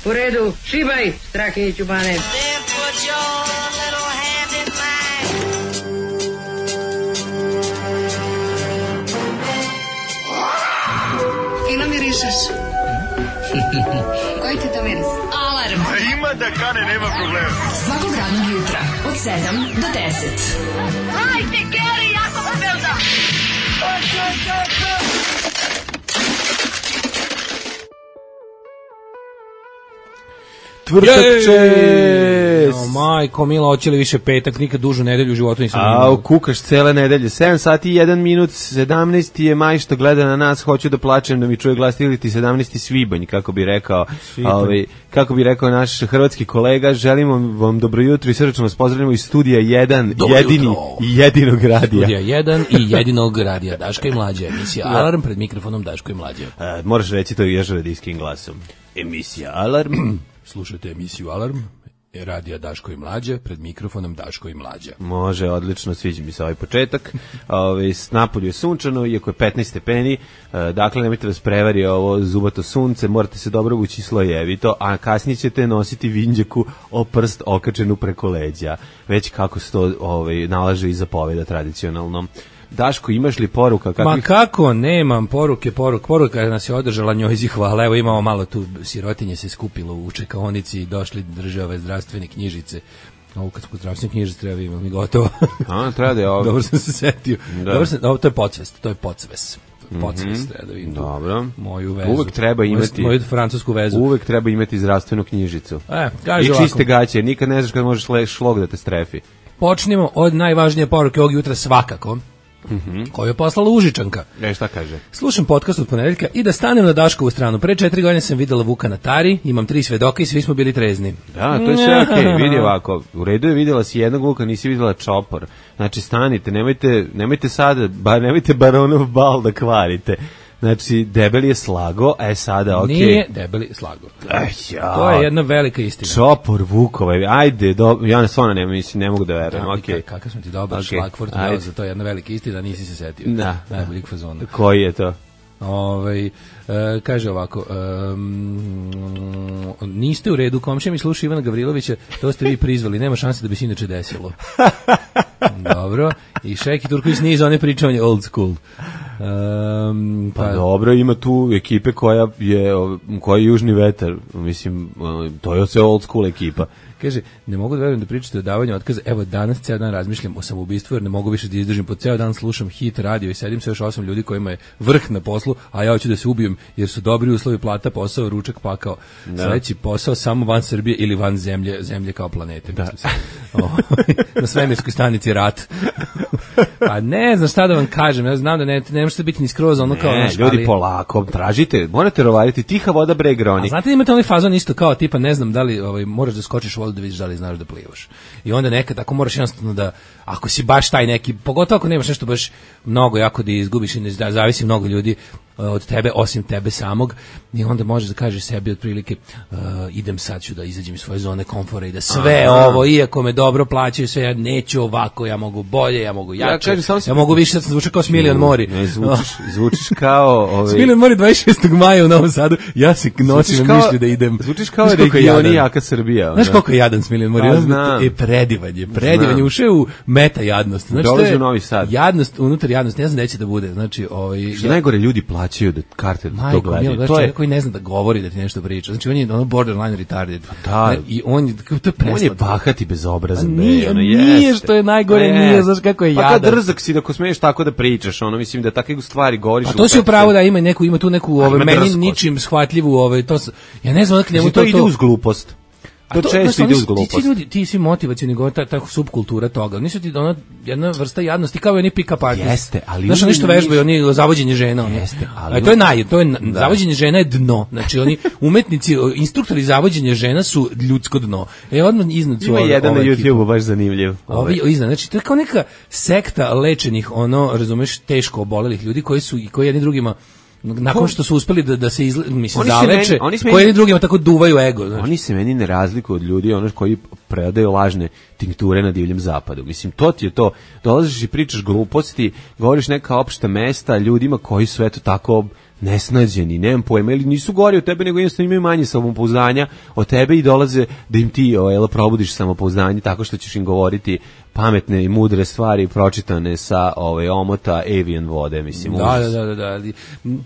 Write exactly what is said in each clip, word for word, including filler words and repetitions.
U redu, šibaj, Strahinjiću Bane. Fino mirišeš. Koji ti to miris? Alarm. Ima da kane, nema problema. Svakog radnog jutra, od sedam do deset. Hajde, Geri, jako se velda. Tvrtak čest. O, majko, mila, hoće li više petak, nikad dužu nedelju u životu nisam imao. A, kukaš cele nedelje. sedam sati i jedan minut, sedamnaesti je maj što gleda na nas, hoću da plačem da mi čuje glas, ili ti sedamnaesti svibanj, kako bi rekao, ovaj, kako bi rekao naš hrvatski kolega. Želimo vam dobro jutro i srdačno vas pozdravljamo iz studija jedan, dobro jedini jutro. I jedinog radija. Studija jedan i jedinog radija, Daška i Mlađa, emisija Alarm, pred mikrofonom Daško i Mlađa. A, moraš reći to još radijskim glasom. Emisija Alarm. Slušajte emisiju Alarm, radija Daško i Mlađa, pred mikrofonom Daško i Mlađa. Može, odlično, sviđa mi se ovaj početak. Ove, napolju je sunčano, iako je petnaest stepeni, dakle nemojte vas prevari ovo zubato sunce, morate se dobro vući slojevito, a kasnije ćete nositi vinđaku o prst okačenu preko leđa, već kako se to ovaj, nalaže i zapoveda tradicionalno. Daško, imaš li poruka? Kakvih... Ma kako, nemam poruke, poruk, poruka nas je održala, njoj zi hvala, evo imamo malo tu, sirotinje se skupilo u čekaonici i došli drže ove zdravstvene knjižice. Ovo kad smo zdravstvene knjižice treba imamo mi gotovo. A, treba da je ovo. Dobro sam se setio. Da. Dobro sam, ovo, to je podsvest, to je podsves. Podsvest, mm-hmm. treba da vidim. Dobro. Moju vezu. Uvek treba imati. Moju francusku vezu. Uvek treba imati zdravstvenu knjižicu. E, kaže i čiste ovako. gaće, nikad ne znaš kad možeš šlog da te strefi. Počnemo od najvažnije poruke ovog jutra svakako. Mm-hmm. Koju je poslala Užičanka. E, šta kaže? Slušam podcast od ponedeljka i da stanem na Daškovu stranu. Pre četiri godine sam videla Vuka na Tari, imam tri svedoka i svi smo bili trezni. Da, to je sve okej, okay. Vidi ovako. U redu je, videla si jednog Vuka, nisi videla čopor. Znači, stanite, nemojte, nemojte sada, bar, nemojte baronov bal da kvarite. Znači, debeli je slago, e sada, okej. Okay. Nije debeli slago. Aj, ja. To je jedna velika istina. Čopor Vukova, ajde, do, ja ne stvarno ne, mislim, ne mogu da verujem, da, okej. Okay. Kakav sam ti dobar okay. šlagfort, za to je jedna velika istina, nisi se setio. Da. Najboljeg fazona. Koji je to? Ovaj, e, kaže ovako, um, niste u redu, komšija mi sluša Ivana Gavrilovića, to ste vi prizvali, nema šanse da bi se inače desilo. Dobro, i Šeki Turković nije za one pričanje old school. Um, pa, pa dobro, ima tu ekipe koja je, koja je južni vetar, mislim, to je sve old school ekipa. Kaže, ne mogu da verujem da pričate o davanju otkaza, evo danas ceo dan razmišljam o samoubistvu jer ne mogu više da izdržim, po ceo dan slušam hit radio i sedim sa još osam ljudi kojima je vrh na poslu, a ja hoću da se ubijem jer su dobri uslovi, plata, posao, ručak, pakao. Da. Sledeći posao samo van Srbije ili van zemlje, zemlje kao planete. Da. O, na svemirskoj stanici rat. Pa ne znam šta da vam kažem, ja znam da ne, ne možete biti ni skroz ono kao... Ne, naš, ljudi ali... polako, tražite, morate rovariti, tiha voda bre groni. A znate da imate onaj fazon isto kao tipa, ne znam da li ovaj, moraš da skočiš u vodu da vidiš da li znaš da plivaš. I onda nekad ako moraš jednostavno da, ako si baš taj neki, pogotovo ako nemaš nešto baš mnogo jako da izgubiš i ne zavisi mnogo ljudi od tebe, osim tebe samog, i onda možeš da kažeš sebi otprilike uh, idem sad ću da izađem iz svoje zone komfora i da sve Aha. ovo, iako me dobro plaćaju, sve ja neću ovako, ja mogu bolje, ja mogu jače, ja, kažem, ja mogu više, sad sam zvučao kao Smiljan Mori. Ne, zvučiš, zvučiš kao... Ovaj... Smiljan Mori dvadeset šestog maja u Novom Sadu, ja se nosim na mišlju da idem. Zvučiš kao regioni jaka Srbija. Znaš koliko je jadan Smiljan Mori? Je predivan je, predivan je, ušao u meta jadnost. Znači, dolazi u Novi Sad. Jadnost, unutar jadnost, ne znam da će da bude. Znači, ovaj, što ja, najgore ljudi plaćaju da karte da to gledaju. To je koji ne zna da govori, da ti nešto priča. Znači on je ono borderline retarded. Da. I on je to je on je bahat i bezobrazan. Nije, ono, nije što je najgore, ne. Nije, znaš kako je jadan. Pa kad drzak si da ko smiješ tako da pričaš, ono mislim da takve stvari govoriš. A to si upravo da ima neku, ima tu neku ove meni ničim shvatljivu, ove to ja ne znam odakle njemu to to ide uz glupost. To, to često znači, ide uz glupost. Ti ljudi, ti svi motivacioni govor, ta, ta subkultura toga. Nisu ti ona jedna vrsta jadnosti kao i oni pick-up artisti. Jeste, ali znaš, nešto vežbaju, oni zavođenje žena. Jeste, ali... A to je naj, to je da. Zavođenje žena je dno. Znači, oni umetnici, instruktori zavođenja žena su ljudsko dno. E, odmah iznad su... Ima ove, jedan ove na YouTubeu baš zanimljiv. Ovi iznad, znači, to je kao neka sekta lečenih, ono, razumeš, teško obolelih ljudi koji su, i koji jedni drugima nakon što su uspeli da da se izle, mislim zaleče, koji jedni drugima tako duvaju ego, znači. Oni se meni ne razlikuju od ljudi ono koji predaju lažne tinkture na divljem zapadu. Mislim, to ti je to. Dolaziš i pričaš gluposti, govoriš neka opšta mesta ljudima koji su eto tako nesnađeni, nemam pojma, ili nisu gori od tebe, nego jednostavno imaju manje samopouzdanja od tebe i dolaze da im ti o, probudiš samopouzdanje tako što ćeš im govoriti pametne i mudre stvari pročitane sa ovaj omota Avian vode, mislim. Da, da, da, da, da.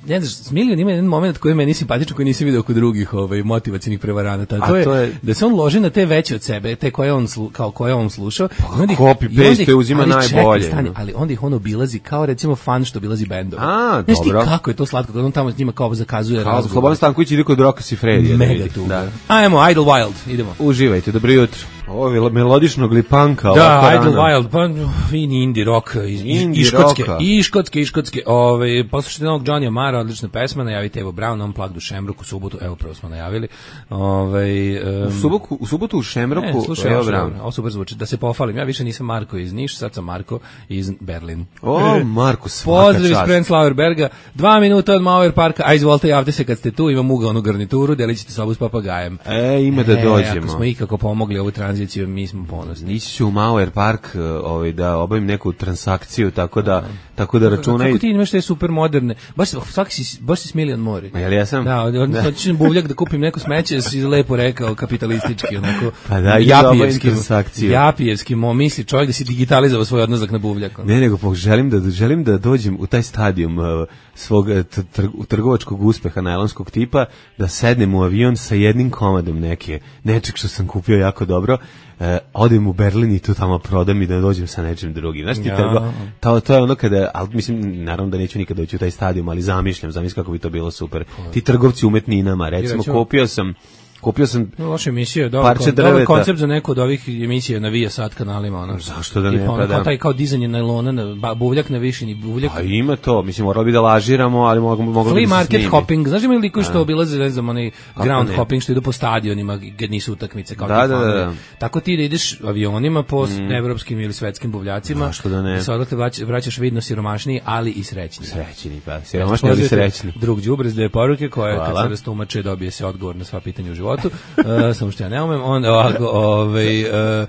Ne znaš, Smiljan ima jedan moment koji meni simpatičan, koji nisi vidio kod drugih ovaj motivacionih prevaranata. To, to je da se on loži na te veće od sebe, te koje on slu, kao koje on slušao. Pa, copy paste uzima ali najbolje. Čekaj, stani, ali onda ih on obilazi kao recimo fan što obilazi bendove. A, znaš dobro. Ti kako je to slatko kad on tamo s njima kao zakazuje kao razgovor. Slobodan Stanković ide kod Roka Sifredija. Mega tu. Da. Ajmo, Idlewild, idemo. Uživajte, dobro jutro. Ovo je melodičnog lipanka. Da, Idlewild, pa fini indie rock iz, indie iz Škotske, rocka. i Škotske, i Škotske. Ove, poslušajte novog Johnny Mara, odlična pesma, najavite Evo Brown, on plak du Šemruku, u subotu, evo prvo smo najavili. Ove, um, u, subotu, u subotu u Šemruku, ne, slušaj, Evo Brown. Brown. Ovo super zvuči, da se pofalim, ja više nisam Marko iz Niš, sad sam Marko iz Berlin. O, Marko, svaka pozdrav iz čast. Prenzlauer Berga, dva minuta od Mauer Parka, a izvolite, javite se kad ste tu, imam ugaonu garnituru, delit ćete sobu s papagajem. E, ima da dođemo. E, ako smo ikako pomogli ovu tranziciju, mi smo ponosni. Ići ću u Mauer Park ovaj, da obavim neku transakciju, tako da, tako da računaj... Kako ti imaš te super moderne, baš, svaki si, baš si Smiljan Mori. Jel ja sam? Da, odnosno ću buvljak da kupim neko smeće, si lepo rekao, kapitalistički, onako, pa da, japijevski, transakciju. japijevski, mo misli čovjek da si digitalizovao svoj odnozak na buvljak. Ne, nego po, želim, da, želim da dođem u taj stadijum uh, svog tr, trgovačkog uspeha najlonskog tipa, da sednem u avion sa jednim komadom neke, nečeg što sam kupio jako dobro, Uh, odem u Berlin i tu tamo prodam i da dođem sa nečim drugim. Znaš ti, ja. trgo, to, to je ono kada, ali mislim, naravno da neću nikada doći u taj stadijum, ali zamišljam, zamišljam kako bi to bilo super. Ti trgovci umetninama, recimo, recimo kupio sam Kupio sam no, loša emisija, dobar, dobar koncept za neku od ovih emisija na Viasat kanalima. Ono. Zašto da ne? Tipa, ono, pa da. Taj kao dizanje najlona, na, buvljak na višini, buvljak. Pa ima to, mislim, moralo bi da lažiramo, ali moglo, moglo Flea bi da se market snimi. hopping, znaš ima li liko što obilaze, ne znam, onaj ground hopping što idu po stadionima gdje nisu utakmice kao da, da, da. Tako ti da ideš avionima po mm. evropskim ili svetskim buvljacima. Zašto da ne? Da se odatle vraćaš vidno siromašniji, ali i srećni. Srećni, pa, siromašni, ali srećni. Drug đubre s dve poruke koje kad se rastumače dobije se odgovor na sva pitanja u životu. Samo što ja ne umem, onda ovako, ovaj, uh,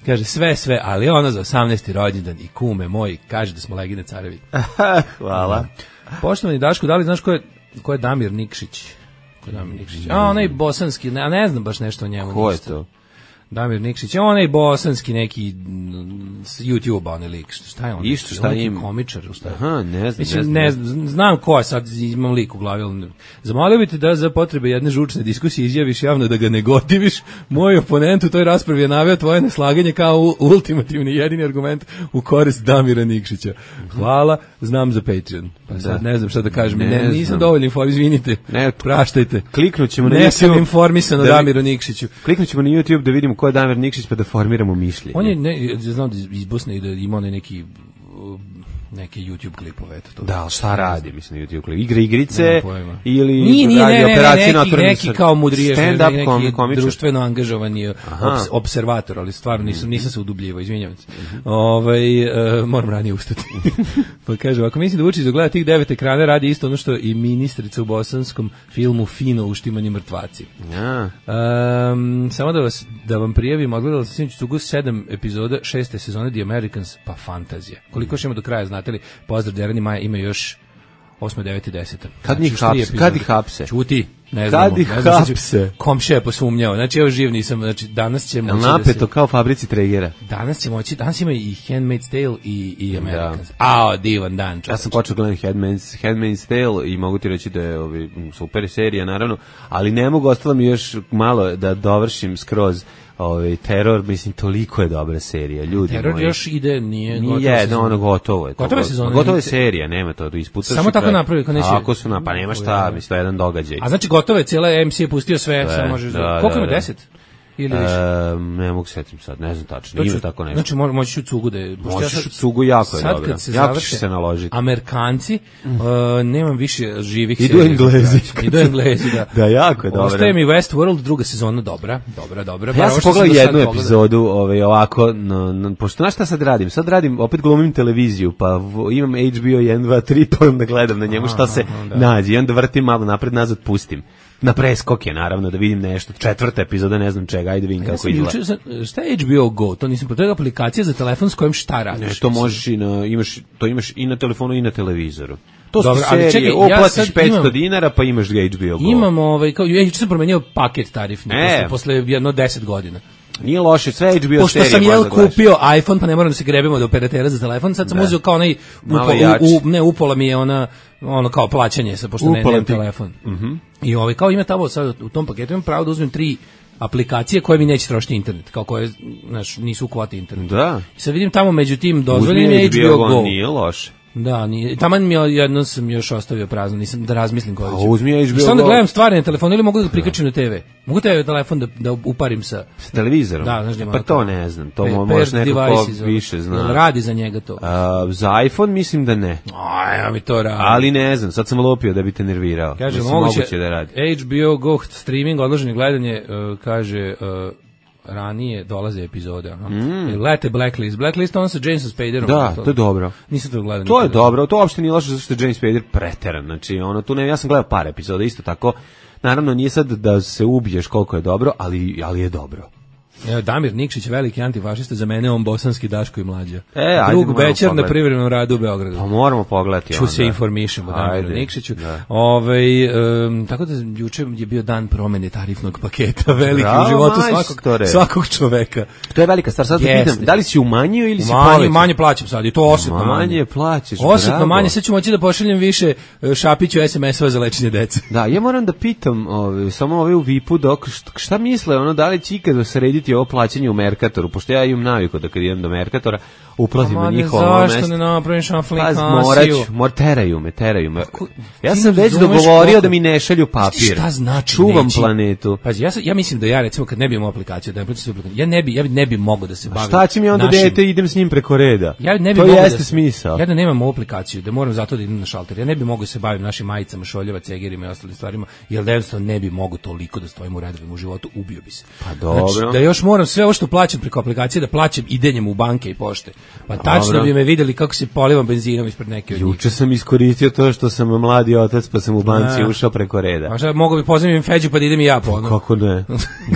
kaže sve, sve, ali ono za osamnaesti rođendan i kume moji, kaže da smo legine carevi. Hvala. Poštovani Daško, da li znaš ko je, ko je Damir Nikšić? Ko je Damir Nikšić? A, onaj bosanski, ne, ne znam baš nešto o njemu. Ko je ništa. to? Damir Nikšić, onaj bosanski neki YouTube onaj lik, šta je on? Isto šta neki ima? Komičar, šta je? Aha, ne znam, Mislim, ne ne znam. znam, znam ko je sad, imam lik u glavi, ali zamolio bi te da za potrebe jedne žučne diskusije izjaviš javno da ga ne gotiviš. Moj oponent u toj raspravi je naveo tvoje neslaganje kao ultimativni jedini argument u korist Damira Nikšića. Hvala, znam za Patreon. Pa sad Da. ne znam šta da kažem, Ne ne, znam. nisam dovoljno informisan, izvinite, Ne, praštajte. Kliknućemo na Ne sam YouTube informisan o da vi- Damiru Nikšiću. Kliknućemo na YouTube da vidimo ko je Damir Nikšić pa da formiramo mišljenje. On je, ne, znam da iz Bosne i da ima onaj neki uh, neke YouTube klipove, eto to. Da, ali šta radi, mislim, na YouTube klip? Igre, igrice Nemam pojma. ili Nije, nije, radi ne, ne, ne, operacije neki, Naturalni neki srce? kao mudrije, Stand-up neki kom, komičar. društveno angažovani obs, observator, ali stvarno nisam, nisam se udubljivao, izvinjavam se. Ovaj, uh, moram ranije ustati. Pa kaže, ako mislim da Vučić dogleda tih devet ekrana, radi isto ono što i ministrica u bosanskom filmu Fino uštimani mrtvaci. Ja. Um, samo da vas da vam prijavim, odgledala sam sinoć Cugu sedam epizoda šeste sezone The Americans, pa fantazija. Koliko još ima do kraja, znate li? Pozdrav Derani Maja, ima još osma, deveta i deseta. Kad njih još tri hapse? epizode. Kad ih hapse? Čuti, ne Kad znamo. ih ne znam, znači, hapse? komšija je posumnjao. Znači, evo živ nisam, znači, danas će Jel moći da napeto se... kao fabrici Tregera? Danas će moći, danas ima i Handmaid's Tale i, i Americans. A, divan dan, čovječ. Ja sam počeo gledati Handmaid's, Handmaid's Tale i mogu ti reći da je ovi, super serija, naravno, ali ne mogu, ostalo mi još malo da dovršim skroz ovaj teror, mislim, toliko je dobra serija, ljudi Teror moji. još ide, nije... Nije, no, ono gotovo je. To, Gotova je sezona. Gotova je serija, nema to, to isputaš. Samo i tako kraj. napravi, kao neće- Tako su, na, pa nema šta, mislim, to je jedan događaj. A znači gotovo je, cijela M C je pustio sve, Sve, samo možeš... da, Da, koliko da, ima, da. deset? Ili više? E, ne mogu setim sad, ne znam tačno, ima tako nešto. Znači mo- moći ću Cugu da je... pošto ja Možeš sad- u Cugu, jako je sad dobra. kad se Jako završe ćeš se naložiti. Amerikanci, uh, nemam više živih Idu serija. Englezi. Idu Englezi, da. Da, jako je dobra. Ostaje mi Westworld, druga sezona, dobra, dobra, dobra. Pa ja Bar sam ovo što pogledao do sad jednu pogledao. epizodu, ovaj, ovako, no, no, pošto znaš šta sad radim? Sad radim, opet glumim televiziju, pa v, imam H B O jedan, dva, tri, pa onda gledam na njemu šta se da. nađe. I onda vrtim malo napred, nazad, pustim. Na preskoke, naravno, da vidim nešto. Četvrta epizoda, ne znam čega, ajde vidim Ja kako sam izgleda. juče, sam- šta je H B O Go? To nisam, to je aplikacija za telefon s kojim šta radiš? Ne, to možeš i na, imaš, to imaš i na telefonu i na televizoru. To su Dobro, ali serije, čekaj, ja uplatiš sad petsto imam- dinara pa imaš H B O Go. Imamo, ovaj, kao, ja juče sam promenio paket tarifni, E. posle, posle jedno deset godina. Nije loše, sve H B O Pošto serije sam jel možda gledaš. kupio iPhone, pa ne moram da se grebemo od operatera za telefon, sad sam Da. uzeo kao onaj, Malo upo, jači. u, u, ne, upola mi je ona, ono kao plaćanje, sa, pošto ne, Upola nemam ti. telefon. I ovaj, kao ima tamo sad u tom paketu, imam pravo da uzmem tri aplikacije koje mi neće trošiti internet, kao koje, znaš, nisu u kvoti internet. Da. I sad vidim tamo među tim dozvoljenim Uzmi je H B O Go. Nije loše. Da, nije, taman mi je jedno sam još ostavio prazno, nisam da razmislim koji A ću. uzmi H B O I sad onda Go. gledam stvari na telefonu ili mogu da ga prikačim na te ve. Mogu te telefon da, da uparim sa... S televizorom? Da, znaš da ima pa ono to kao- ne znam, to Pe- mo- paired možeš nekako devices, ono. više Jel zna. radi za njega to. A, za iPhone mislim da ne. Aj, ja mi to radi. Ali ne znam, sad sam lopio da bi te nervirao. Kaže, Mislim, moguće, moguće da radi. H B O Go streaming, odloženi gledanje, uh, kaže, uh, ranije dolaze epizode. Ono. Mm. Lete Blacklist. Blacklist on sa Jamesom Spaderom. Da, to je dobro. Nisam to gledao. To je nikada. dobro, to uopšte nije loše zato što je James Spader preteran. Znači, ono, tu ne, ja sam gledao par epizoda, isto tako. Naravno, nije sad da se ubiješ koliko je dobro, ali, ali je dobro. Evo, Damir Nikšić, veliki antifašista, za mene on bosanski Daško i Mlađa. E, ajde, Drug moramo Bećar na pogledati. privremenom radu u Beogradu. Pa moramo pogledati Ču onda. se informišemo Damiru Ajde, Nikšiću. da. Ovaj, um, tako da juče je bio dan promene tarifnog paketa, veliki Bravo, u životu majstore. svakog, svakog čoveka. To je velika stvar. Sad da Jeste. pitam, da li si umanjio ili si Manje, povećao? manje plaćam sad i to osetno manje. Manje plaćaš, Osetno bravo. manje, sad ću moći da pošaljem više e, Šapiću es em es-ova za lečenje dece. Da, ja moram da pitam ove, samo ove u vipu dok šta, šta misle, ono, da li će ikada srediti ovo plaćanje u Merkatoru, pošto ja imam naviku da kad idem do Merkatora uplatim na Mane, njihovo mesto. zašto ne napraviš Pa, aplikaciju? morat ću, mor, teraju me, teraju me. Ja ti sam ne već razumeš dogovorio koliko- da mi ne šalju papir. Šta znači Čuvam neći? planetu. Pazi, ja, sam- ja mislim da ja recimo kad ne bi imao aplikaciju, da ne plaćam svoju aplikaciju, ja ne bi, ja bi ne bi mogao da se bavim. Šta će mi onda našim- dete, idem s njim preko reda? Ja ne bi to mogao jeste da, smisao. Ja da nemam ovu aplikaciju, da moram zato da idem na šalter. Ja ne bi mogao da se bavim našim majicama, šoljeva, cegerima i ostalim stvarima, jer da jednostavno ne bi mogao toliko da stojim u redovima u životu, ubio bi se. Pa dobro. Znači, da još moram sve ovo što plaćam preko aplikacije da plaćam idenjem u banke i pošte. Pa tačno Dobro. bi me videli kako se polivam benzinom ispred neke od njih. Juče sam iskoristio to što sam mladi otac, pa sam u banci Da. ušao preko reda. A šta, mogu bi pozivim Feđu pa da idem i ja po ono. Kako ne?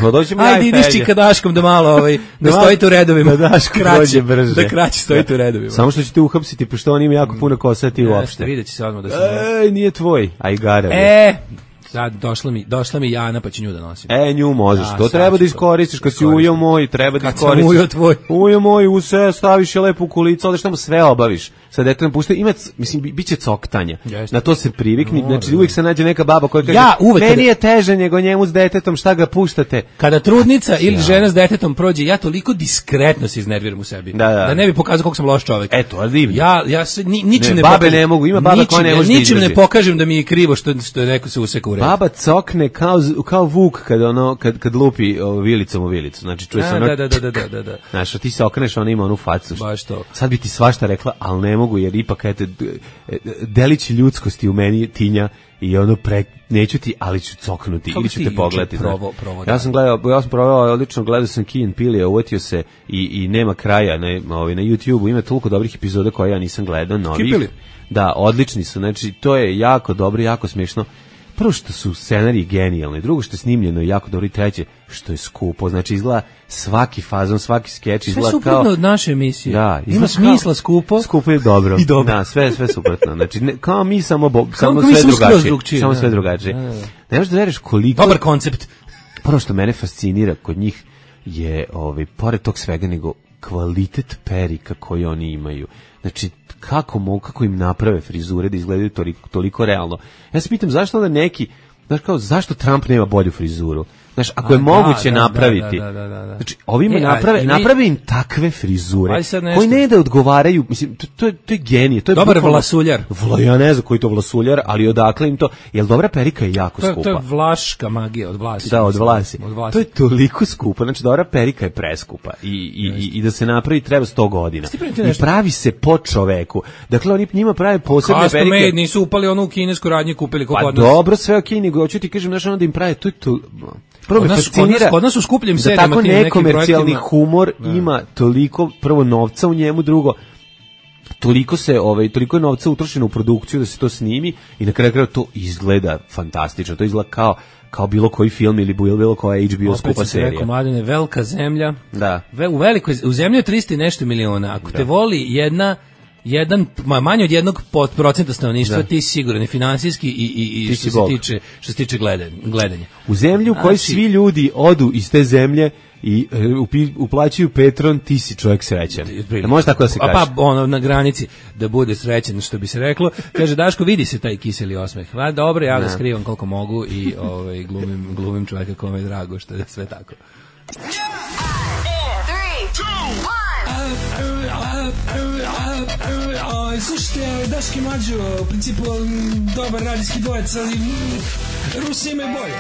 Pa doćemo ja Ajde, i ideš Feđa. čika Daškom da malo, ovaj, da Da, stojite u redovima. da Daško dođe brže. Da kraće stojite u redovima. Samo što ćete uhapsiti, pošto on ima jako puno kosati Jeste, uopšte. vidjet će se odmah da sam... Ej, nije tvoj, a i gara. E, sad došla mi, došla mi Jana pa ću nju da nosim. E, nju možeš, Da, to sad treba ću da to iskoristiš, kad si iskoristim. ujo moj, treba da Kad sam iskoristiš. ujo tvoj. Ujo moj, u sve staviš je lepo u kulicu, ali šta mu sve obaviš. Sad detetom pušta, ima, c- mislim, bi- biće coktanja. Jeste. Na to se privikni, Mora, znači da. uvijek se nađe neka baba koja kaže, Ja uvek meni kada- je teže nego njemu s detetom, šta ga puštate? Kada trudnica ili žena s detetom prođe, ja toliko diskretno se iznerviram u sebi. Da, da. ne bi pokazao koliko sam loš čovjek. E, to je divno. Ja, ja se, ni, ničim Ne, ne, babe pokažem, ne mogu, ima baba koja ničim, ne ja može da ničim ne izdrži. pokažem da mi je krivo što, što je neko se useka u red. Baba cokne kao, z- kao vuk kad, ono, kad, kad lupi o, vilicom u vilicu. Znači, čuje se Da, ono... da, da, da, da, da, da. Znaš, a ti se okreneš, ona ima onu facu. što- Baš to. Sad bi ti svašta rekla, ali ne mogu, jer ipak, eto, d- e, delić ljudskosti u meni tinja i ono pre, neću ti, ali ću coknuti, Kako ili si ću ti te juče pogledati. znaš. provao- provao Ja sam gledao, ja sam provao odlično, gledao sam Key and Peele, uvatio se i, i nema kraja na, ovaj, na YouTube-u, ima toliko dobrih epizoda koje ja nisam gledao, novih. Peele? Da, odlični su, znači, to je jako dobro, jako smiješno. Prvo što su scenariji genijalni, drugo što je snimljeno jako dobro i treće što je skupo, znači izgleda svaki fazon, svaki skeč Sve izgleda suprotno kao... od naše emisije. Da, Ima smisla skupo. Skupo je dobro. I dobro. Da, sve sve suprotno. Znači ne, kao mi samo bo, samo kao mi sve samo skroz drugačije. drugčije, Samo da. sve drugačije. Da, da, da. Ne možeš da veruješ koliko Dobar koncept. prvo što mene fascinira kod njih je ovaj pored tog svega nego kvalitet perika koji oni imaju. Znači kako mogu, kako im naprave frizure da izgledaju toliko, toliko realno. Ja se pitam zašto onda neki, znaš kao, zašto Trump nema bolju frizuru? Znaš, ako A, je da, moguće da, da, napraviti. da, da, da, da. Znači, ovima E, a, naprave, i mi- naprave im takve frizure Aj sad nešto. koji ne da odgovaraju, mislim, to, to, je, to je genije. To je Dobar bukvalno- vlasuljar. Vla, ja ne znam koji je to vlasuljar, ali odakle im to, jel dobra perika je jako To je, skupa. to je vlaška magija od vlasi. Da, od mislim. vlasi. Od vlasi. To je toliko skupo, znači dobra perika je preskupa i, i, i, i da se napravi treba sto godina. Ti primeti I nešto? pravi se po čoveku. Dakle, oni njima prave posebne Custom perike. made, nisu upali ono u kinesku radnje kupili kako Pa od nas. dobro, sve okej, nego hoću ti kažem, znaš, onda im pravi, to je to... Prvo Kod me nas- kod fascinira nas- kod nas u skupljim da serijama, tako tim nekim nekomercijalni projektima- humor ima toliko, prvo novca u njemu, drugo, toliko se ovaj toliko je novca utrošeno u produkciju da se to snimi i na kraju krajeva to izgleda fantastično. To izgleda kao kao bilo koji film ili bilo, bilo koja H B O Opet skupa sam ti serija. rekao, Mladene, velika zemlja. Da. Ve, u velikoj, u zemlji je trista i nešto miliona. Ako te voli jedna jedan ma, manje od jednog pod procenta stanovništva Da. ti si siguran i finansijski i i i Ti što si se Bog. tiče što se tiče gledanja, gledanja. U zemlju u kojoj Znači- svi ljudi odu iz te zemlje i e, upi- uplaćuju Petron, ti si čovjek srećan. Da može tako da se A kaže. pa ono na granici da bude srećan, što bi se reklo. Kaže Daško, vidi se taj kiseli osmeh. Va dobro, ja ga skrivam koliko mogu i ovaj glumim glumim čovjeka kome je drago što je sve tako. Slušajte, Daški Mađo, u principu m, dobar radijski dvojec, ali m, Rusi imaju bolje.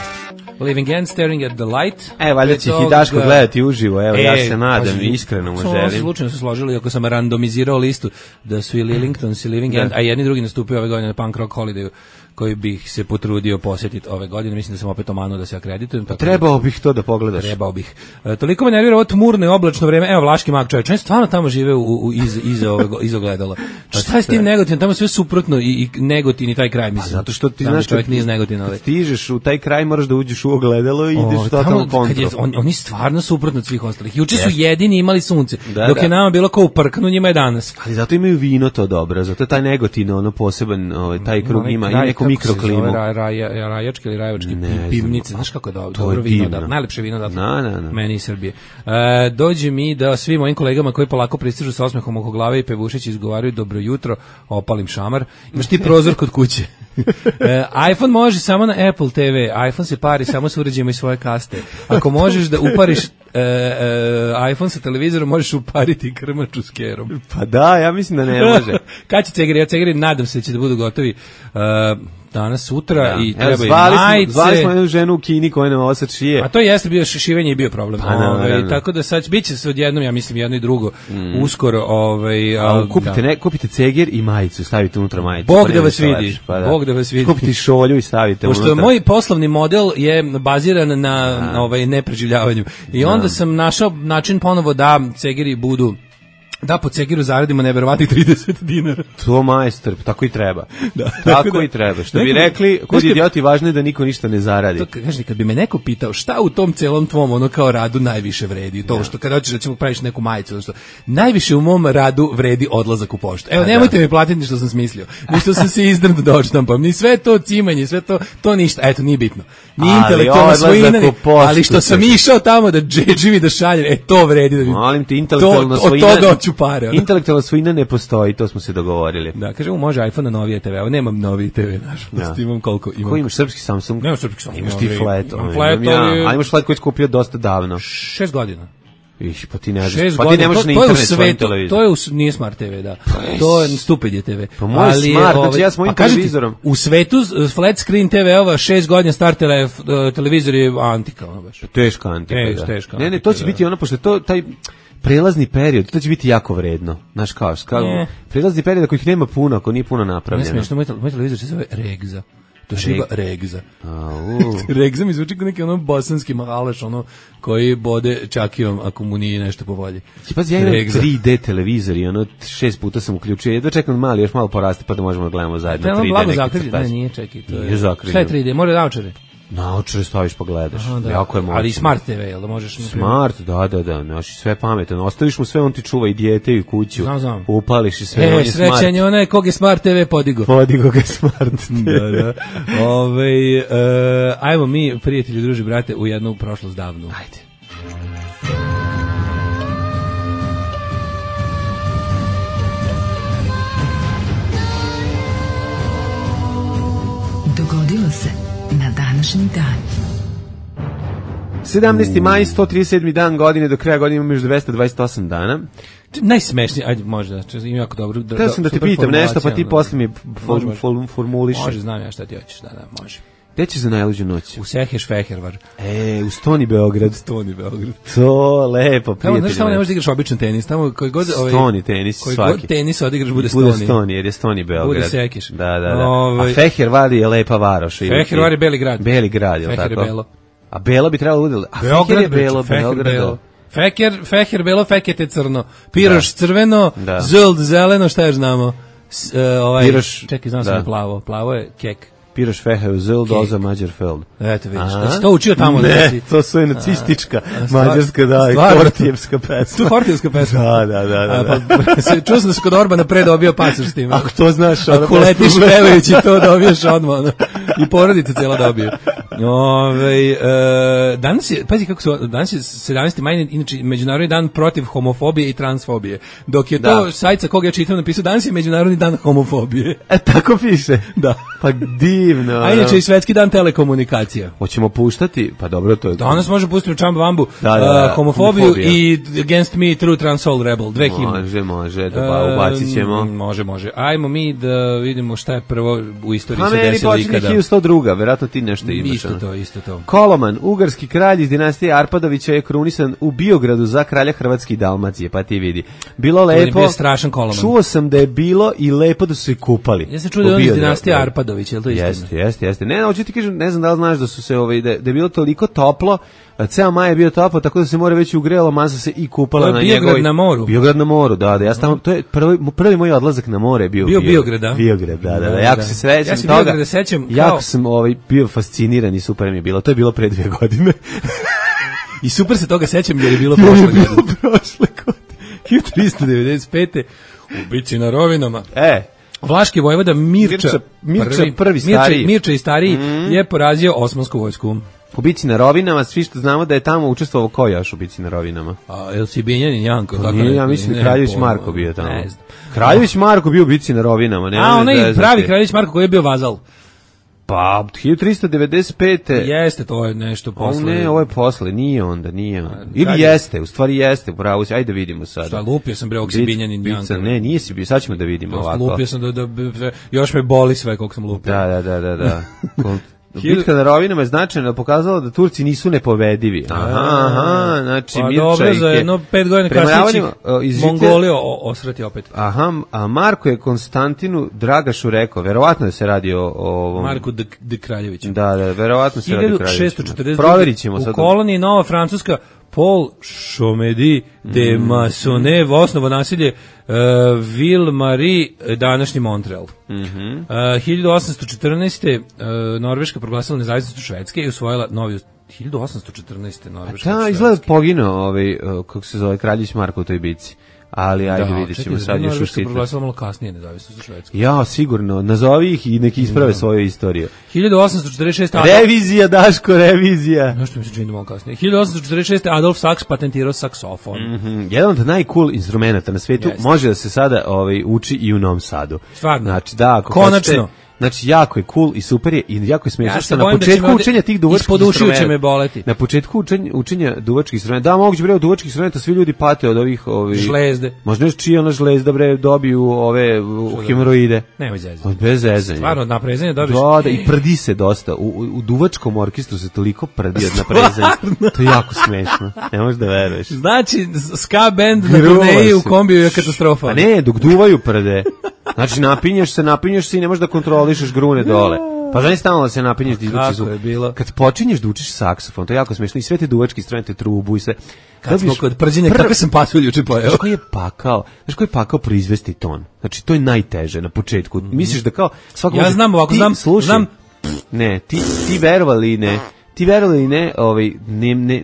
Living End, Staring at the Light. E, valjda će ih i Daško gledati uživo, evo, ja se nadam, iskreno mu Samo se želim. slučajno su složili, ako sam randomizirao listu, da su i Lillingtons i Living End, a jedni i drugi nastupio ove godine na Punk Rock Holidayu, koji bih se potrudio posjetiti ove godine. Mislim da sam opet omanuo da se akreditujem. Tako Trebao bih to da pogledaš. Trebao bih. E, toliko me nervira ovo tmurno i oblačno vreme. Evo, Vlaški mag čovječ, on stvarno tamo žive u, u, iz, iza, ove, iza ogledala. Šta je s tim Negotinom? Tamo sve suprotno i, i Negotin i taj kraj, mislim. Zato što ti Tamo znaš, čovjek kad- nije iz Negotina. Kad Ali. stižeš u taj kraj, moraš da uđeš u ogledalo i ideš O, totalno tamo, kad je, kontrol. on, oni stvarno suprotno od svih ostalih. Juče su Jeste. jedini imali sunce, Da, dok da. je nama bilo kao u prknu, njima je danas. Ali zato imaju vino to dobro, zato je taj Negotin, ono poseban, ovaj, taj krug Onaj ima i kraj, neku kako se mikroklimu. zove, Ra, ra, rajački ili rajevački Ne znam. pivnice, znaš kako je dobro, To je dobro vino, divno. da, najlepše vino da. Na, na, na. Meni iz Srbije. E, dođe mi da svim mojim kolegama koji polako pristižu sa osmehom oko glave i pevušeći izgovaraju dobro jutro, opalim šamar. Imaš ti prozor kod kuće. E, iPhone može samo na Apple te ve. iPhone se pari samo s uređajima i svoje kaste. Ako možeš da upariš e, e, iPhone sa televizorom, možeš upariti krmaču s kerom. Pa da, ja mislim da ne može. Kad će cegeri? Ja cegeri nadam se da će da budu gotovi uh, danas, sutra Da. i Evo, treba i zvali smo- majice. Zvali smo jednu ženu u Kini koja nam ovo sad šije. A to jeste bio šivenje i bio problem. Pa, naravno. Ovaj, tako da sad biće se odjednom, ja mislim jedno i drugo, uskoro. Ovaj, A, a, kupite, da. ne, kupite ceger i majicu, stavite unutra majicu. Bog pa da nema vas šta vidi. lepše, pa da. Bog da vas vidi. Kupite šolju i stavite Pošto unutra. moj poslovni model je baziran na, na ovaj nepreživljavanju. I onda sam našao način ponovo da cegeri budu da po cegiru zaradimo neverovatnih trideset dinara. To majstor, tako i treba. Da. Tako i treba. Što bi Neko- rekli, kod Znaš kad- idioti važno je da niko ništa ne zaradi. To ka- kaži, kad bi me neko pitao šta u tom celom tvom ono kao radu najviše vredi, to što kada hoćeš da ćemo praviš neku majicu, ono što najviše u mom radu vredi odlazak u poštu. Evo, nemojte mi platiti ni što sam smislio, ni što sam se izdrnd da odštampam, ni sve to cimanje, sve to, to ništa, eto, nije bitno. Ni Ali intelektualna odlazak svojina, ni- u poštu, ali što sam čekaj. išao tamo da džedžim i da šaljem, e, to vredi da mi... Molim te, intelektualna to, svojina... Od toga hoću pare. ono. Intelektualna svojina ne postoji, to smo se dogovorili. Da, kažemo, može iPhone na novije te ve, evo, nemam noviji te ve, nažalost, Da. imam koliko imam. Ko imaš srpski Samsung? Nemam srpski Samsung, Imaš ti imam flat, imam ono, flat, imam ja. ali- A imaš flat koji si kupio dosta davno. Šest godina. Iš, pa ti ne znaš. Šest Pa ti godina, ne možeš to, na to je u internet svojim svetu, televizorom. to je u, s- nije Smart te ve, da. To je Stupid je te ve. Pa moj je Smart, znači ja s mojim a kažem ti, televizorom. U svetu s- flat screen te ve-ova šest godina star telef, uh, televizor je antika, ono baš. Teška antika, Teš- da. teška Ne, ne, antika, to će da. biti ono, pošto je to taj prelazni period, to će biti jako vredno. Znaš kao, kao Ne. prelazni period ako ih nema puno, ako nije puno Ne napravljeno. smiješ, moj, tel- moj televizor se zove Regza. To šiba Regza. Au. Regza mi zvuči kao neki ono bosanski mahalaš, ono koji bode čakijom ako mu nije nešto po volji. Ti pazi, ja imam Regza. tri de televizor i ono šest puta sam uključio. Jedva čekam da mali još malo poraste pa da možemo da gledamo zajedno To je ono tri de blago neki zakrivljen. crtač. Ne, nije, čekaj. To Nije je, zakrivljen. šta je tri de? Mora naočare. Naočare staviš pa gledaš. Aha, da. Jako je moćno. Ali i Smart te ve, jel da možeš... na primjer- Smart, da, da, da, znaš, sve pametan. Ostaviš mu sve, on ti čuva i dijete i kuću. Znam, znam. Upališ i sve, on E, je smart. srećan je onaj kog je Smart te ve podigo. Podigo ga smart. da, da. Ove, e, ajmo mi, prijatelji, druži, brate, u jednu prošlost davnu. Ajde. Dogodilo se na današnji dan. sedamnaesti maj, sto trideset sedmi dan godine, do kraja godine imamo još dvesta dvadeset osam dana. Najsmešnije, ajde, može da, ima jako dobro. Da, Htio sam da te super pitam nešto, pa formulacija, ti ono. posle mi Može, form, može. form, formuliši. Može, znam ja šta ti hoćeš, da, da, može. Gde ćeš za najluđu noć? U Seheš Fehervar. E, u Stoni Beograd. Stoni Beograd. To, lepo, Tamo, prijatelji. znaš, tamo ne moji. možeš da igraš običan tenis, tamo koji god... Ovaj, Stoni tenis koji svaki. god tenis odigraš bude Bude Stoni. Stoni, jer je Stoni Beograd. Bude Sekeš. Da, da, da. Ovaj- A Fehervar je lepa varoš. ili- Fehervar je Beli grad. Beli grad, je li Feher je tako? belo. A Belo bi trebalo da bude... A Beograd Feher je bre, Belo, Feher Beograd. belo. Feker, Feher belo, Fekete crno. Piroš crveno, Da. Zuld zeleno, šta još znamo? S, e, ovaj, Piroš, čekaj, znam sam da. je plavo. Plavo je kek. Piraš Fehe Zil, Doza Mađarfeld. Eto vidiš, da si to učio tamo. Ne, da si... to su je nacistička, mađarska, da, i Hortijevska pesma. Tu Hortijevska pesma? Da, da, da. da, da. A, pa, čuo sam da se kod Orbana pre dobio pasoš s tim. Ako to znaš, ono... Ako letiš pevajući to dobiješ odmah, ono. I porodica cijela dobiju. Ove, e, danas je, pazi kako su, danas je sedamnaesti maj, inače Međunarodni dan protiv homofobije i transfobije. Dok je to da. sajt sa koga ja čitam napisao, danas je Međunarodni dan homofobije. E, tako piše? Da. Pa divno. A inače i Svetski dan telekomunikacija. Hoćemo puštati? Pa dobro, to je... Danas može pustiti u Čamba Vambu da, da, da, uh, homofobiju homofobija. I Against Me, True Trans Soul Rebel. Dve himne. Može, može, da ba, ubacit ćemo. Um, može, može. Ajmo mi da vidimo šta je prvo u istoriji pa se desilo ikada. Pa meni počinje hiljadu sto druga, verovatno ti nešto imaš. Isto to, isto to. Koloman, ugarski kralj iz dinastije Arpadovića je krunisan u Biogradu za kralja Hrvatske i Dalmacije, pa ti vidi. Bilo lepo. Bio strašan Koloman. Čuo sam da je bilo i lepo da su se kupali. Ja se čuo da je on iz dinastije Arpadović, je li to istina? Jeste, jeste, jeste. Ne, hoću ti kažem, ne znam da li znaš da su se ovaj da, da je bilo toliko toplo, ceo maj je bio toplo, tako da se more već ugrelo, masa se i kupala na njegovoj. Biograd na moru. Biograd na moru, da, da. Ja tamo, to je prvi prvi moj odlazak na more je bio bio Biograd, da. Biograd, da, da, da. Jako se srećem ja se toga. Biograda sećam kao... Jako sam ovaj bio fasciniran i super mi je bilo. To je bilo pre dvije godine. I super se toga sećam jer je bilo prošle godine. prošle godine. hiljadu trista devedeset pete u bici na Rovinama. E, Vlaški vojvoda Mirča, Mirča, Mirča prvi, prvi Mirča, stariji. Mirča i stariji mm. je porazio osmansku vojsku. U bici na Rovinama, svi što znamo da je tamo učestvovao ko još u bici na Rovinama. A el si Binjanin Janko? Pa tako nije, ne, ja mislim ne, Kraljević ne, Marko bio tamo. Ne znam. Kraljević Marko bio u bici na Rovinama. Ne, A, onaj ne pravi Kraljević Marko koji je bio vazal. Pa, hiljadu trista devedeset pete. Jeste, to je nešto posle. O ne, ovo je posle, nije onda, nije onda. Ili kad jeste, u stvari jeste, pravo si, ajde da vidimo sada. Šta, lupio sam bre ovog si Binjanin Janko. Ne, nije si bio, sad ćemo da vidimo To ovako. Lupio sam da, da, da, još me boli sve koliko sam lupio. Da, da, da, da, da. Bitka na Rovinama je značajno pokazala da Turci nisu nepovredivi. Aha, aha, znači pa Mirča dobro, za jedno pet godina kasnije Mongolija osrati opet. Aha, a Marko je Konstantinu Dragašu rekao, verovatno da se radi o, o ovom... Marku de, de Kraljeviću. Da, da, verovatno se radi o Kraljeviću. hiljadu šessto četrdeset Proverit ćemo sad. U koloniji Nova Francuska Paul Chomedy de mm. Maisonneuve osnovo naselje uh, Ville-Marie, današnji Montreal. Mm -hmm. uh, hiljadu osamsto četrnaeste. Uh, Norveška proglasila nezavisnost Švedske i usvojila novi hiljadu osamsto četrnaeste. Norveška. Da, izgleda poginuo ovaj, uh, kako se zove, Kraljević Marko u toj bici. Ali ajde da, vidjet ćemo sad još u sitno. Proglasila malo kasnije nezavisnost Švedske. Ja, sigurno. Nazovi ih i neki isprave da. svoju istoriju. hiljadu osamsto četrdeset šeste. Revizija, Daško, revizija. Nešto mi se čini da malo kasnije. hiljadu osamsto četrdeset šeste. Adolf Sachs patentirao saksofon. Mm -hmm. Jedan od najcool instrumenta na svijetu. Jeste. Može da se sada ovaj, uči i u Novom Sadu. Stvarno. Znači, da, ako konačno. Hoćete, znači, jako je cool i super je i jako je smiješno ja što na početku da učenja tih duvačkih instrumenta. će me boleti. Na početku učenja, učenja duvačkih instrumenta. Da, moguće bre od duvačkih instrumenta svi ljudi pate od ovih ovih žlezde. Možda još čiji ona žlezda bre dobiju ove hemoroide. Nemoj zezati. Bez zezanja. Stvarno od naprezanja dobiš. Da, da, i prdi se dosta. U, u duvačkom orkestru se toliko prdi od naprezanja. To je jako smešno. Ne možeš da veruješ. Znači ska band na turneji u kombiju je katastrofa. Pa ne, dok duvaju prde. Znači napinješ se, napinješ se i ne možeš da kontrolišeš grune dole. Pa znači stalno da se napinješ da izvuči zvuk. Kad počinješ da učiš saksofon, to je jako smešno i sve te duvačke instrumente, trubu i sve. Kad smo kod prđenja, kako sam pasulj juče pojeo. Znaš koji je pakao? Znaš koji je pakao proizvesti ton? Znači to je najteže na početku. Mm-hmm. Misliš da kao svako ja znam ovako, znam, slušaj, znam. Ne, ti ti verovali ne. Ti verovali ne, ovaj ne, ne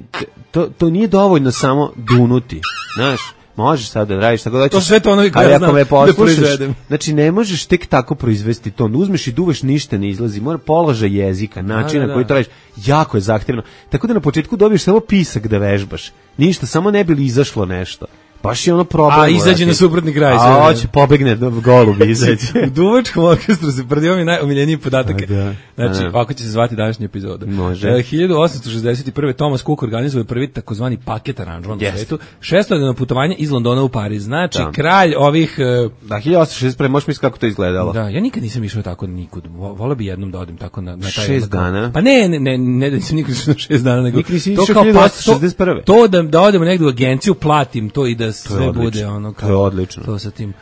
to to nije dovoljno samo dunuti. Znaš? Možeš sad da radiš tako da ćeš. To sve to ono koje ja znam da proizvedem. Znači ne možeš tek tako proizvesti ton. Uzmeš i duvaš, ništa ne izlazi. Mora položaj jezika, način na koji to radiš, jako je zahtevno. Tako da na početku dobiješ samo pisak da vežbaš. Ništa, samo ne bi li izašlo nešto. Baš je ono problem. A izađe na suprotni kraj. A hoće pobegne do golubi izađe. U duvačkom orkestru se prdio mi najomiljeniji podatak. Da, znači, da. Ovako će se zvati današnja epizoda. Može. E, hiljadu osamsto šezdeset prve. Thomas Cook organizuje prvi takozvani paket aranžman yes. u svetu. Šestodnevno putovanje iz Londona u Pariz. Znači, da. kralj ovih... Uh, da, hiljadu osamsto šezdeset prve. Možeš misliti kako to izgledalo. Da, ja nikad nisam išao tako nikud. Voleo bi jednom da odim tako na, na taj... Šest dana? Pa ne, ne, ne, ne da nisam nikad išao na šest dana. Nego, nikad nisam išao hiljadu osamsto šezdeset prve. To, to da, da odemo negdje u agenciju, platim to i da sve bude ono kao to je odlično. To sa tim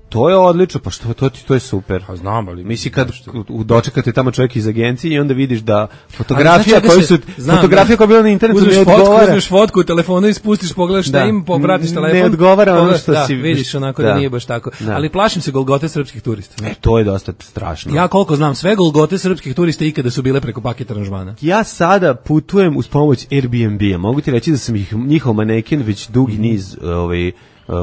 To je odlično, pa što to ti to je super. Pa znam, ali misli kad u dočekate tamo čovjek iz agencije i onda vidiš da fotografija znači, koju su znam, fotografija koja je bila na internetu ne odgovara. Fotku, uzmeš fotku u telefonu i spustiš, pogledaš šta im, povratiš telefon. Ne odgovara ono pogledaš, što da, si vidiš onako da, da nije baš tako. Da. Ali plašim se Golgote srpskih turista. E, to je dosta strašno. Ja koliko znam, sve Golgote srpskih turista ikada su bile preko paket aranžmana. Ja sada putujem uz pomoć Airbnb-a. Mogu ti reći da sam ih njihov maneken već dugi mm. niz ovaj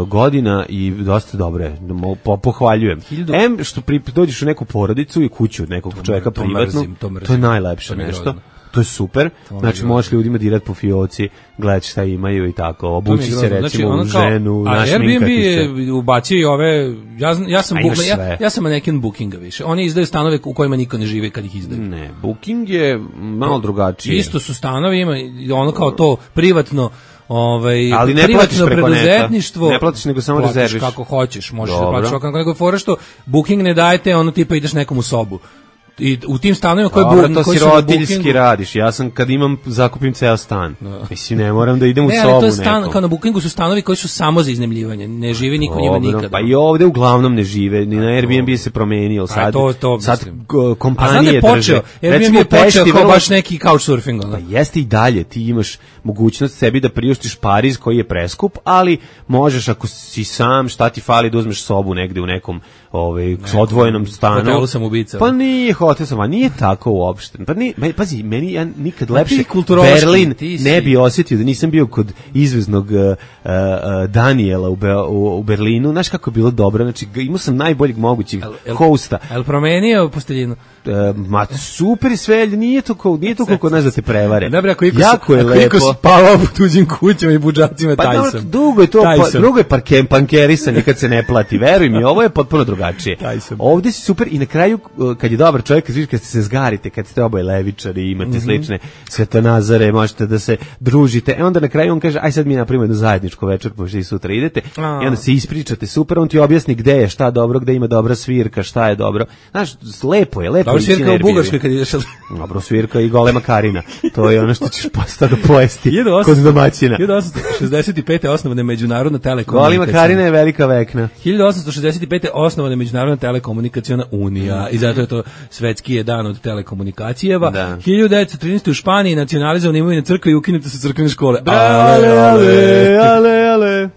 godina i dosta dobre, po, pohvaljujem. Hildu... Em, što pri, dođeš u neku porodicu i kuću od nekog to čovjeka to privatno, mrzim, to, mrzim. To je najlepše to nešto. Grozno. To je super. To znači, možeš ljudima dirati po fioci, gledati šta imaju i tako. Obući se, recimo, znači, u ženu, naš Airbnb je ubacio i ove... Ja, ja, sam, bu, ja, ja sam maneken Bookinga više. Oni izdaju stanove u kojima niko ne živi kad ih izdaju. Ne, Booking je malo drugačije. Isto su stanovi, ima ono kao to privatno... Ovaj, ali ne platiš preko neta, ne platiš nego samo rezerviš kako hoćeš, možeš da platiš kako nego fora što Booking ne dajete, ono tipa ideš nekom u sobu. I u tim stanovima koji bu, to koji si roditeljski radiš. Ja sam kad imam zakupim ceo stan. No. Mislim ne moram da idem ne, u sobu. Ne, ali to je stan nekom. Kao na Bookingu su stanovi koji su samo za iznajmljivanje. Ne živi niko njima nikada. Pa i ovde uglavnom ne žive. Ni na Airbnb se promenio sad. To, to, sad kompanije počeo, drže. Airbnb je počeo kao baš neki couchsurfing. Pa jeste i dalje. Ti imaš mogućnost sebi da priuštiš Pariz koji je preskup, ali možeš ako si sam, šta ti fali da uzmeš sobu negde u nekom ovaj odvojenom stanu. Hotelu sam ubica. Pa nije hotel sam, a nije tako uopšte. Pa ni, pazi, meni ja nikad lepše Berlin ne bi osjetio da nisam bio kod izveznog uh, uh, Daniela u, Be, u, u Berlinu. Znaš kako je bilo dobro, znači imao sam najboljeg mogućeg hosta. El promenio posteljinu? Uh, ma super i sve, nije to kao, nije to kako nas da te prevare. Dobro, ako iko, jako je ako lepo. Iko spavao po tuđim kućama i budžacima, pa taj no, sam. Dugo je to, pa, drugo je parkem, pankerisanje kad se ne plati, veruj mi, ovo je potpuno drugačije. Ovdje si super i na kraju, kad je dobar čovjek, kad, kad se zgarite, kad ste oboje levičari, imate mm-hmm. slične svetonazare, možete da se družite, e onda na kraju on kaže, aj sad mi napravimo jednu zajedničku večer, pošto i sutra idete, a. i onda se ispričate super, on ti objasni gde je, šta dobro, gde ima dobra svirka, šta je dobro. Znaš, lepo je, lepo je. Dobro svirka u Bugarskoj kad ideš. Dobro svirka i golema Karina. To je ono što ćeš postano pojesti kod domaćina. hiljadu osamsto šezdeset pete osnovana Međunarodna telekomunikacija. Golema Karina je velika vekna. hiljadu osamsto šezdeset pete osnovana Međunarodna telekomunikaciona unija i zato je to svetski je dan od telekomunikacijeva. Da. hiljadu devetsto trinaeste u Španiji nacionalizovana imovina crkve i ukinute su crkvene škole. Ale, ale, ale, ale.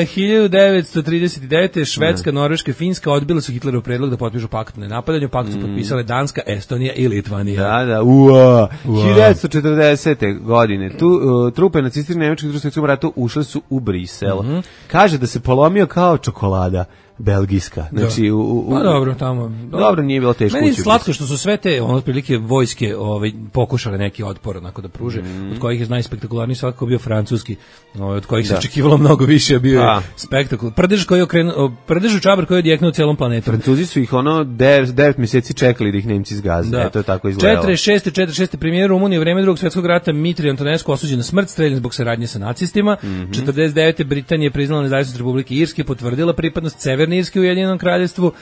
E, hiljadu devetsto trideset devete Švedska, ne. Norveška i Finska odbile su Hitlerov predlog da potpišu pakt o nenapadanju. Pakt su mm. potpisale Danska, Estonija i Litvanija. Da, da, ua. hiljadu devetsto četrdesete godine tu, uh, trupe nacističkih nemačkih u Drugom svjetskom ratu ušle su u Brisel. Mm-hmm. Kaže da se polomio kao čokolada. Belgijska. Znači, u, u, pa dobro, tamo. Dobro, dobro nije bilo teško. Meni je slatko što su sve te, ono, otprilike vojske ovaj, pokušale neki otpor onako da pruže, mm. od kojih je najspektakularniji svakako bio francuski, ovaj, od kojih se očekivalo mnogo više, bio je spektakul. Prdež koji je okrenuo, prdež čabar koji je odjeknuo celom planetom. Francuzi su ih ono devet mjeseci čekali da ih Nemci zgaze. Da. E, to je tako izgledalo. četrdeset šeste četrdeset šeste premijer Rumunije u vreme Drugog svjetskog rata Mitri Antonescu osuđen na smrt, streljan zbog saradnje sa nacistima. Mm-hmm. četrdeset devete Britanija je priznala nezavisnost Republike Irske, potvrdila pripadnost Severne Irske u Ujedinjenom kraljevstvu. Uh,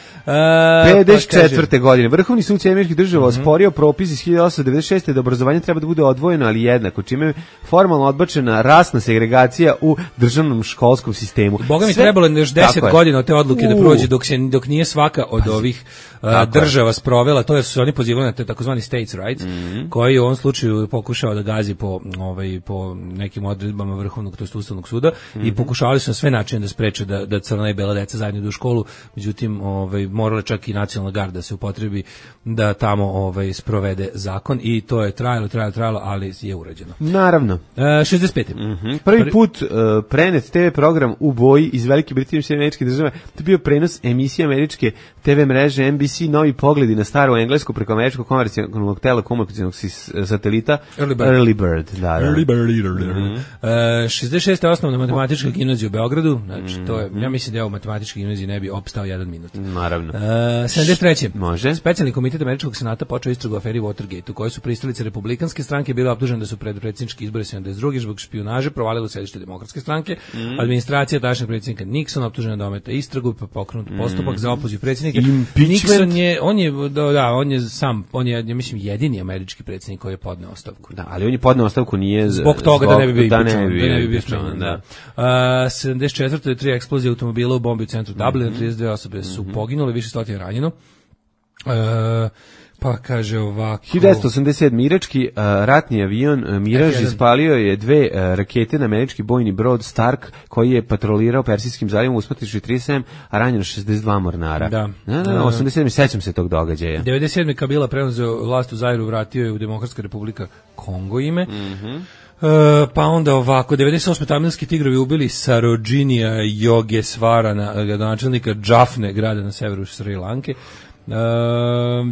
pedeset četvrte godine Vrhovni sud Američkih država mm-hmm. osporio propis iz hiljadu osamsto devedeset šeste da obrazovanje treba da bude odvojeno, ali jednako, čime je formalno odbačena rasna segregacija u državnom školskom sistemu. Boga mi Sve... trebalo još deset godina od te odluke uh. da prođe dok se dok nije svaka od Pazi. ovih uh, država sprovela, to je su oni pozivali na te takozvani states rights, mm-hmm. koji u ovom slučaju pokušao da gazi po ovaj po nekim odredbama Vrhovnog tj. Ustavnog suda mm-hmm. i pokušavali su na sve načine da spreče da da crna i bela deca zajedno idu u školu. Međutim, ovaj morala čak i nacionalna garda se upotrebi da tamo ovaj sprovede zakon i to je trajalo, trajalo, trajalo, ali je urađeno. Naravno. E, šezdeset pete Mm-hmm. Prvi Prvi... put uh, prenet te ve program u boji iz Velike Britanije i Američke države. To je bio prenos emisije američke te ve mreže en bi si Novi pogledi na staru englesku preko američkog komercijalnog telekomunikacionog satelita Early Bird. Early Bird, da, da. Early Bird. Mm-hmm. Uh, šezdeset šeste osnovna matematička gimnazija u Beogradu. Znači, to je, ja mislim da je u matematičkoj gimnaziji ne bi opstao jedan minut. Naravno. Uh, sedamdeset treće Može. Specijalni komitet američkog senata počeo istragu o aferi Watergate, u kojoj su pristalice republikanske stranke bile optužene da su pred predsjednički izbori sedamdeset druge zbog špijunaže provalile u sedište demokratske stranke. Mm. Administracija tadašnjeg predsjednika Nixona optužena da ometa istragu, pa pokrenut postupak mm. za opoziv predsjednika. Nixon je, on je, da, da, on je sam, on je, ja mislim, jedini američki predsjednik koji je podneo ostavku. Da, ali on je podneo ostavku nije zbog toga zbog, da ne bi bio da impičan, ne bi, da ne bi bio smenjen. Da. Uh, sedamdeset četvrte tri eksplozije automobila u bombi u centru mm. Dublina, trideset dve osobe su poginule, više stotina ranjeno. E, pa kaže ovako... hiljadu devetsto osamdeset sedme. irački uh, ratni avion uh, Mirage F jedan. ispalio je dve uh, rakete na američki bojni brod Stark koji je patrolirao Persijskim zalivom, usmrtivši trideset sedam, a ranjeno šezdeset dva mornara. Da. Da, da, osamdeset sedme. sećam se tog događaja. devedeset sedme. Kabila preuzeo vlast u Zairu, vratio je u Demokratska republika Kongo ime. Mhm. Uh, pa onda ovako, devedeset osme. tamilski tigrovi ubili Sarojinija Yogesvarana, gradonačelnika Džafne, grada na severu Sri Lanke. Uh,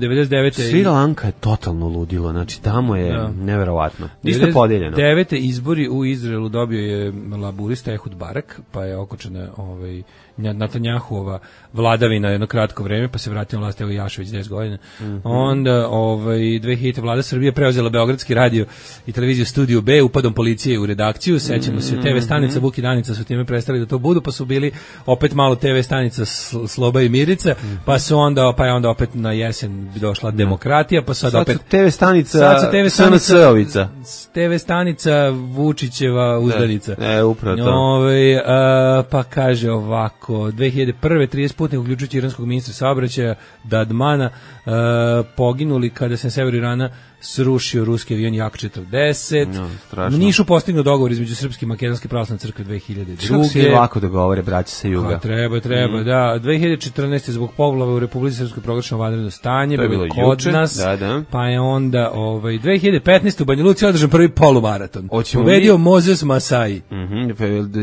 devedeset devete. Sri Lanka je totalno ludilo, znači tamo je Da. neverovatno. Isto podeljeno. devedeset devete. izbori u Izraelu dobio je laburista Ehud Barak, pa je okočena ovaj Netanjahuova vladavina jedno kratko vreme, pa se vratio na vlast evo Jašević deset godina. Mm-hmm. Onda ovaj dve hiljadite. vlada Srbije preuzela Beogradski radio i televiziju Studio B upadom policije u redakciju. Sećamo se, te ve stanica Vuk i Danica su time prestali da to budu, pa su bili opet malo te ve stanica Sloba i Mirica, pa su onda pa je onda opet na jesen došla demokratija, pa sad, Sad opet su te ve stanica sad su te ve stanica S N C-ovica. te ve stanica Vučićeva uzdanica. E, upravo to. Ove, a, pa kaže ovako, dve hiljade prve. trideset putnika, uključujući iranskog ministra saobraćaja Dadmana, a, poginuli kada se na severu Irana srušio ruski avion Jak četrdeset. No, U strašno. Nišu postignuo dogovor između Srpske i Makedonske pravoslavne crkve dve hiljade druge. Kako se lako dogovore, braća sa juga. Pa, treba, treba, Mm. da. dve hiljade četrnaeste. zbog poplava u Republici Srpskoj proglašeno vanredno stanje, To je bilo bilo kod juče, nas. da, da. Pa je onda ovaj dve hiljade petnaeste. u Banja Luci održan prvi polumaraton. Hoćemo Pobedio mi- Moses Masai. Mhm,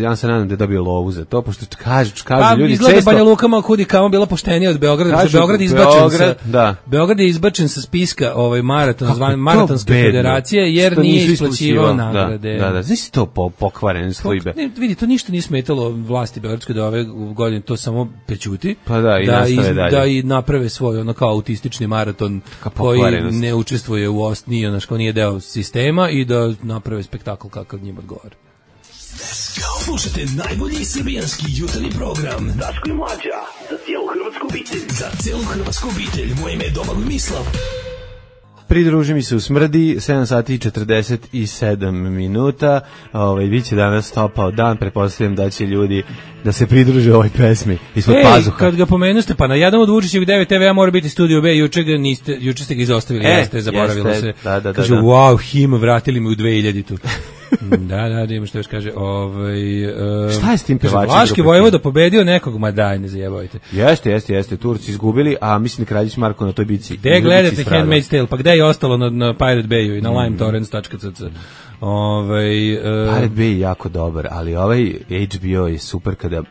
ja se nadam da je dobio lovu za to, pošto kažu, kažu Pa ljudi izgleda često... Banja Luka malo kudi kamo bila poštenija od Beograda, Kažu, kažu, Beograd je izbačen Beograd, sa da. Beograd je izbačen sa spiska ovaj maraton, Kako zvan je to maratonske bedno. federacije jer Što nije nisu isplaćivao isplaćivao, nagrade. Da, da, da. Znaš to po, pokvaren slujbe. Ne, vidi, to ništa nije smetalo vlasti Beogradskoj da ove godine to samo prećuti. Pa da, i nastave dalje. Da i naprave svoj ono kao autistični maraton Ka koji pokvarenost. ne učestvuje u ost, nije, ono što nije deo sistema i da naprave spektakl kakav njima odgovara. Slušajte najbolji srbijanski jutarnji program Daško i Mlađa za cijelu hrvatsku obitelj. Za cijelu hrvatsku obitelj. Moje ime je Domagoj Mislav. Pridruži mi se u smrdi, sedam sati i četrdeset sedam minuta. Ovaj biće danas topao dan, pretpostavljam da će ljudi da se pridruže ovoj pesmi ispod Ej, pazuha. kad ga pomenuste, pa na jednom od Vučićevih devet te ve mora biti Studio B, juče ga niste, juče ste ga izostavili, E, jeste, zaboravilo jeste, se. da, da, da, Kažu, da. wow, him, vratili mi u dve hiljaditu. Da, da, da ima što još kaže. Ovaj, uh, Šta je s tim kaže, pevačem Vlaški grupe vojvoda pobedio nekog, ma daj, ne zajebajte. Jeste, jeste, jeste. Turci izgubili, a mislim da Kraljić Marko na toj bici. Gde gledate Handmaid's Tale, pa gde je ostalo na, na Pirate Bayu i na lime torrents dot c c. Ovaj, uh, Pirate Bay je jako dobar, ali ovaj H B O je super kada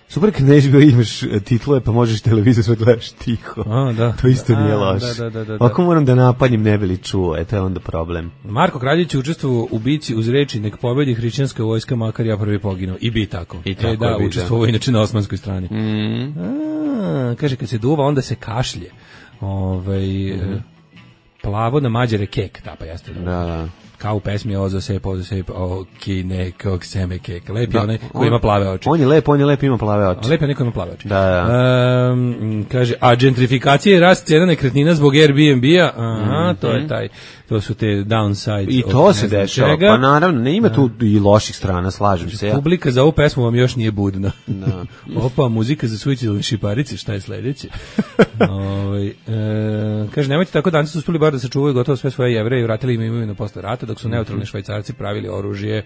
super kad na H B O imaš titlove pa možeš televizor sve gledaš tiho. A, da. To isto nije A, loše. da, da, da, da. Ako moram da napaljim ne bi li čuo, eto je onda problem. Marko Kraljić je učestvovao u bici uz reči nek pobedi hrišćanska vojska, makar ja prvi poginuo. I bi tako. I e, tako da, je bi, učestvovao inače na osmanskoj strani. Mm. A, kaže, kad se duva, onda se kašlje. Ovaj, mm. plavo na mađare kek, da, pa jeste. Da, da. Kao u pesmi Ozo sep, Ozo sep, o ki nekog seme kek. Lep je Da, onaj koji on- ima plave oči. On je lep, on je lep, ima plave A oči. lep je neko ima plave oči. Da, da. Um, kaže, a gentrifikacija i rast cena nekretnina zbog Airbnb-a, aha, to je taj, to su te downsides. I od to ne se znam dešava, čega. pa naravno, ne ima tu i loših strana, slažem se ja. Publika za ovu pesmu vam još nije budna. Da. Opa, muzika za suicidalne šiparice, šta je sledeće? Ovaj, e, kaže, nemojte tako, danci su uspeli bar da sačuvaju gotovo sve svoje Jevreje i vratili im imovinu posle rata, dok su neutralni Švajcarci pravili oružje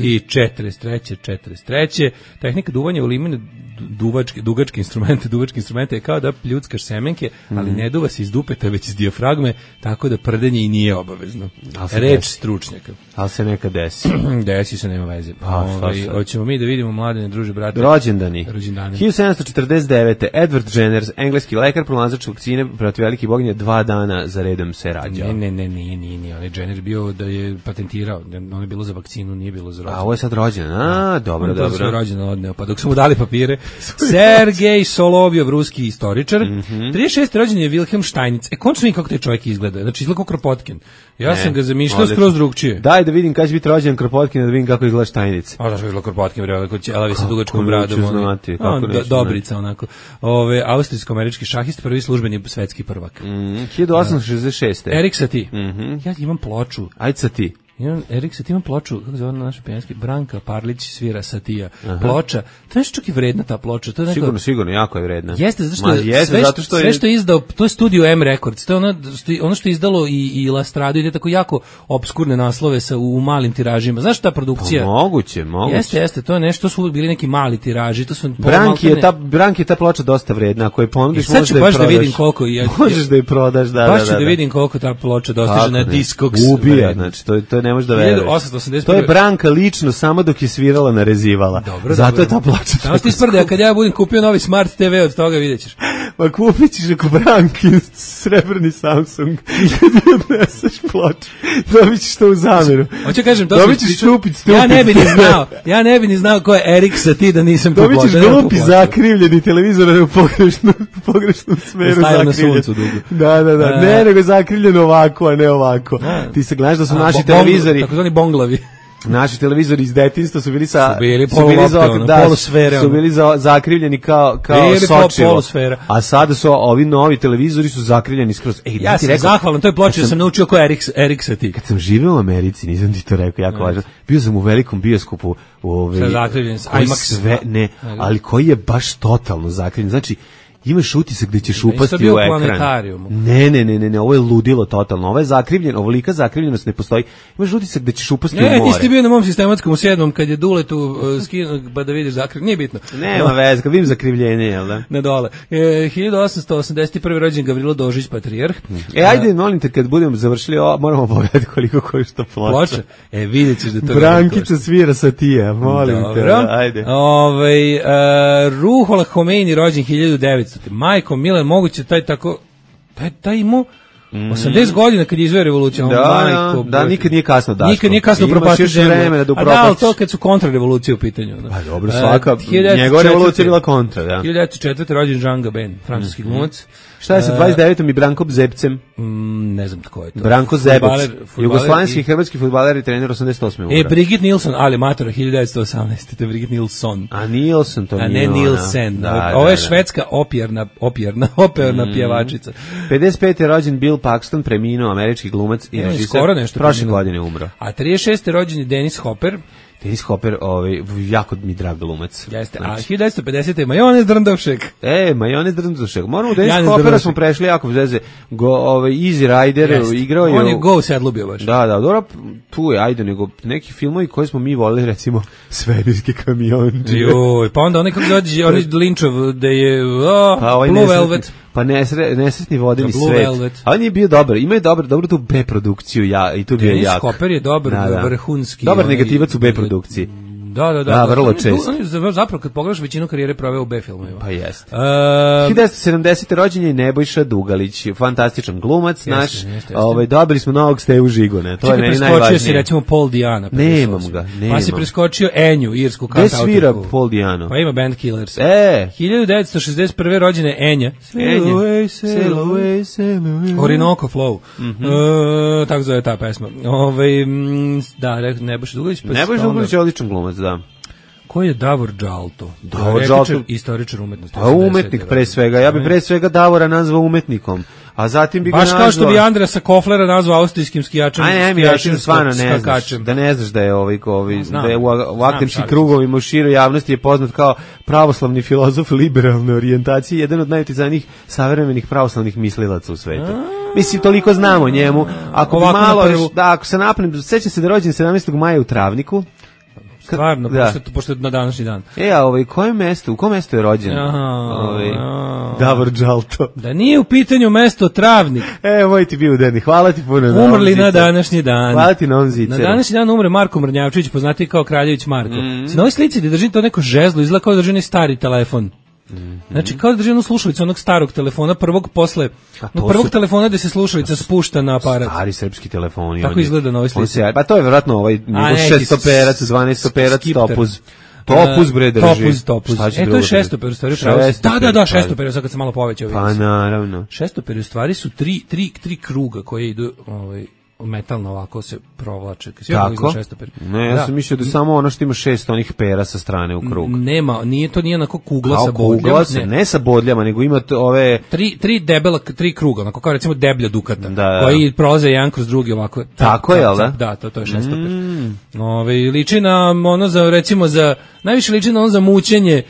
i četrdeset treće četrdeset treće Tehnika duvanja u limene duvačke, dugačke instrumente, duvačke instrumente je kao da pljuckaš semenke, ali ne duva se iz dupeta, već iz dijafragme, tako da prdenje i nije obavezno. Ali se Reč desi. stručnjaka. Ali se nekad desi. Desi se, nema veze. Pa, šta Ovaj, sad? hoćemo mi da vidimo mladene druže, brate. Rođendani. Rođendani. hiljadu sedamsto četrdeset devete. Edward Jenner, engleski lekar, pronalazač vakcine protiv velikih boginja, dva dana za redom se rađao. Ne, ne, ne, nije, nije, nije. On je Jenner bio da je patentirao. Ono je bilo za vakcinu, nije bilo za rođendan. A ovo je sad rođen. A, dobro, On je to za svoj dobro. rođendan odneo. Pa dok su mu dali papire, Sergej Solovjov, ruski istoričar. Mhm. trideset šesti rođen je Wilhelm Steinitz. E, končno vidim kako taj čovjek izgleda. Znači, izgleda kao Kropotkin. Ja Ne, sam ga zamišljao odlično. skroz drugčije. Daj da vidim kada će biti rođen Kropotkin, da vidim kako izgleda Štajnica. A zašto je izgleda Kropotkin, bre, kod ćelavi sa Kako dugačkom neću bradom. ono. znati, kako A, do- neću Dobrica, onako. Ove, austrijsko-američki šahist, prvi službeni svetski prvak. Mm, hiljadu osamsto šezdeset šeste. Erik Satie. Mhm. Ja imam ploču. Ajde sa ti. Imam, Erik Satie ima ploču, kako zove naš pijanski, Branka Parlić svira Satija. Aha. Ploča, to je čak i vredna ta ploča. To je neko... Sigurno, sigurno, jako je vredna. Jeste, zato što, Ma, jeste, sve, zato što je... sve što je izdao, to je Studio M Records, to je ono, ono što je izdalo i, i Lastradu, ide tako jako obskurne naslove sa, u, u malim tiražima. Znaš ta produkcija? Pa, moguće, moguće. Jeste, jeste, to je nešto, to su bili neki mali tiraži, to su... Branki je ta, Branki je ta ploča dosta vredna, ako je ponudiš, možeš da je baš prodaš. da vidim koliko je, možeš da je prodaš, da, baš da, ću da, da da vidim koliko ta ploča dostiže na Discogs. Ubija, znači, to, to ne možeš da veruješ. To je Branka lično samo dok je svirala narezivala. Dobro, zato dobro. Je ta ploča. Samo ti sprde, kad ja budem kupio novi Smart te ve od toga videćeš. Ma kupit ćeš ako Branki srebrni Samsung i kad ti odneseš ploču, dobit ćeš to u zamjeru. Hoću kažem, to dobit ćeš stupid, stupid. Ja ne bi ni znao, ja ne bi ni znao ko je Erik Satie da nisam dobit ćeš glupi zakrivljeni televizor u pogrešnom, pogrešnom smeru zakrivljen. Da, da, da, ne, nego zakrivljen ovako, a ne ovako. Ti se gledaš da su naši televizori takozvani bonglavi. Naši televizori iz detinjstva su bili sa su bili, su bili za ono, da, polusfere, su bili za, zakrivljeni kao kao sočivo. A sada su ovi novi televizori su zakrivljeni skroz. Ej, ja sam rekao, zahvalan, to je ploča sam, sam naučio ko Erik Erik Satie. Kad sam živeo u Americi, nisam ti to rekao, jako važno. Bio sam u velikom bioskopu, u ovaj zakrivljen IMAX sve ne, ali koji je baš totalno zakrivljen. Znači imaš utisak da ćeš upasti u ekran. Ne, ne, ne, ne, ne, ovo je ludilo totalno. Ovo je zakrivljen, ovolika zakrivljenost ne postoji. Imaš utisak da ćeš upasti ne, u more. Ne, ti ste bio na mom sistematskom u sedmom kad je Duletu uh, skinuo pa da vidiš zakrivljenje. Nije bitno. Nema veze, kad vidim zakrivljenje, jel da? Na dole. E, hiljadu osamsto osamdeset prvi rođen Gavrilo Dožić, patrijarh. E, ajde, molim te, kad budemo završili ovo, moramo pogledati koliko košta ploča. Ploča? E, vidjet ćeš da to Brankica svira Satija, molim Dobro. te. Ajde. Ove, uh, Ruhollah Khomeini, rođen hiljadu devetsto. Majko Mile, moguće taj tako taj taj imao osamdeset godina kad je izveo revolucija. Da, majko, da, da, nikad nije kasno, Daško. Nikad nije kasno propastiti zemlju. Da, a da, ali to kad su kontrarevolucije u pitanju. Da. Pa dobro, svaka, uh, njegova revolucija je bila kontra, da. hiljadu devetsto četvrte rođen Jean Gabin, francuski mm -hmm. glumac. Šta je sa dvadeset devetom i Brankom Zepcem? Mm, ne znam tko je to. Branko Zebec, jugoslovenski i hrvatski fudbaler i trener osamdeset osme E, Brigitte Nielsen, ali matora, hiljadu devetsto osamnaeste. To je Brigitte Nilsson. A Nielsen to nije. A ne Nielsen. Da, ovo je da, švedska operna, operna, operna mm. pjevačica. pedeset pete rođen Bill Paxton, preminuo, američki glumac i režiser. Prošle godine umro. A trideset šeste rođen je Dennis Hopper. Dennis Hopper, ovaj, jako mi drag glumac. Jeste, a hiljadu devetsto pedesete. Majonez Drndovšek. E, Majonez Drndovšek. Moramo u Dennis Hoppera smo prešli jako veze. Go, ovaj, Easy Rider Jeste. Igrao je... On je Go Sedlu bio baš. Da, da, dobro, tu je, ajde, nego neki filmovi koji smo mi volili, recimo, Svemirski kamionđe. Joj, pa onda onaj kako dođe, onaj Linčov, da je oh, pa ovaj Blue nesretni, Velvet. Pa nesre, nesretni vodeni Blue svet. Velvet. A on je bio dobar, ima je dobar, dobro tu B-produkciju, ja, i tu bio jak. Dennis Hopper je dobar, da, da. vrhunski. Dobar negativac u B-produkciji. Da, da, da. Da, vrlo često. On je zapravo, kad pogledaš, većinu karijere proveo u B-filmovima. Pa jeste. Uh, hiljadu devetsto sedamdesete rođen je Nebojša Dugalić, fantastičan glumac jeste, naš. Jeste, jeste. Ovaj, dobili smo novog Stevu Žigone, to Čekaj, je meni najvažnije. Preskočio si, recimo, Paul Diana. Nemam ga, nemam. Pa si preskočio Enju, irsku kantautorku. Gde svira Paul Diano? Pa ima Band Killers. E! hiljadu devetsto šezdeset prve rođene Enja. Enja. Sail away, sail away. Orinoco Flow. Mm -hmm. uh, tako zove ta pesma. Ove, da, Nebojša Dugalić. Pa Nebojša Dugalić je odličan glumac, da. Ko je Davor Džalto? Davor Džalto, istoričar umetnosti. A umetnik pre svega. Ja bih pre svega Davora nazvao umetnikom. A zatim bi ga baš nazvao... kao što bi Andrasa Koflera nazvao austrijskim skijačem. Aj, aj, mi rečim, stvarno ne znaš, da ne znaš da je ovaj, ovaj znam, da je u, u akademskim krugovima u široj javnosti je poznat kao pravoslavni filozof liberalne orijentacije, jedan od najuticajnijih savremenih pravoslavnih mislilaca u svetu. Mislim, toliko znamo o njemu. Ako bi malo, da, ako se napnem, sećam se da je rođen sedamnaestog maja u Travniku. Stvarno, da. pošto, pošto je na današnji dan. E, a ovaj, koje mesto, u kom mesto je rođen? Ovaj, Davor Džalto. Da nije u pitanju mesto Travnik. E, moj ti bio uderni, hvala ti puno. Umrli na današnji dan. Hvala ti na ovom ziceru. Na današnji dan umre Marko Mrnjavčević, poznatiji kao Kraljević Marko. Mm. Na ovoj slici da drži to neko žezlo, izgleda kao da drži stari telefon. Mm -hmm. Znači, kao da drži onu slušalicu onog starog telefona, prvog posle, no, prvog su... telefona gde se slušalica spušta na aparat. Stari srpski telefoni. Tako izgleda na ovoj slici. Pa to je vjerojatno ovaj šestoperac, dvanaestoperac, topuz. Topuz bre drži. Topuz, topuz. E, to je šestoper, u stvari pravo. Da, da, da, šestoper, sad kad se malo povećao. Pa naravno. Šestoper, u stvari su tri, tri, tri kruga koje idu, ovaj, metalno ovako se provlače. Sve Tako? šesto pera. Ne, ja sam mislio da samo ono što ima šest onih pera sa strane u krug. Nema, nije to nije onako kugla Kao sa bodljama. kugla se, ne. ne sa bodljama, nego ima to ove... Tri, tri debela, tri kruga, onako kao recimo deblja dukata, da, da. koji prolaze jedan kroz drugi ovako. Tako je, jel da? Da, to, to je šestoper. Mm. Ove, liči na ono za, recimo za, najviše liči na ono za mućenje.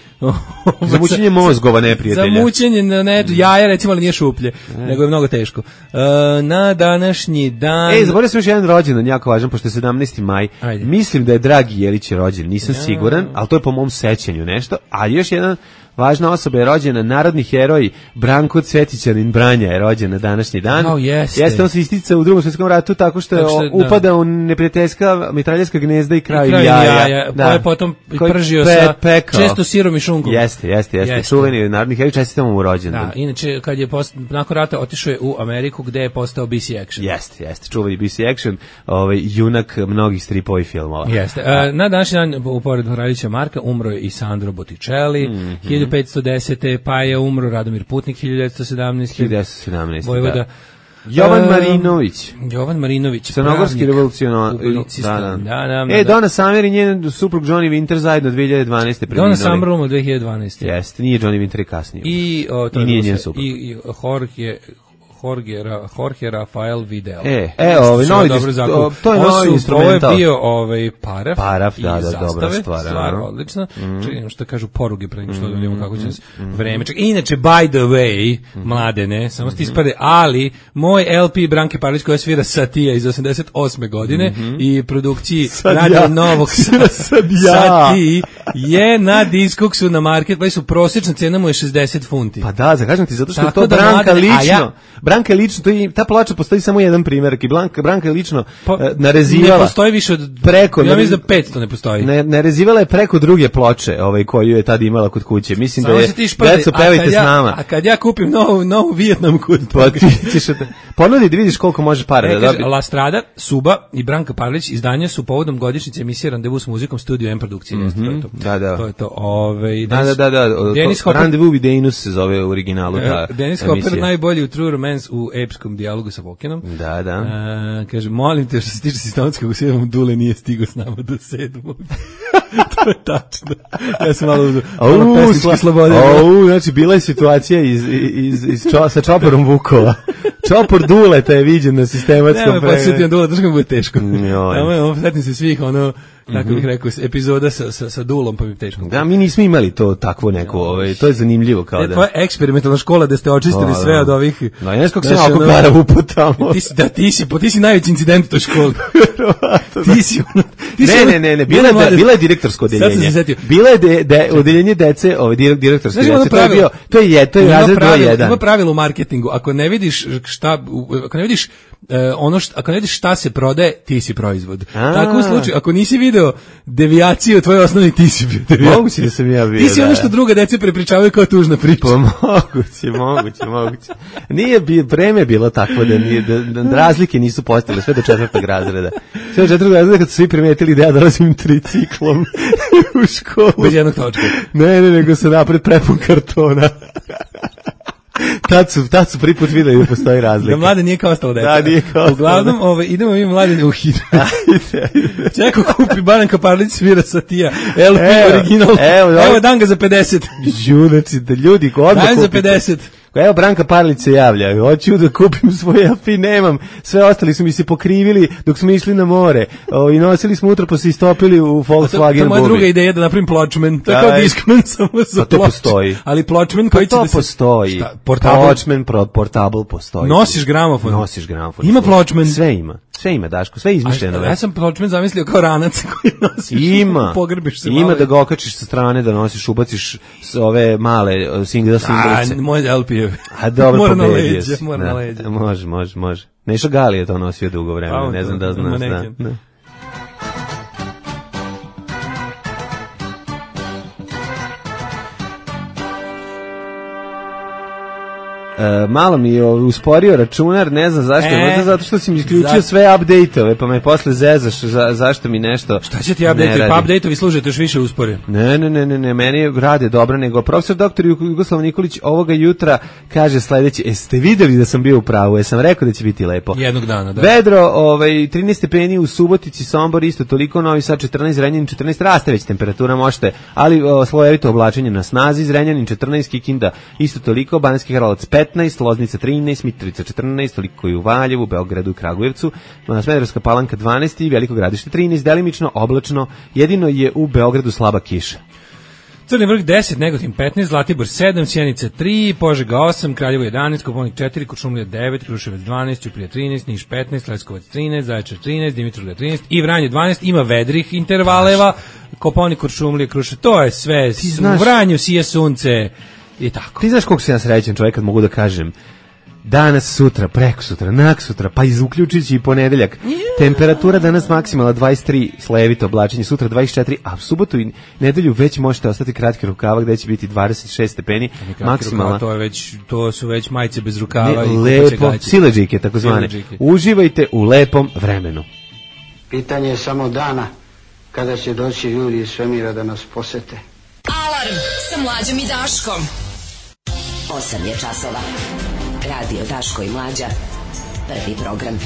Za mućenje mozgova neprijatelja. Za mućenje na ne, jaja, recimo, ali nije šuplje, ne. nego je mnogo teško. Uh, na današnji dan... Ej, zaboravio sam još jedan rođendan, jako važan, pošto je sedamnaesti maj. Ajde. Mislim da je Dragi Jelić rođen, nisam ja. siguran, ali to je po mom sećanju nešto. A još jedan važna osoba je rođena, narodni heroj Branko Cvetićanin Branja je rođen na današnji dan. Oh, jeste. Jeste, on se istica u Drugom svjetskom ratu tako što je tako što, upada da. u neprijateljska mitraljeska gnezda i kraj jaja. jaja. Da. Koje potom pržio pe, sa pekao. često sirom i šunkom. Jeste, jeste, jeste. jeste. Čuveni narodni heroj, čestitamo mu rođendan. Da, inače, kad je post, nakon rata otišao je u Ameriku gde je postao B C Action. Jeste, jeste, čuveni B C Action, ovaj, junak mnogih stripova i filmova. Jeste. A, na današnji dan, u poredu Radića Marka, umro je i Sandro Botticelli, mm-hmm. hiljadu petsto desete pa je umro Radomir Putnik hiljadu devetsto sedamnaeste. hiljadu devetsto sedamnaeste. Vojvoda. Da. Jovan Marinović. Jovan Marinović. Crnogorski revolucionar. Da, da. Da, da, e, Donna Summer i njen suprug Johnny Winter zajedno dve hiljade dvanaeste Donna Summer umro dve hiljade dvanaeste. Jeste, nije Johnny Winter i kasnije. I, o, to I nije njen suprug. I, i Jorge... Jorge, Jorge Rafael Vidal. E, e ovaj novi to, to je novi instrumental. Ovo je bio ovaj Paraf. Paraf, da, da, dobra stvar. Stvar odlična. Mm. Čekaj, što kažu poruge pre nego što da vidimo kako će mm. vreme. Čekaj, inače, by the way, mm. mladene, samo ste ispade, ali moj L P Branke Parlić koja svira Satija iz osamdeset osme godine mm-hmm. i produkciji Radio Novog Sati je na Discogsu na Marketplace-u, prosječna cena mu je šezdeset funti. Pa da, zakažem ti, zato što je to Branka lično. Branka je lično, to je, ta ploča postoji samo jedan primjerak i Branka, Branka je lično pa, uh, narezivala. Ne postoji više od preko. Ja mislim da petsto ne postoji. Ne, narezivala je preko druge ploče, ovaj koju je tad imala kod kuće. Mislim samo da je deco pevajte ja, s nama. A kad ja kupim novu novu Vijetnam kod pa ti ćeš da ponudi da vidiš koliko može para e, da dobi. La Strada, Suba i Branka Parlić izdanja su povodom godišnjice emisije Randevu s muzikom Studio M produkcije. Mm-hmm. To je to. Da, da. To je to. Ovaj da, da, da, da. Denis Hopper, Randevu with Denus se zove u originalu ta. Denis Hopper najbolji u True Romance u epskom dijalogu sa Vokinom. Da, da. A, kaže, molim te, što se tiče sistematskog u sedmom, Dule nije stigao s nama do sedmog. To je tačno. Ja sam malo uzao. Malo pesnički slobode. Au, znači, bila je situacija iz, iz, iz čo, sa Čoporom Vukova. Čopor Duleta je viđen na sistematskom pregledu. Nema, pa sjetim Dule, držam bude teško. Joj. Tamo, setim se svih, ono, tako bih rekao, epizoda sa, sa, sa Dulom, pa mi teško. Da, mi nismo imali to takvo neko, ovaj, to je zanimljivo kao e, da. Tvoja eksperimentalna škola da ste očistili o, sve od ovih. No, ja skog sam oko para uputamo. Ti si, da, ti si, po, ti si najveći incident u toj školi. ti si ono, ti ne, ne, ne, ne, bila je, bila je direktorsko odeljenje. Bila je de, de, odeljenje dece, ovaj direktorsko odeljenje. To je bio, to je je, to je razred broj jedan. Ima pravilo u marketingu, ako ne vidiš šta, ako ne vidiš E, ono što, ako ne vidiš šta se prodaje, ti si proizvod. A. Tako u slučaju, ako nisi video devijaciju tvoj osnovni, ti si bio devijacija. Moguće da sam ja bio. Ti si da. Ono što druga deca prepričavaju kao tužna priča. Pa moguće, moguće, moguće. Nije bi, vreme bilo takvo da, nije, da, da razlike nisu postojale sve do četvrtog razreda. Sve do četvrtog razreda kad su svi primetili da ja dolazim triciklom u školu. Bez jednog točka. Ne, ne, nego se napred prepun kartona. Tad su, tad su prvi put videli da postoji razlika. Da mlade nije kao ostalo deca. Da, nije kao ostalo. Uglavnom, ovaj, idemo mi mlade u hit. Čeko kupi Branka Parlić svira Satija. L P evo, original. Evo, evo, evo dan ga za pedeset. Žu, znači da ljudi odmah kupite. za pedeset. Evo Branka Parlić se javlja, hoću da kupim svoj L P, nemam, sve ostali su mi se pokrivili dok smo išli na more o, i nosili smo utro pa se istopili u Volkswagen bubi. To je moja druga ideja da napravim Pločmen, to je kao Discman samo za pa to postoji. Ali Pločmen koji pa će da se... to postoji, Pločmen, Portable postoji. Nosiš gramofon. Nosiš gramofon. Ima Pločmen. Sve ima. Sve ima, Daško, sve izmišljeno. Ja sam Pločmen zamislio kao ranac koji nosiš. Ima. Pogrbiš se ima malo. Da ga okačiš sa strane, da nosiš, ubaciš s ove male single singlice. A, moj L P je. A dobro, mora na leđa, mora na leđa. Može, može, može. Nešo Gali je to nosio dugo vremena, ne znam da znaš. Da, da. Uh, malo mi je usporio računar, ne znam zašto, e, možda zato što si mi isključio za... sve update-ove, pa me posle zezaš za, zašto mi nešto. Šta će ti update-ovi? Pa update-ovi služete još više uspore. Ne, ne, ne, ne, ne, meni rade dobro, nego profesor doktor Jugoslav Nikolić ovoga jutra kaže sledeće, jeste videli da sam bio u pravu, jesam rekao da će biti lepo. Jednog dana, da. Vedro, ovaj, trinaest stepeni u Subotici, Sombor isto toliko, Novi Sad četrnaest, Zrenjanin četrnaest, raste već temperatura, možete, ali o, slojevito oblačenje na snazi, Zrenjanin četrnaest, Kikinda isto toliko, Banatski Karlovac petnaest, Loznica trinaest, Mitrovica četrnaest, toliko i u Valjevu, Beogradu i Kragujevcu, Smederevska Palanka dvanaest i Veliko Gradište trinaest, delimično oblačno, jedino je u Beogradu slaba kiša. Crni vrh deset, Negotin petnaest, Zlatibor sedam, Sjenica tri, Požega osam, Kraljevo jedanaest, Koponik četiri, Kuršumlija devet, Kruševac dvanaest, Ćuprija trinaest, Niš petnaest, Leskovac trinaest, Zaječar trinaest, Dimitrovgrad trinaest i Vranje dvanaest, ima vedrih intervaleva, Koponik, Kuršumlija, Kruševac, to je sve, u Vranju sije sunce i tako. Ti znaš koliko sam ja srećan čovjek kad mogu da kažem danas, sutra, preko sutra, nak sutra, pa iz uključujući i ponedeljak. Yeah. Temperatura danas maksimalna dvadeset tri, slojevito oblačenje, sutra dvadeset četiri, a u subotu i nedelju već možete ostati kratki rukava gde će biti dvadeset šest stepeni maksimalna. To je već, to su već majice bez rukava ne, i lepo, sileđike takozvane. Uživajte u lepom vremenu. Pitanje je samo dana kada će doći ljudi iz svemira da nas posete. Alarm sa Mlađom i Daškom. osam je časova. Radio Daško i Mlađa. Prvi program.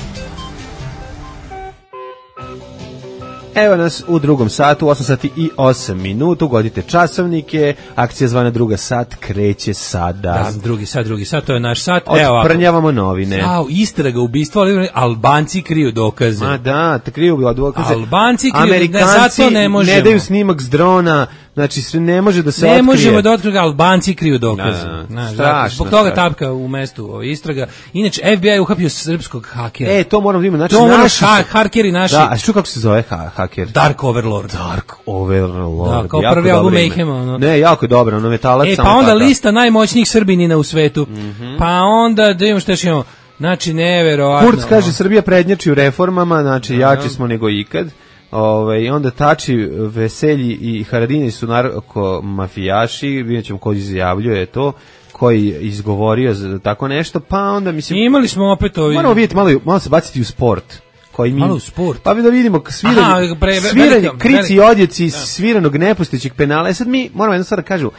Evo nas u drugom satu, osam sati i osam minuta, ugodite časovnike, akcija zvana druga sat kreće sada. Da, drugi sat, drugi sat, to je naš sat. Odprnjavamo novine. Au, istraga, ubistvo, ali Albanci kriju dokaze. Ma da, te kriju dokaze. Albanci kriju, Amerikanci ne, ne, možemo. Ne daju snimak s drona, znači sve ne može da se ne otkrije. Ne možemo da otkriju, Albanci kriju dokaze. Da, da, strašno. Zbog toga strašno. Tapka u mestu istraga. Inače, F B I uhapio srpskog hakera. E, to moramo da imamo. Znači, to naši ha, hakeri naši. Da, a što kako se zove ha, haker? Dark Overlord. Dark Overlord. Da, kao prvi album Mayhema. Ono. Ne, jako je dobro, ono metalac. E, pa onda taka. Lista najmoćnijih Srbinina u svetu. Mm-hmm. Pa onda, da imamo što još imamo, znači, neverovatno. Kurz kaže, Srbija prednjači u reformama, znači, no, jači smo nego ikad. Ove, i onda Tači, Veselji i Haradini su narko-mafijaši, vidjet ćemo ko izjavljuje to, koji izgovorio za tako nešto, pa onda mislim... I imali smo opet ovi... Moramo vidjeti, malo, malo se baciti u sport. Koji mi, malo u sport. Pa da vidimo sviranje, Aha, pre, sviranje velika, krici i odjeci iz sviranog nepostojećeg penala. E sad mi moramo jedno stvar da kažu,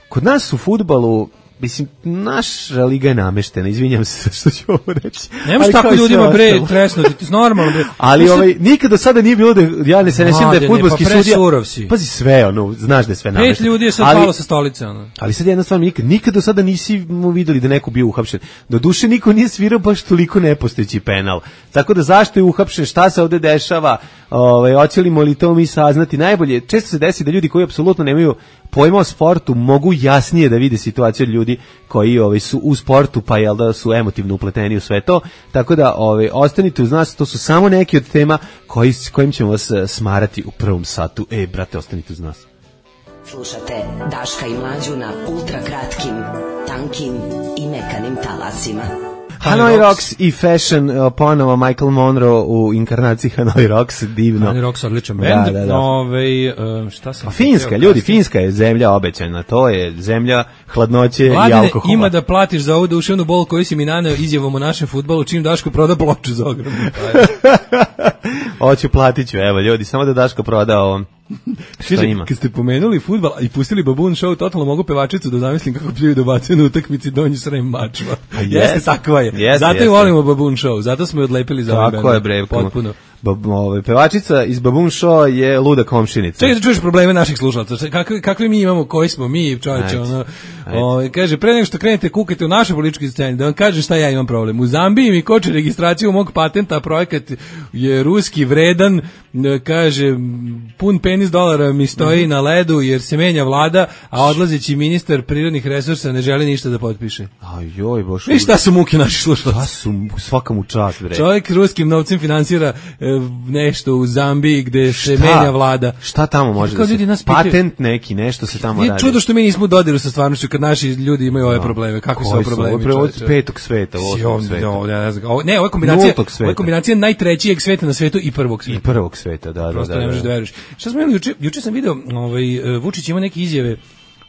kod nas u fudbalu, mislim, naša liga je nameštena, izvinjam se što ću ovo reći. Nemaš tako ljudima, bre, tresno, ti normalno, bre. Ali ovaj, nikad do sada nije bilo da, ja ne se ne sjećam da je fudbalski pa sudija. Si. Pazi sve, ono, znaš da je sve namešteno. Pet ljudi je sad palo sa stolice, ono. Ali sad jedna stvar, nikad, nikad do sada nisi videli da neko bio uhapšen. Do duše niko nije svirao baš toliko nepostojeći penal. Tako da zašto je uhapšen, šta se ovde dešava, ovaj, hoćemo li to mi saznati najbolje. Često se desi da ljudi koji apsolutno nemaju pojma o sportu mogu jasnije da vide situaciju od ljudi koji ovaj, su u sportu, pa jel da su emotivno upleteni u sve to. Tako da ovaj, ostanite uz nas, to su samo neki od tema koji, kojim ćemo vas smarati u prvom satu. E, brate, ostanite uz nas. Slušate Daška i Mlađu na ultra kratkim, tankim i mekanim talasima. Hanoi Rocks i Fashion, ponovo Michael Monroe u inkarnaciji Hanoi Rocks, divno. Hanoi Rocks odličan bend. Da, da, da. Ove, šta sam... A Finska, ljudi, Finska je zemlja obećana, to je zemlja hladnoće Vladine, i alkohola. Ima da platiš za ovu duševnu bol koju si mi naneo izjavom o našem fudbalu, čim Daško proda ploču za ogromnu. Hoću, platit ću, evo ljudi, samo da Daško proda ovom. Što Kaže, ima? Kad ste pomenuli fudbal i pustili Baboon Show, totalno mogu pevačicu da zamislim kako pljuju dobacuju na utakmici donji srem mačva. Yes. Jeste, takva je. Yes, zato i volimo Baboon Show, zato smo je odlepili za ovaj band. Tako je, bre. Potpuno. Bab, ove, pevačica iz Baboon Show je luda komšinica. Čekaj da čuješ probleme naših slušalaca. Kakvi, kakvi mi imamo, koji smo mi, čovječe, ono. Ove, kaže, pre nego što krenete kukajte u našoj političkoj sceni, da vam kažem šta ja imam problem. U Zambiji mi koče registraciju mog patenta, projekat je ruski vredan, kaže, pun penis dolara mi stoji mm-hmm. na ledu jer se menja vlada, a odlazeći ministar prirodnih resursa ne želi ništa da potpiše. Aj joj, boš. I šta su muke naših slušalaca? Šta su, svaka mu čast, bre. Čovjek ruskim novcem finansira e, nešto u Zambiji gde šta? se menja vlada. Šta tamo može da se... Patent neki, nešto se tamo je radi. Čudo što mi nismo u dodiru sa stvarnošću kad naši ljudi imaju ove probleme. Kakvi su ove problemi? Ovo je petog sveta, osmog sveta. No, ne, ne, ovo je kombinacija, ovo je kombinacija najtrećijeg sveta na svetu i prvog sveta. I prvog sveta, da, da, da. Ne možeš da veruješ. Šta smo imali juče? Juče sam video, ovaj Vučić ima neke izjave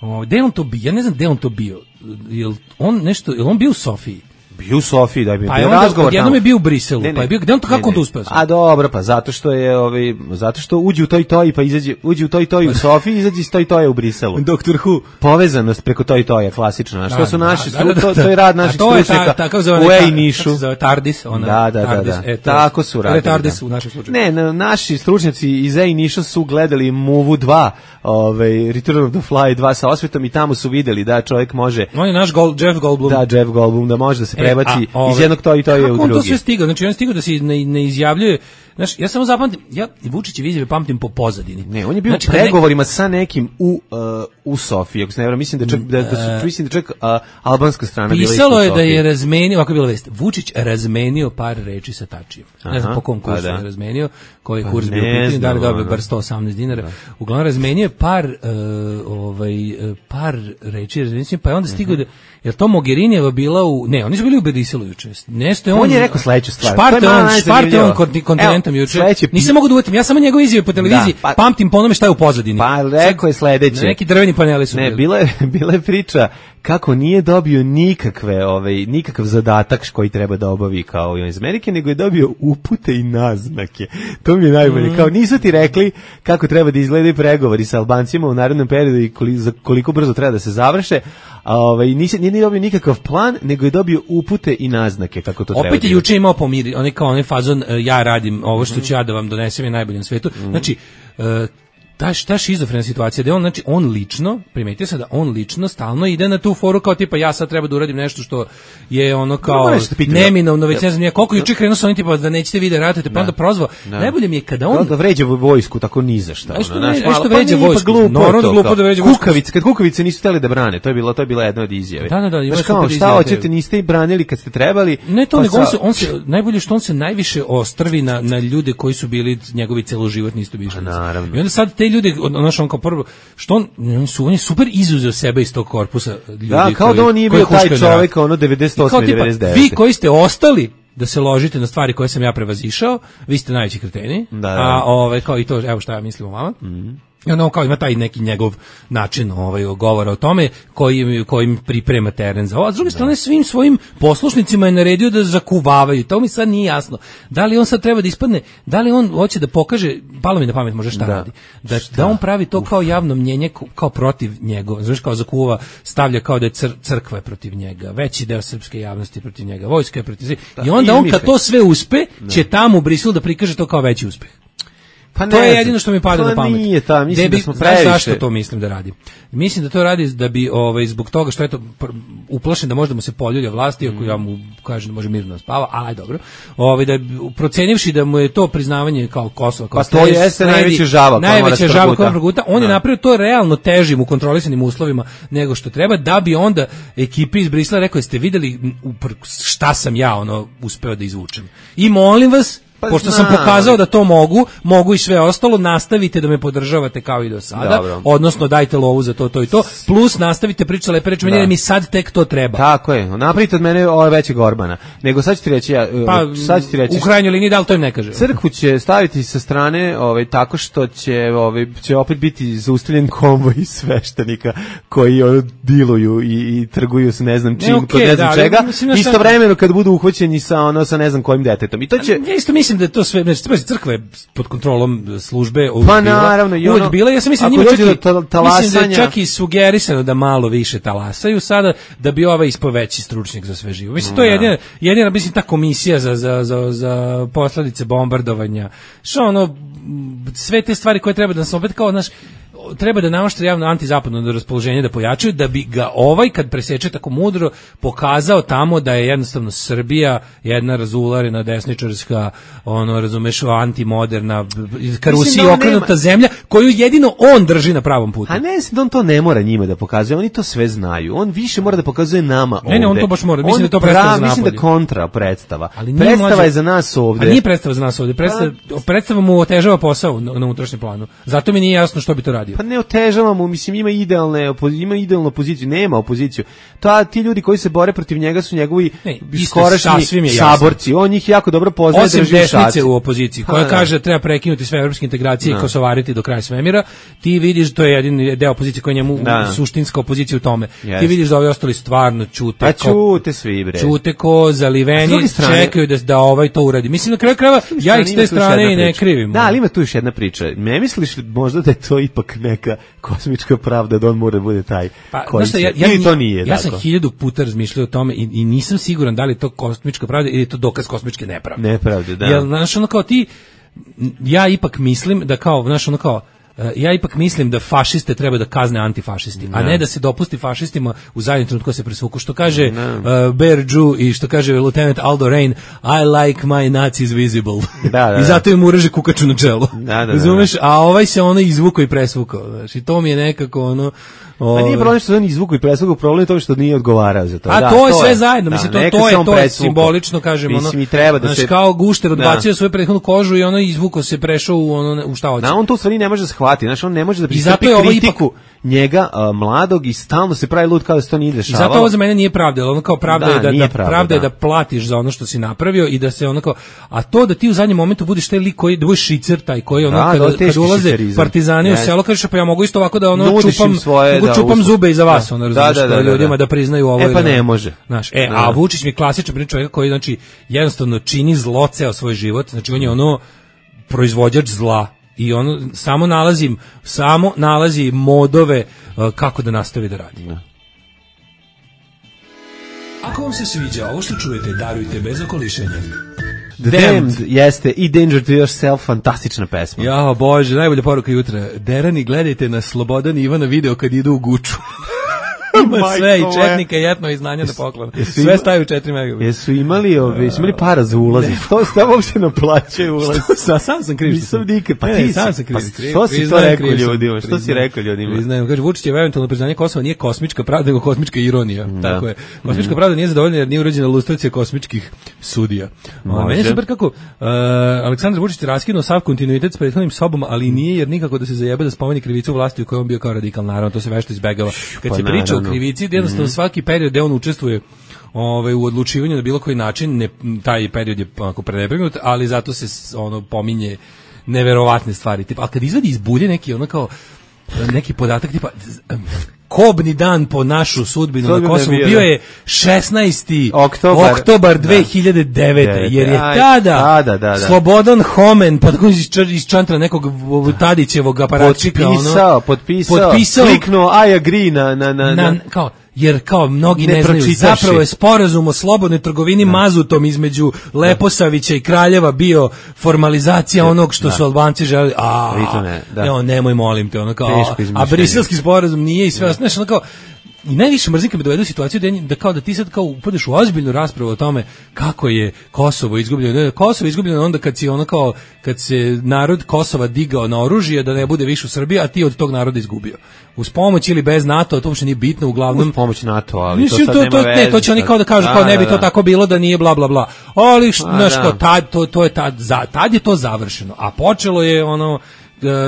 O, gde on to bio? Ja ne znam gde on to bio. Jel on nešto, jel on bio u Sofiji? Bio u Sofiji, da bi pa bio razgovor. Jednom je bio u Briselu, ne, ne, pa je bio, gde on to, kako ne, on to uspeo? A dobro, pa zato što je, ovaj, zato što uđe u toj toj, pa izađe, uđe u toj toj u Sofiji, izađe iz toj toje u Briselu. Doktor Who. Povezanost preko toj toja, klasično. A što da, su naši, da, da, da, to, to je rad naših stručnjaka u E-Nišu. Kako se zove, TARDIS? Ona, da, da, TARDIS, da, da. E, to, tako su radili. TARDIS u našem slučaju. Ne, na, naši stručnjaci iz E-Niša su gledali Movu dva, ovaj, Return of the Fly dva sa osvetom i tamo su videli da čovjek može... On je naš Gold, Jeff Goldblum. Da, Jeff Goldblum, da može da se prebaci e, a, iz jednog to i to je u drugi. Kako on to sve stigao? Znači on je stigao da se ne, ne izjavljuje. Znaš, ja samo zapamtim, ja Vučićev izjave pamtim po pozadini. Ne, on je bio znači, u pregovorima ne... sa nekim u uh, u Sofiji, ako se ne varam, mislim da čak da, da su mislim da čak uh, albanska strana bila. Pisalo je da je razmenio, ovako je bila vest. Vučić razmenio par reči sa Tačijem. Ne znam po kom kursu pa da. je razmenio, koji je kurs pa bio pitanje, da li dobio bar sto osamnaest dinara. Da. Uglavnom razmenio je par uh, ovaj par reči, razmenio, pa je onda stigao uh-huh. da jer to Mogherinijeva bila u ne, oni su bili u Briselu juče. Nesto je on. On je rekao sledeću stvar. Šparte on, šparte on kontinentom juče. Nisam mogu da uvetim, ja samo njegove izjave po televiziji da, pa, pamtim po onome šta je u pozadini. Pa rekao je sledeće. Neki drveni paneli su. Ne, bila je, bila je priča kako nije dobio nikakve, ovaj, nikakav zadatak koji treba da obavi kao iz Amerike, nego je dobio upute i naznake. To mi je najbolje. Mm. Kao nisu ti rekli kako treba da izgledaju pregovori sa Albancima u narednom periodu i koliko, za koliko brzo treba da se završe. A ovaj nisi nije dobio nikakav plan, nego je dobio upute i naznake kako to treba. Opet je juče imao pomiri, on je kao onaj fazon ja radim ovo što ću ja da vam donesem je najbolje na svetu. Mm. Znači uh, ta ta šizofrena situacija da on znači on lično primetio se da on lično stalno ide na tu foru kao tipa ja sad treba da uradim nešto što je ono kao neminovno već ne znam ja koliko juče krenuo sa onim tipa da nećete vi da ratujete pa onda prozvao najbolje mi je kada on da vređa vojsku tako ni za šta ono što vređa vojsku normalno glupo da vređa kukavice kad kukavice nisu hteli da brane to je bilo to je bila jedna od izjave da da da znači kao šta hoćete niste i branili kad ste trebali ne to nego on se on se najbolje što on se najviše ostrvi na na ljude koji su bili njegovi celoživotni istomišljenici i onda sad te ljudi odnosno on kao prvo što on oni su oni super izuzeo sebe iz tog korpusa ljudi da kao koji, da on nije bio taj čovjek ono devedeset osme devedeset devete vi koji ste ostali da se ložite na stvari koje sam ja prevazišao vi ste najveći kreteni da, da. a ovaj kao i to evo šta ja mislim o vama mm-hmm. I ono kao ima taj neki njegov način ovaj govora o tome koji kojim priprema teren za ovo. A s druge strane svim svojim poslušnicima je naredio da zakuvavaju. To mi sad nije jasno. Da li on sad treba da ispadne, da li on hoće da pokaže, palo mi na pamet može šta da. radi. Da, da on pravi to Uf. kao javno mnjenje kao protiv njega. Znaš kao zakuva, stavlja kao da je cr, crkva je protiv njega, veći deo srpske javnosti je protiv njega, vojska je protiv njega. I onda on kad to sve uspe, će tamo u Briselu da prikaže to kao veći uspeh. Pa to je jedino što mi pada pa na pamet. Nije ta, mislim bi, da smo previše. Znaš zašto to mislim da radi? Mislim da to radi da bi ovaj zbog toga što je to uplašen da možda mu se poljulja vlasti, ako mm. ja mu kažem da može mirno spava, ali dobro. Ovaj da procenivši da mu je to priznavanje kao Kosova kao pa to jeste najveća žaba, najveća žaba koja proguta. On je napravio to realno težim u kontrolisanim uslovima nego što treba da bi onda ekipi iz Brisela rekao jeste videli šta sam ja ono uspeo da izvučem. I molim vas Pa pošto znam, sam pokazao da to mogu, mogu i sve ostalo, nastavite da me podržavate kao i do sada, dobro. Odnosno dajte lovu za to, to i to, plus nastavite pričati lepe reči, meni mi sad tek to treba. Tako je, napravite od mene ove veće Gorbana, nego sad ću ti reći, ja, pa, sad ću ti reći, u krajnjoj liniji da li to im ne kaže. Crkvu će staviti sa strane ovaj, tako što će, ovaj, će opet biti zaustavljen konvoj sveštenika koji ono, diluju i, i trguju s ne znam čim, ne, okay, kod ne znam da, čega, istovremeno kad budu uhvaćeni sa, ono, sa ne znam kojim detetom. I to će... Ja isto mislim da je to sve, znači crkva je pod kontrolom službe uvijek pa, bila. Naravno, i ono, uvijek bila. Ja sam mislim, njima čak i, mislim da je čak i sugerisano da malo više talasaju sada, da bi ovaj ispao veći stručnjak za sve živo. Mislim, to je jedina, jedina mislim, ta komisija za, za, za, za posledice bombardovanja. Što ono, sve te stvari koje treba da nas opet kao, znaš, treba da namaštre javno antizapadno raspoloženje da pojačaju, da bi ga ovaj, kad preseče tako mudro, pokazao tamo da je jednostavno Srbija jedna razularena, desničarska, ono, razumeš, antimoderna, ka Rusiji okrenuta nema... zemlja, koju jedino on drži na pravom putu. A ne, on to ne mora njima da pokazuje, oni to sve znaju. On više mora da pokazuje nama ovde. Ne, ne, on to baš mora. Mislim on da to predstava za napolje. Mislim da kontra predstava. Predstava mlađe... je za nas ovde. A nije predstava za nas ovde. Predstava, predstava mu otežava posao na, na unutrašnjem planu. Zato mi nije jasno što bi to radio. uradio. Pa ne otežavamo, mislim ima idealne ima idealnu opoziciju, nema opoziciju. Ta ti ljudi koji se bore protiv njega su njegovi skorašnji saborci. On njih jako dobro poznaje, osim desnice u opoziciji koja ha, kaže da treba prekinuti sve evropske integracije da. I kosovariti do kraja svemira. Ti vidiš, to je jedini deo opozicije koji njemu da. Suštinska opozicija u tome. Yes. Ti vidiš da ovi ostali stvarno ćute. Pa ćute svi bre. Ćute ko zaliveni, čekaju da da ovaj to uradi. Mislim na kraju krajeva ja ih s te strane i ne krivim. Da, ali ima tu još jedna priča. Ne misliš možda da je to ipak neka kosmička pravda da on mora bude taj pa, koji se, ja, ja, to nije. Ja sam hiljadu puta razmišljao o tome i, i nisam siguran da li je to kosmička pravda ili je to dokaz kosmičke nepravde. Nepravde, da. Jer, znaš, ono kao ti, ja ipak mislim da kao, znaš, ono kao, ja ipak mislim da fašiste treba da kazne antifašisti, a ne da se dopusti fašistima u zadnjem trenutku da se presvuku. Što kaže uh, Bear Jew i što kaže Lieutenant Aldo Rain, I like my Nazis visible. Da, da, I zato im uraže kukaču na čelo. Da, da, razumeš? Da, da. A ovaj se ono izvukao i presvukao. Znaš, i to mi je nekako ono... A nije problem što se on izvuku i presvuku, problem je to što nije odgovarao za to. A da, to je to sve je. zajedno, mislim, da, to, to je, to je simbolično, kažemo, ono, mislim, treba da znaš, se... kao gušter odbacio da. Svoju prethodnu kožu i ono izvuko se prešao u, ono, u šta hoće. Da, on to u stvari ne može da shvati, znaš, on ne može da pristupi kritiku ipak... njega, a, mladog, i stalno se pravi lud kao da se to nije dešavalo. I zato ovo za mene nije pravda, ono kao pravda da, je da, da, pravda, pravda je da platiš za ono što si napravio i da se ono kao, a to da ti u zadnjem momentu budeš taj lik koji, da budeš šicer taj koji ono, da, kada, kada ulaze partizani u selo, kažeš pa ja mogu isto ovako da ono čupam, mogu čupam zube iza vas, ono, razumiješ, da, da, da, ljudima da priznaju ovo. E pa ne može. Znaš, e, a Vučić mi je klasičan primjer čovjeka koji, znači, jednostavno čini zlo ceo svoj život, znači on je ono proizvođač zla i ono samo nalazim, samo nalazi modove uh, kako da nastavi da radi. Da. Ako vam se sviđa ovo što čujete, darujte bez okolišenja. The Damned jeste i Danger to Yourself, fantastična pesma. Ja, bože, najbolja poruka jutra. Derani, gledajte na Slobodan i Ivana video kad idu u Guču. Ima sve i četnika i etno i znanja na poklon. Sve stavaju četiri megabita. Jesu imali, ove, su imali para za ulaz. To ste uopšte naplaćaju ulaz. Sa, sam sam kriv. Nisam nikad. Pa ne, ti sam sam kriv. Pa što si to rekao ljudima? Što si rekao ljudima? Priznajem, kaže, Vučić je eventualno priznanje Kosova nije kosmička pravda, nego kosmička ironija. Da. Tako je. Kosmička mm. pravda nije zadovoljna jer nije urađena lustracija kosmičkih sudija. Meni je super kako uh, Aleksandar Vučić raskinuo sav kontinuitet s prethodnim sobom, ali nije jer nikako da se zajebe da spomeni krivicu vlasti u kojoj on bio kao radikal. Naravno, to se vešto izbegava. Kad pa se priča o krivici, jednostavno mm-hmm. svaki period gde on učestvuje ovaj, u odlučivanju na bilo koji način, ne, taj period je onako prenepregnut, ali zato se ono pominje neverovatne stvari. Tipa, a kad izvadi iz bulje neki ono kao neki podatak tipa kobni dan po našu sudbinu Sudbine na Kosovu bio je šesnaesti oktobar dve hiljade devete jer je tada da, da, da, da. Slobodan Homen pa tako iz čantra nekog Tadićevog aparatčika potpisao, ono, potpisao, potpisao kliknuo I agree na, na, na, na kao jer kao mnogi ne, ne znaju, zapravo je sporazum o slobodnoj trgovini da. Mazutom između Leposavića i Kraljeva bio formalizacija da. Onog što da. Su Albanci želeli, a ne, da. Ne, nemoj molim te, ono kao, a, a briselski sporazum nije i sve, znaš, ono kao, i najviše mrzim kad me dovedu u situaciju da, da kao da ti sad kao upadeš u ozbiljnu raspravu o tome kako je Kosovo izgubljeno. Kosovo je izgubljeno onda kad si ono kao kad se narod Kosova digao na oružje da ne bude više u Srbiji, a ti od tog naroda izgubio. Uz pomoć ili bez NATO, to uopšte nije bitno, uglavnom uz pomoć NATO, ali mislim, to sad to, nema to, veze. Ne, to će oni kao da kažu da, kao ne bi to da, da. Tako bilo da nije bla bla bla. Ali znaš kao tad to to je tad za tad je to završeno, a počelo je ono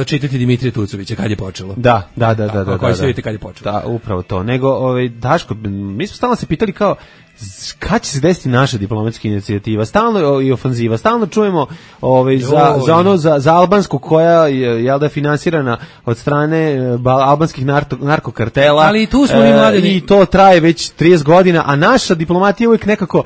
čitati Dimitrija Tucovića kad je počelo. Da, da, da, da, da. Koji se vidite kad je počelo. Da, upravo to. Nego ovaj Daško, mi smo stalno se pitali kao kad će se desiti naša diplomatska inicijativa, stalno i ofanziva, stalno čujemo ovaj za za ono za, za albansku koja je jel da finansirana od strane albanskih narko, narkokartela. Ali i tu smo mi mladi i to traje već trideset godina, a naša diplomatija uvijek nekako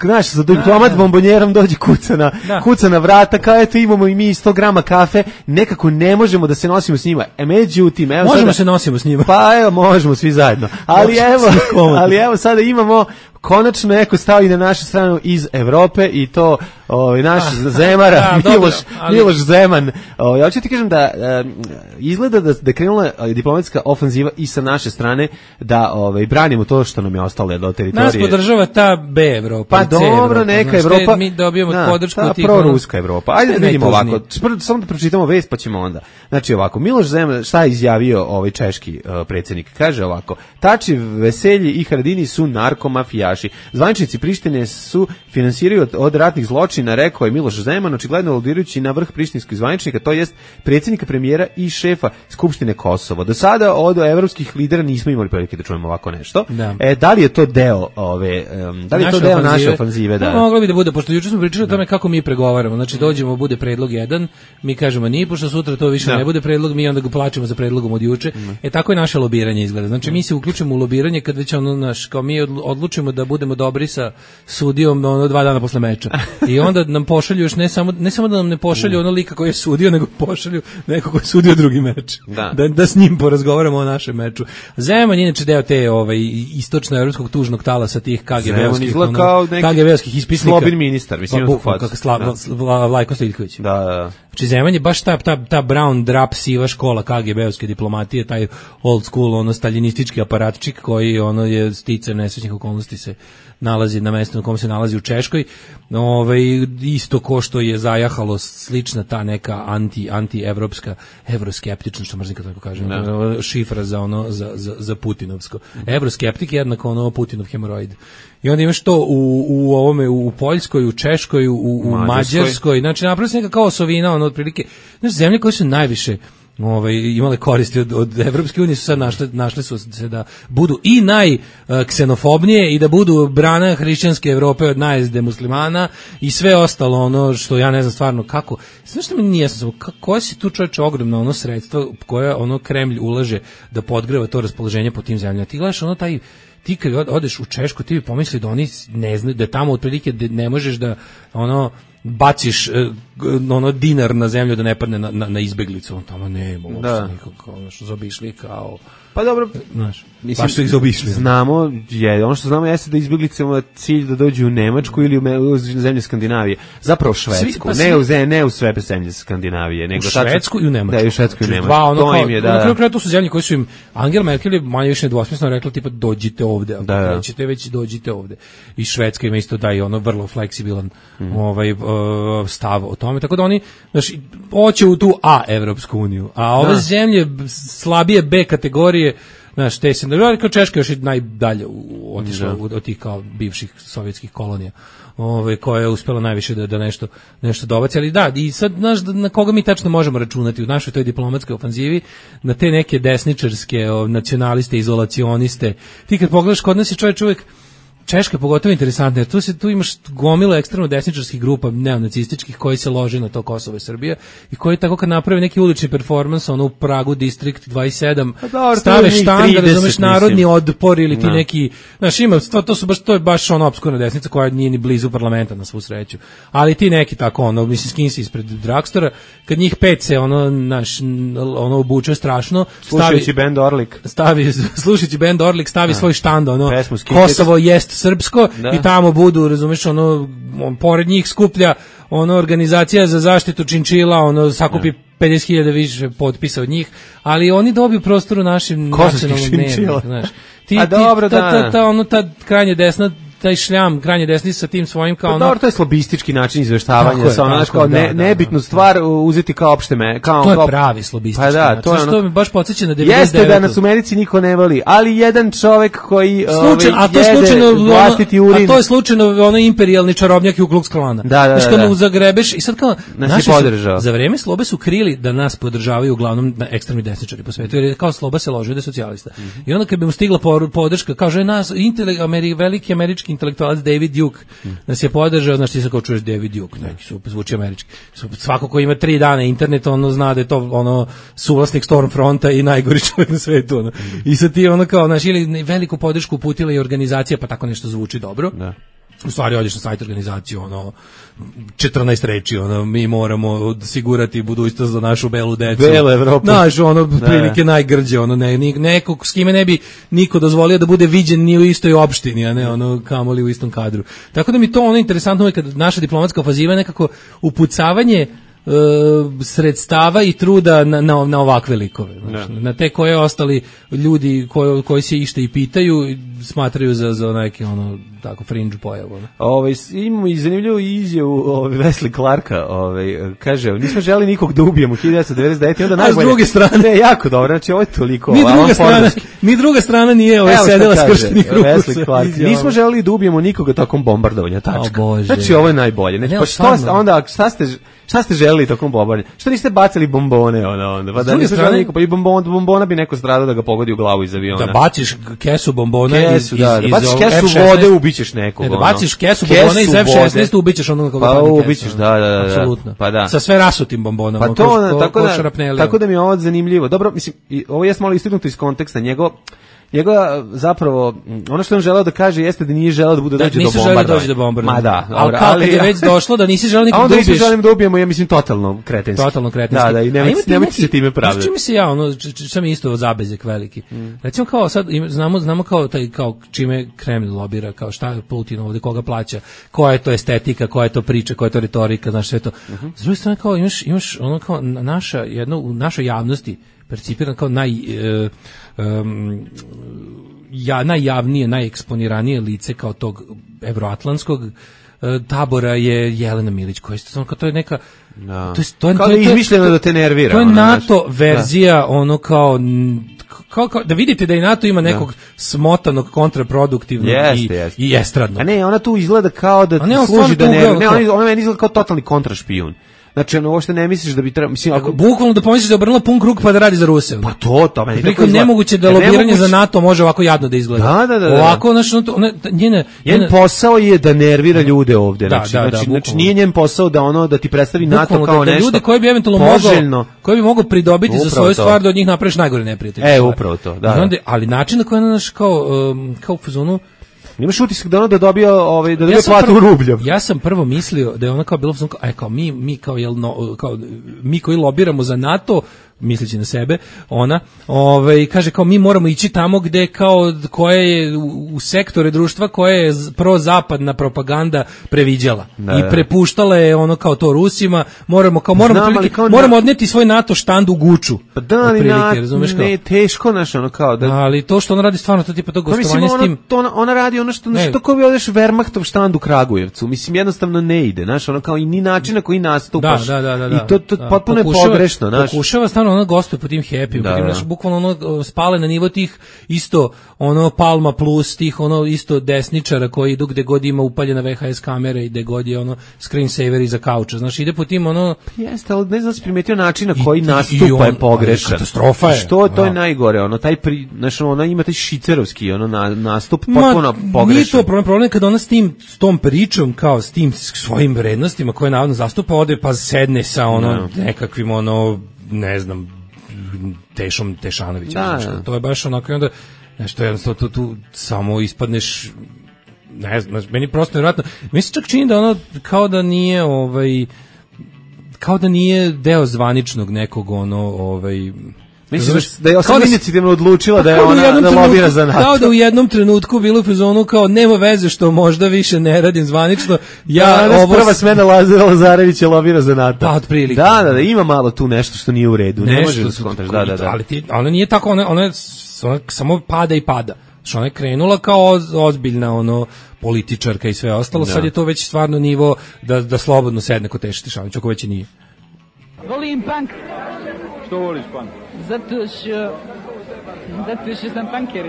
znaš, za diplomat bombonjerom dođe kuca na, kuca na vrata, kao eto imamo i mi sto grama kafe, nekako ne možemo da se nosimo s njima. E, međutim, evo možemo sada, se nosimo s njima. Pa evo, možemo svi zajedno. Ali evo, ali evo sada imamo konačno neko stao i na našu stranu iz Evrope i to ovaj naš ah, Zemara, da, Miloš, ali... Miloš Zeman. Ovaj hoću ti kažem da um, izgleda da da krenula diplomatska ofanziva i sa naše strane da ovaj branimo to što nam je ostalo do teritorije. Nas podržava ta B Evropa. Pa dobro, neka Evropa. Mi dobijamo da, podršku tih proruska Evropa. Ajde da vidimo ovako. Samo da pročitamo vest pa ćemo onda. Znači ovako, Miloš Zeman šta je izjavio ovaj češki uh, predsjednik? Kaže ovako: Tači, Veselji i Haradini su narkomafija. mafijaši. Zvaničnici Prištine su finansiraju od, od ratnih zločina, rekao je Miloš Zeman, očigledno aludirajući na vrh prištinskih zvaničnika, to jest predsjednika, premijera i šefa Skupštine Kosovo. Do sada od evropskih lidera nismo imali prilike da čujemo ovako nešto. Da, e, da li je to deo ove, um, da li je to deo ofanzive? naše ofanzive? Da. No, moglo bi da bude, pošto juče smo pričali o tome kako mi pregovaramo. Znači, dođemo, bude predlog jedan, mi kažemo ni, pošto sutra to više da. ne bude predlog, mi onda ga plaćemo za predlogom od juče. Mm. E, tako je naše lobiranje izgleda. Znači, mi se uključimo u lobiranje kad već ono, naš, kao mi odlučimo da budemo dobri sa sudijom ono, dva dana posle meča. I onda nam pošalju još ne samo, ne samo da nam ne pošalju ono lika koji je sudio, nego pošalju neko koji je sudio drugi meč. Da. Da, da s njim porazgovaramo o našem meču. Zeman je inače deo te ovaj, istočno-evropskog tužnog talasa tih K G B-ovskih ono, K G B-ovskih ispisnika. Slobin ministar, mislim pa, bukval, kako Sla, Vla, Vlajko Stojiljković. Da, da. Znači Zeman je baš ta, ta, ta brown drap siva škola K G B-ovske diplomatije, taj old school, ono, staljinistički aparatčik koji ono je sticajem nesrećnih okolnosti se nalazi na mestu na kom se nalazi u Češkoj. Ovaj isto ko što je zajahalo slična ta neka anti anti evropska evroskeptična, što možda tako kažem, no. šifra za ono za za za putinovsko. Evroskeptik je jednako ono Putinov hemoroid. I onda imaš to u u ovome u Poljskoj, u Češkoj, u u Mađarskoj, Mađarskoj. Znači naprosto neka kao osovina, ono otprilike, znači zemlje koje su najviše Ove, imale koristi od, od Evropske unije su sad našle, našle su se da budu i najksenofobnije i da budu brana hrišćanske Evrope od najezde muslimana i sve ostalo ono što ja ne znam stvarno kako. Znaš što mi nije jasno, koje si tu čovječe ogromno ono sredstva koje ono Kremlj ulaže da podgreva to raspoloženje po tim zemljama. Ti gledaš ono taj ti kad odeš u Češku ti bi pomisli da oni ne znaju da tamo otprilike ne možeš da ono baciš ono dinar na zemlju da ne padne na, na, na izbeglicu, on tamo nema uopšte nikog, ono što zaobišli kao pa dobro, znaš, mislim, baš su ih zaobišli. Znamo, je, ono što znamo jeste da izbeglice ima cilj da dođu u Nemačku ili u, u zemlje Skandinavije, zapravo Švedsku, svi, pa ne, u, ne u sve zemlje Skandinavije, nego u Švedsku i u Nemačku. Da, i u Švedsku i u Nemačku. Dva, ono, to kao, im je, da. Na kraju kraja to su zemlje koje su im, Angela Merkel je manje više nedvosmisleno rekla tipa dođite ovde, ako da, krećete već dođite ovde. I Švedska ima isto da i ono vrlo fleksibilan mm. ovaj, uh, stav o tome, tako da oni, znaš, hoće u tu A Evropsku uniju, a ove da. zemlje slabije B kategorije, znaš, te se, kao Češka još i najdalje otišla od, od tih kao bivših sovjetskih kolonija, ove, koja je uspela najviše da, da nešto, nešto dobaci, ali da, i sad, znaš, na koga mi tačno možemo računati u našoj toj diplomatskoj ofanzivi, na te neke desničarske, o, nacionaliste, izolacioniste, ti kad pogledaš, kod nas je čovjek uvijek, Češka je pogotovo interesantna, jer tu, se, tu imaš gomilu ekstremno desničarskih grupa neonacističkih koji se lože na to Kosovo i Srbija i koji tako kad naprave neki ulični performans, ono u Pragu, Distrikt dvadeset sedam, dobro, stave štand, da razumeš narodni otpor ili ti no. neki, znaš, ima, to, to, su baš, to je baš ono opskurna desnica koja nije ni blizu parlamenta na svu sreću, ali ti neki tako, ono, mislim, skinsi ispred Dragstora, kad njih pet se, ono, naš, ono, obuče strašno, slušajući band Orlik, stavi, slušajući band Orlik, stavi svoj štand, ono, Kosovo jest srpsko da. I tamo budu, razumeš, ono, on, pored njih skuplja ono organizacija za zaštitu činčila, ono sakupi da. pedeset hiljada više potpisa od njih, ali oni dobiju prostor u našem nacionalnom dnevniku, znaš. Ti, A ti, dobro, ta, da. ta, ta, ono, ta krajnje desna, taj šljam, krajnje desni sa tim svojim kao ono... Dobro, to je slobistički način izveštavanja, je, sa ono, znaš, kao ne, da, da, nebitnu stvar uzeti kao opšte me, kao... To je pravi slobistički pa da, način, to je ono, što mi baš podsjeća na devedeset devetu. Jeste da nas u Americi niko ne voli, ali jedan čovek koji Slučaj, ovaj, a to je slučajno, vlastiti urin... A to je slučajno ono imperijalni čarobnjak i u Klux Klana. Da, da, da. Znaš, kad mu zagrebeš i sad kao... Nas je podržao. Za vreme Slobe su krili da nas podržavaju uglavnom ekstremni desničari po svetu, jer je kao Sloba se ložio da je socijalista. Mm -hmm. I onda kad bi mu stigla podrška, kaže nas, intele, Ameri, veliki američki intelektualac David Duke nas je podržao, znaš ti se kao čuješ David Duke, neki su zvuči američki. Svako ko ima tri dana internet, ono zna da je to ono suvlasnik Stormfronta i najgori čovjek na svetu. Ono. I sad ti ono kao, znaš, ili veliku podršku uputila i organizacija, pa tako nešto zvuči dobro. Da. U stvari odeš na sajt organizaciju, ono, četrnaest reči, ono, mi moramo osigurati budućnost za našu belu decu. Belu Evropu. Znaš, ono, prilike najgrđe, ono, ne, nekog s kime ne bi niko dozvolio da bude viđen ni u istoj opštini, a ne, ono, kamoli u istom kadru. Tako da mi to, ono, interesantno je kad naša diplomatska ofanziva je nekako upucavanje sredstava i truda na, na, na ovakve likove. Znači, na te koje ostali ljudi koji, koji se ište i pitaju smatraju za, za neki ono, tako fringe pojavu. Ove, imamo i zanimljivu izjavu ove, Wesley Clarka. Ove, kaže, nismo želi nikog da ubijemo hiljadu devetsto devedeset devete. Onda a s druge strane. Ne, jako dobro, znači ovo je toliko. Mi druga strana, ni druga strana nije ovaj sedela skrštenih ruku. Nismo želeli da ubijemo nikoga tokom bombardovanja, tačka. O, znači ovo je najbolje. Znači, ne, pa što onda šta ste šta ste želeli tokom bombardovanja? Što niste bacili bombone ona onda? Pa da niste želeli niko, pa i bombon, bombona bi neko stradao da ga pogodi u glavu iz aviona. Da baciš kesu bombona kesu, iz, da, iz, da baciš iz kesu vode, ubićeš nekog. Ne, da baciš kesu bombona iz F šesnaest, ubićeš onog koga pa ubićeš, da, da, da. Apsolutno. Pa da. Sa sve rasutim bombonama. Pa to, tako da, tako da mi je ovo zanimljivo. Dobro, mislim, ovo je malo istaknuto iz konteksta njegov njegova zapravo ono što on želeo da kaže jeste da nije želeo da bude da, dođe do bombardovanja. Do bombardovanja. Ma da, ali kao ali, kad je već došlo da nisi želeo nikog da ubiješ. A onda nisi želim da ubijemo, ja mislim totalno kretenski. Totalno kretenski. Da, da, i nemojte nemoj se time pravdati. Čime se ja, ono, sam isto zabezek veliki. Mm. Recimo kao sad znamo znamo kao taj kao čime Kreml lobira, kao šta je Putin ovde, koga plaća, koja je to estetika, koja je to priča, koja je to retorika, znaš sve to. Mm-hmm. S druge strane kao imaš imaš ono kao naša jedno u našoj javnosti percipiran kao naj e, um, ja, najjavnije, najeksponiranije lice kao tog evroatlantskog e, tabora je Jelena Milić, koja je, to je neka no. to je, to je, kao to je, da je izmišljeno da te nervira. To je ono, NATO naš, verzija da. ono kao Kao, kao, da vidite da i NATO ima nekog no. smotanog, kontraproduktivnog jest, i, jest. i estradnog. A ne, ona tu izgleda kao da ti služi da ne, ne, ona, ona meni izgleda kao totalni kontrašpijun. Znači, ono, uopšte ne misliš da bi trebalo, mislim, ako bukvalno da pomisliš da je obrnula pun krug pa da radi za Ruse. Pa to, to meni tako izgleda. Nemoguće da lobiranje nemoguće... za NATO može ovako jadno da izgleda. Da, da, da. Ovako, znači, ona, njena, njen njena... posao je da nervira ljude ovde. Da, znači, da, da, znači, znači, nije njen posao da ono, da ti predstavi NATO kao da, nešto ljude koji bi eventualno mogao, koji bi mogao pridobiti upravo za svoju to. Stvar da od njih napraviš najgore neprijatelje. E, upravo to, da. Onda, ali način na koji ona naš kao, um, kao u fazonu, imaš utisak da ona da dobija ovaj da dobija ja platu u rubljama. Ja sam prvo mislio da je ona kao bilo kao aj kao mi mi kao jel no, kao mi koji lobiramo za NATO, misleći na sebe, ona, ovaj kaže kao mi moramo ići tamo gde kao koje je u, u sektore društva koje je prozapadna propaganda previđala da, i prepuštala je ono kao to Rusima, moramo kao moramo Znam, prilike, kao moramo na... odneti svoj NATO štand u Guču. Pa da, ali na, ne, teško naš ono kao da ali to što ona radi stvarno to tipa to gostovanje s tim to ona, ona radi ono što nešto ko bi odeš Wehrmachtov štand u Kragujevcu, mislim jednostavno ne ide, znaš, ono kao i ni način na koji nastupaš. Da, da, da, da, i to to da, potpuno pokušava, je pogrešno, znaš. Pokušava stvarno ono gostuje po tim happy, da, po tim naš bukvalno ono spale na nivo tih isto ono Palma plus tih ono isto desničara koji idu gde god ima upaljena V H S kamera i gde god je ono screensaver iza kauča. Znaš, ide po tim ono jeste, ali ne znam se primetio način na koji nastupa je pogrešan. Katastrofa je. Što to je najgore, ono taj pri, znaš, ona ima taj šicerovski ono na, nastup potpuno pogrešan. Nije to problem, problem kada ona s tim s tom pričom kao s tim svojim vrednostima koje navodno zastupa ode pa sedne sa ono no. nekakvim ono ne znam Tešom Tešanovićem, da, znači, to je baš onako i onda nešto jednostavno tu, tu samo ispadneš ne znam, meni prosto nevjerojatno mi se čak čini da ono kao da nije ovaj kao da nije deo zvaničnog nekog ono ovaj misliš da je osam inicijativno odlučila da je ona da lobira za NATO. Kao da u jednom trenutku bilo u fazonu kao nema veze što možda više ne radim zvanično. Ja da, ovo prva smena Lazara Lazarevića lobira za NATO. Pa otprilike. Da, da, da, ima malo tu nešto što nije u redu. Ne može da skontaš, da, da, da. Ali ti, ona nije tako, ona, ona, ona samo pada i pada. Što ona je krenula kao ozbiljna ono političarka i sve ostalo, da. Sad je to već stvarno nivo da, da slobodno sedne kod Teše Tešanović, ako već nije. Volim punk. Što voliš punk? Zato što zato što sam punker.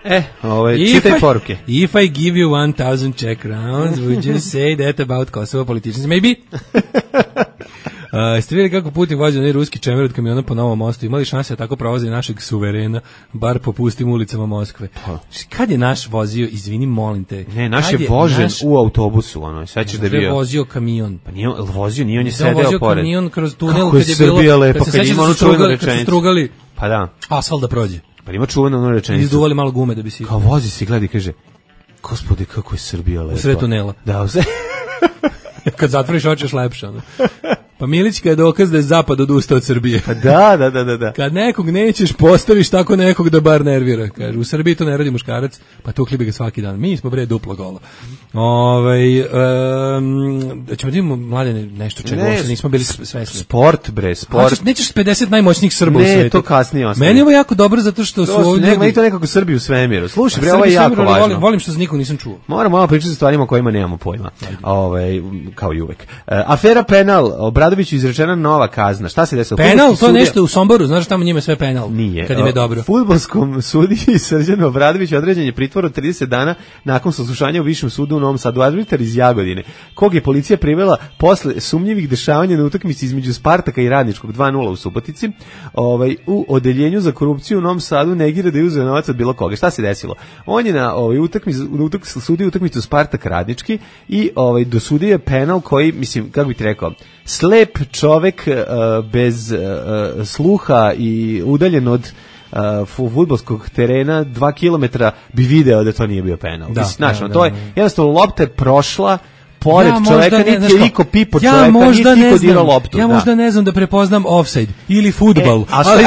E, ovaj čitaj poruke. If I give you one thousand Czech crowns, would you say that about Kosovo politicians? Maybe. Uh, ste vidjeli kako Putin vozi onaj ruski čemer od kamiona po Novom mostu? Imali šanse da tako provozi našeg suverena, bar po pustim ulicama Moskve. Pa. Kad je naš vozio, izvini, molim te. Ne, naš je vožen naš... u autobusu, ono, sećaš da je bio. Je vozio kamion. Pa nije vozio, nije on je sedeo pored. Vozio kamion kroz tunel kad je bilo. Kako lepo, kad ima onu čuvenu rečenicu. Strugali, pa da. Asfalt da prođe. Pa ima čuvenu onu rečenicu. Izduvali malo gume da bi si. Kao vozi se, gleda i kaže, gospode, kako je Srbija lepa. U sred tunela. Da, u sred. Kad zatvoriš oči, još lepše, ono. Pa Milićka je dokaz da je zapad odustao od Srbije. Pa da, da, da, da, da. Kad nekog nećeš, postaviš tako nekog da bar nervira. Kaže, u Srbiji to ne radi muškarac, pa tukli bi ga svaki dan. Mi smo bre duplo gola. Ovaj um, da ćemo da imamo mladene nešto čega ne, uopšte nismo bili svesni. Sport bre, sport. Nećeš, nećeš pedeset najmoćnijih Srba ne, u svetu. Ne, to kasnije ostaje. Meni je ovo jako dobro zato što to su ovdje... Ne, meni to nekako Srbiju u svemiru. Slušaj, bre, ovo je jako važno. Volim, volim što se nikog nisam čuo. Moramo malo pričati o stvarima o kojima nemamo pojma. Ovaj, kao i uvek. Uh, afera penal, Obradoviću izrečena nova kazna. Šta se desilo? Penal, to sudija... nešto u Somboru, znaš tamo njima sve penal. Nije. Kad im je dobro. Fudbalskom sudiji Srđanu Obradoviću određen je pritvor od trideset dana nakon saslušanja u Višem sudu u Novom Sadu. Arbitar iz Jagodine, kog je policija privela posle sumnjivih dešavanja na utakmici između Spartaka i Radničkog dva nula u Subotici, ovaj, u odeljenju za korupciju u Novom Sadu negira da je uzeo novac od bilo koga. Šta se desilo? On je na ovaj, utakmici, utakmici, sudio utakmicu Spartak Radnički i ovaj, dosudio je penal koji, mislim, kako bih ti rekao, slep čovek uh, bez uh, sluha i udaljen od uh, fudbalskog terena dva kilometra bi video da to nije bio penal. Da, mislim, znači, da, da, to je, jednostavno, lopta je prošla pored ja čoveka, ne, niti je niko pipo ja čoveka, niti niko dirao loptu. Ja da. možda ne znam da prepoznam offside ili fudbal, e, ali,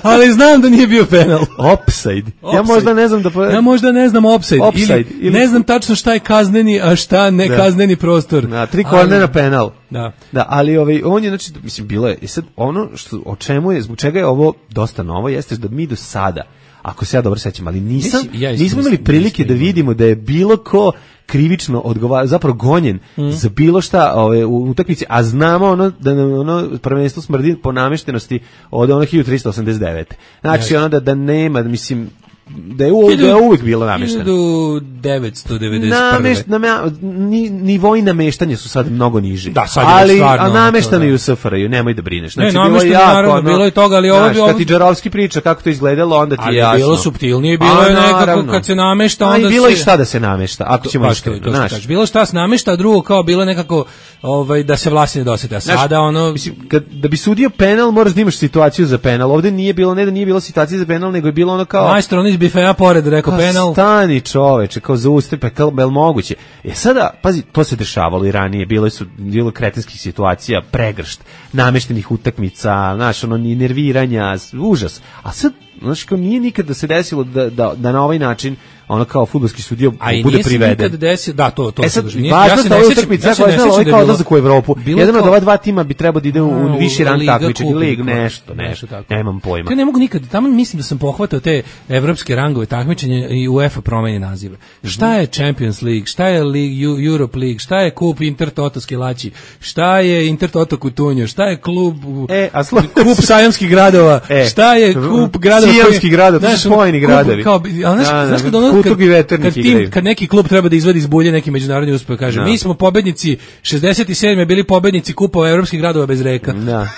ali znam da nije bio penal. Offside. Ja možda ne znam da... Po... Ja možda ne znam offside, offside ili, ili ne znam tačno šta je kazneni, a šta ne da. kazneni prostor. Na tri kornera penal. Da. Da, ali ovaj on je, znači, mislim, bilo je, i sad ono što, o čemu je, zbog čega je ovo dosta novo, jeste da mi do sada, ako se ja dobro sećam, ali nisam, ja nismo imali prilike da vidimo da je bilo ko krivično odgovara, zapravo gonjen mm. za bilo šta ove, u utakmici, a znamo ono da nam ono prvenstvo smrdi po nameštenosti od ono hiljadu trista osamdeset devete. Znači, ja, ono da, da nema, mislim, da je, u, da je uvijek bilo namešteno. hiljadu devetsto devedeset prve. Namešt, name, ni, nivoi nameštanja su sad mnogo niži. Da, sad ali, je stvarno. A nameštano i u S F R J-u, nemoj da brineš. Znači, ne, nameštano je naravno, ono, bilo je toga, ali ovo bi... Kad ti Džarovski priča kako to izgledalo, onda ti ali je jasno. Ali je bilo suptilnije, bilo a, je nekako kad se namešta, onda se... A i bilo je šta da se namešta, ako ćemo iskreno, znaš. Bilo šta se namešta, a drugo kao bilo nekako ovaj, da se vlasti ne dosete. A sada ono... Mislim, kad, da bi sudio penal, moraš da imaš situaciju za penal. Ovde nije bilo, ne da nije bilo situacije za penal, nego je bilo ono kao... Majstor, on iz bifeja pored, rekao penal. Stani čoveče, kao zaustavi, pa kao bel moguće. E sada, pazi, to se dešavalo i ranije, bilo su bilo kretenskih situacija, pregršt, nameštenih utakmica, znaš, ono, nerviranja, užas. A sad, znaš, kao nije nikad da se desilo da, da, da na ovaj način ono kao fudbalski sudio bude priveden. Nikad desio, da, to, to. E sad, važno je ova utakmica koja je znala ovaj kao odlazak u Evropu. Jedan od ova dva tima bi trebao da ide u, u viši rang takmičenja, lig, nešto, nešto, nemam pojma. Ja ne mogu nikad, tamo mislim da sam pohvatao te evropske rangove takmičenja i UEFA promeni nazive. Šta je Champions League, šta je League, Europe League, šta je kup Intertoto Skilači, šta je Intertoto Kutunjo, šta je klub, e, a slo... kup sajamskih gradova, e, šta je kup gradova, sajamskih gradova, to su spojeni gradovi. Kao, a znaš, znaš kad ono Kad, kad, tim, kad neki klub treba da izvadi iz bulje neki međunarodni uspeh, kaže, no. mi smo pobednici šezdeset sedme bili pobednici kupova evropskih gradova bez reka. Da.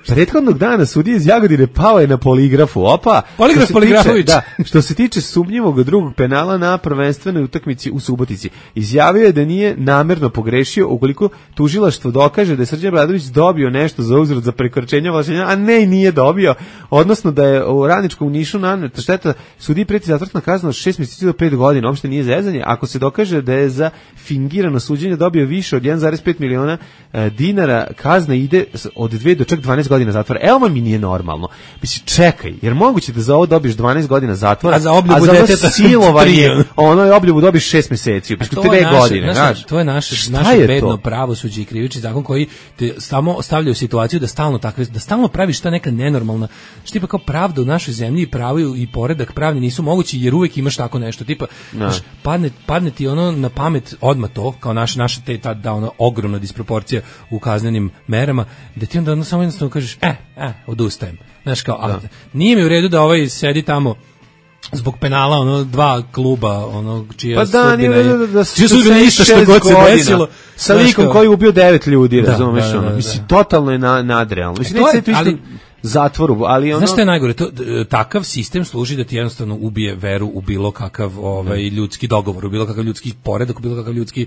Prethodnog dana sudija iz Jagodine pao je na poligrafu. Opa, poligraf Poligrafović. Da, što se tiče sumnjivog drugog penala na prvenstvenoj utakmici u Subotici, izjavio je da nije namerno pogrešio ukoliko tužilaštvo dokaže da je Srđan Obradović dobio nešto za uzvrat za prekoračenje ovlašćenja, a ne i nije dobio, odnosno da je u Radničkom Nišu naneta šteta, sudiji preti zatvorna kazna od šest mjeseci do pet godina, uopšte nije zezanje, ako se dokaže da je za fingirano suđenje dobio više od jedan zarez pet miliona e, dinara, kazna ide od dve do čak dvanaest godina zatvora. Evo mi nije normalno. Mislim, čekaj, jer moguće da za ovo dobiješ dvanaest godina zatvora, a za obljubu a za deteta silovanje, ono je obljubu dobiš šest mjeseci, pa što dve godine, znaš. To je naše naše bedno pravosuđe i krivični zakon koji te samo stavlja u situaciju da stalno takve da stalno praviš ta neka nenormalna, što tipa kao pravda u našoj zemlji i pravo i poredak pravni nisu mogući jer uvek imaš tako nešto, tipa, znaš, padne, padne ti ono na pamet odmah to, kao naša naša te ta da ono ogromna disproporcija u kaznenim merama, da ti onda ono samo jednostavno kažeš, e, e, odustajem. Znaš, kao, a, nije mi u redu da ovaj sedi tamo zbog penala, ono, dva kluba, ono, čija pa da, sudbina je, da, da, čija sudbina isto što god se desilo. Sa likom koji je ubio devet ljudi, da, razumeš, da, da, ono, mislim, da. Totalno je na, nadrealno. Mislim, e, neće se to isto zatvoru, ali ono... Znaš šta je najgore? To, takav sistem služi da ti jednostavno ubije veru u bilo kakav ovaj, ljudski dogovor, u bilo kakav ljudski poredak, u bilo kakav ljudski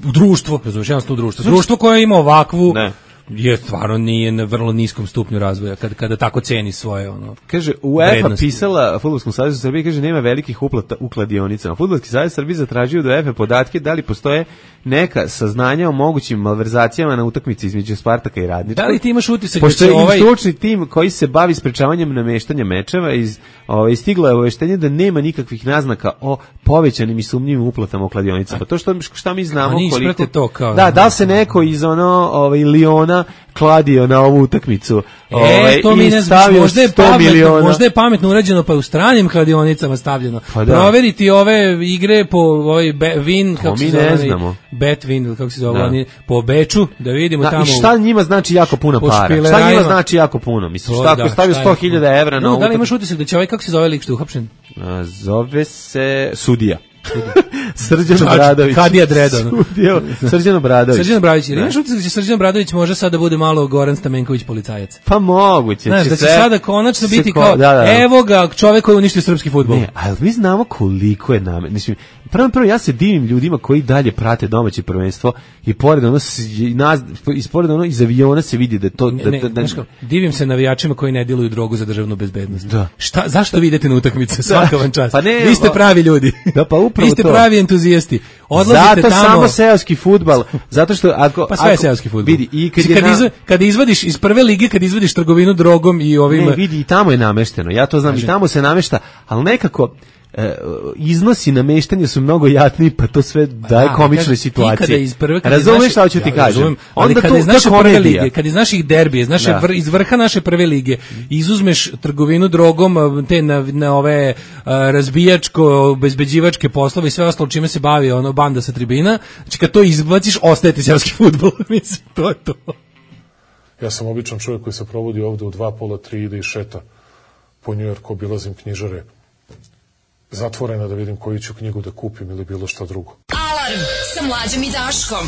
društvo, razumiješ, jednostavno društvo. Društvo koje ima ovakvu... Ne. Je stvarno nije na vrlo niskom stupnju razvoja kada kada tako ceni svoje ono. Kaže UEFA pisala Fudbalskom savezu Srbije, kaže nema velikih uplata u kladionicama. Fudbalski savez Srbije zatražio od UEFA podatke da li postoje neka saznanja o mogućim malverzacijama na utakmici između Spartaka i Radničkog. Da li ti imaš utisak da će ovaj stručni tim koji se bavi sprečavanjem nameštanja mečeva iz ovaj stiglo je obaveštenje da nema nikakvih naznaka o povećanim i sumnjivim uplatama u kladionicama. To što šta mi znamo koliko to kao, da, da li se neko iz ono ovaj Liona miliona kladio na ovu utakmicu. E, Ove, to mi i ne znam, stavio možda je, sto pametno, miliona. možda je pametno urađeno, pa je u stranim kladionicama stavljeno. Pa da. Proveriti ove igre po ovaj be, Win, kako se mi zove, ne onaj, znamo. Bet Win, ili kako se zove, Da. oni, po Beču, da vidimo Da, tamo. i šta njima znači jako puno po para? Šta špilerajima. njima znači jako puno? Mislim, šta ako Da, stavio šta je? sto hiljada evra na No, ovu da li imaš utakmicu? utisak da će ovaj, kako se zove lik što je uhapšen? A, Zove se Sudija. Srđan Čač- Obradović. Kadija Dredo, ono. Sudija, Srđan Obradović. Srđan Obradović, ili imaš utisak da će Srđan Obradović može sada bude malo Goran Stamenković policajac? Pa moguće. Znaš, da će se- sada konačno se biti ko- kao, da, da, da. evo ga, čovek koji je uništio srpski fudbal. Ne, ali mi znamo koliko je nam. Mislim, prvo prvo ja se divim ljudima koji dalje prate domaće prvenstvo i pored ono s- i nas ispored ono iz aviona se vidi da je to Ne, da, ne, da, da, znaš kako, divim se navijačima koji ne diluju drogu za državnu bezbednost. Da. Šta, zašto vi idete na utakmice? Svaka vam čast. Pa ne, vi ste pa- pravi ljudi. Da, pa upravo Vi ste to. pravi entuzijasti. Odlazite zato tamo. samo seoski fudbal, zato što ako Pa sve je ako- seoski fudbal. Vidi, i kad je kad, na- izva, kad izvadiš iz prve lige, kad izvadiš trgovinu drogom i ovim... Ne, vidi, i tamo je namešteno, ja to znam, Kaže. i tamo se namešta, ali nekako e, iznosi nameštanja su mnogo jatniji, pa to sve daje Da, komične kažem, ti situacije. kada iz prve, kada iz Razumeš naše- šta hoću ti Ja, kažem? razumem, ali Onda kada to- iz to je naše prve komedija. lige, kada iz naših derbija, iz, naše Da. vr, iz vrha naše prve lige, izuzmeš trgovinu drogom, a, te na, na ove a, razbijačko, obezbeđivačke poslove i sve ostalo čime se bavi ono banda sa tribina, znači kad to izbaciš, ostaje ti seoski fudbal. Mislim, to je to. Ja sam običan čovjek koji se provodi ovde u dva, pola, tri, ide i šeta po Njujorku, obilazim knjižare zatvorena da vidim koju ću knjigu da kupim ili bilo šta drugo. Alarm sa Mlađom i Daškom.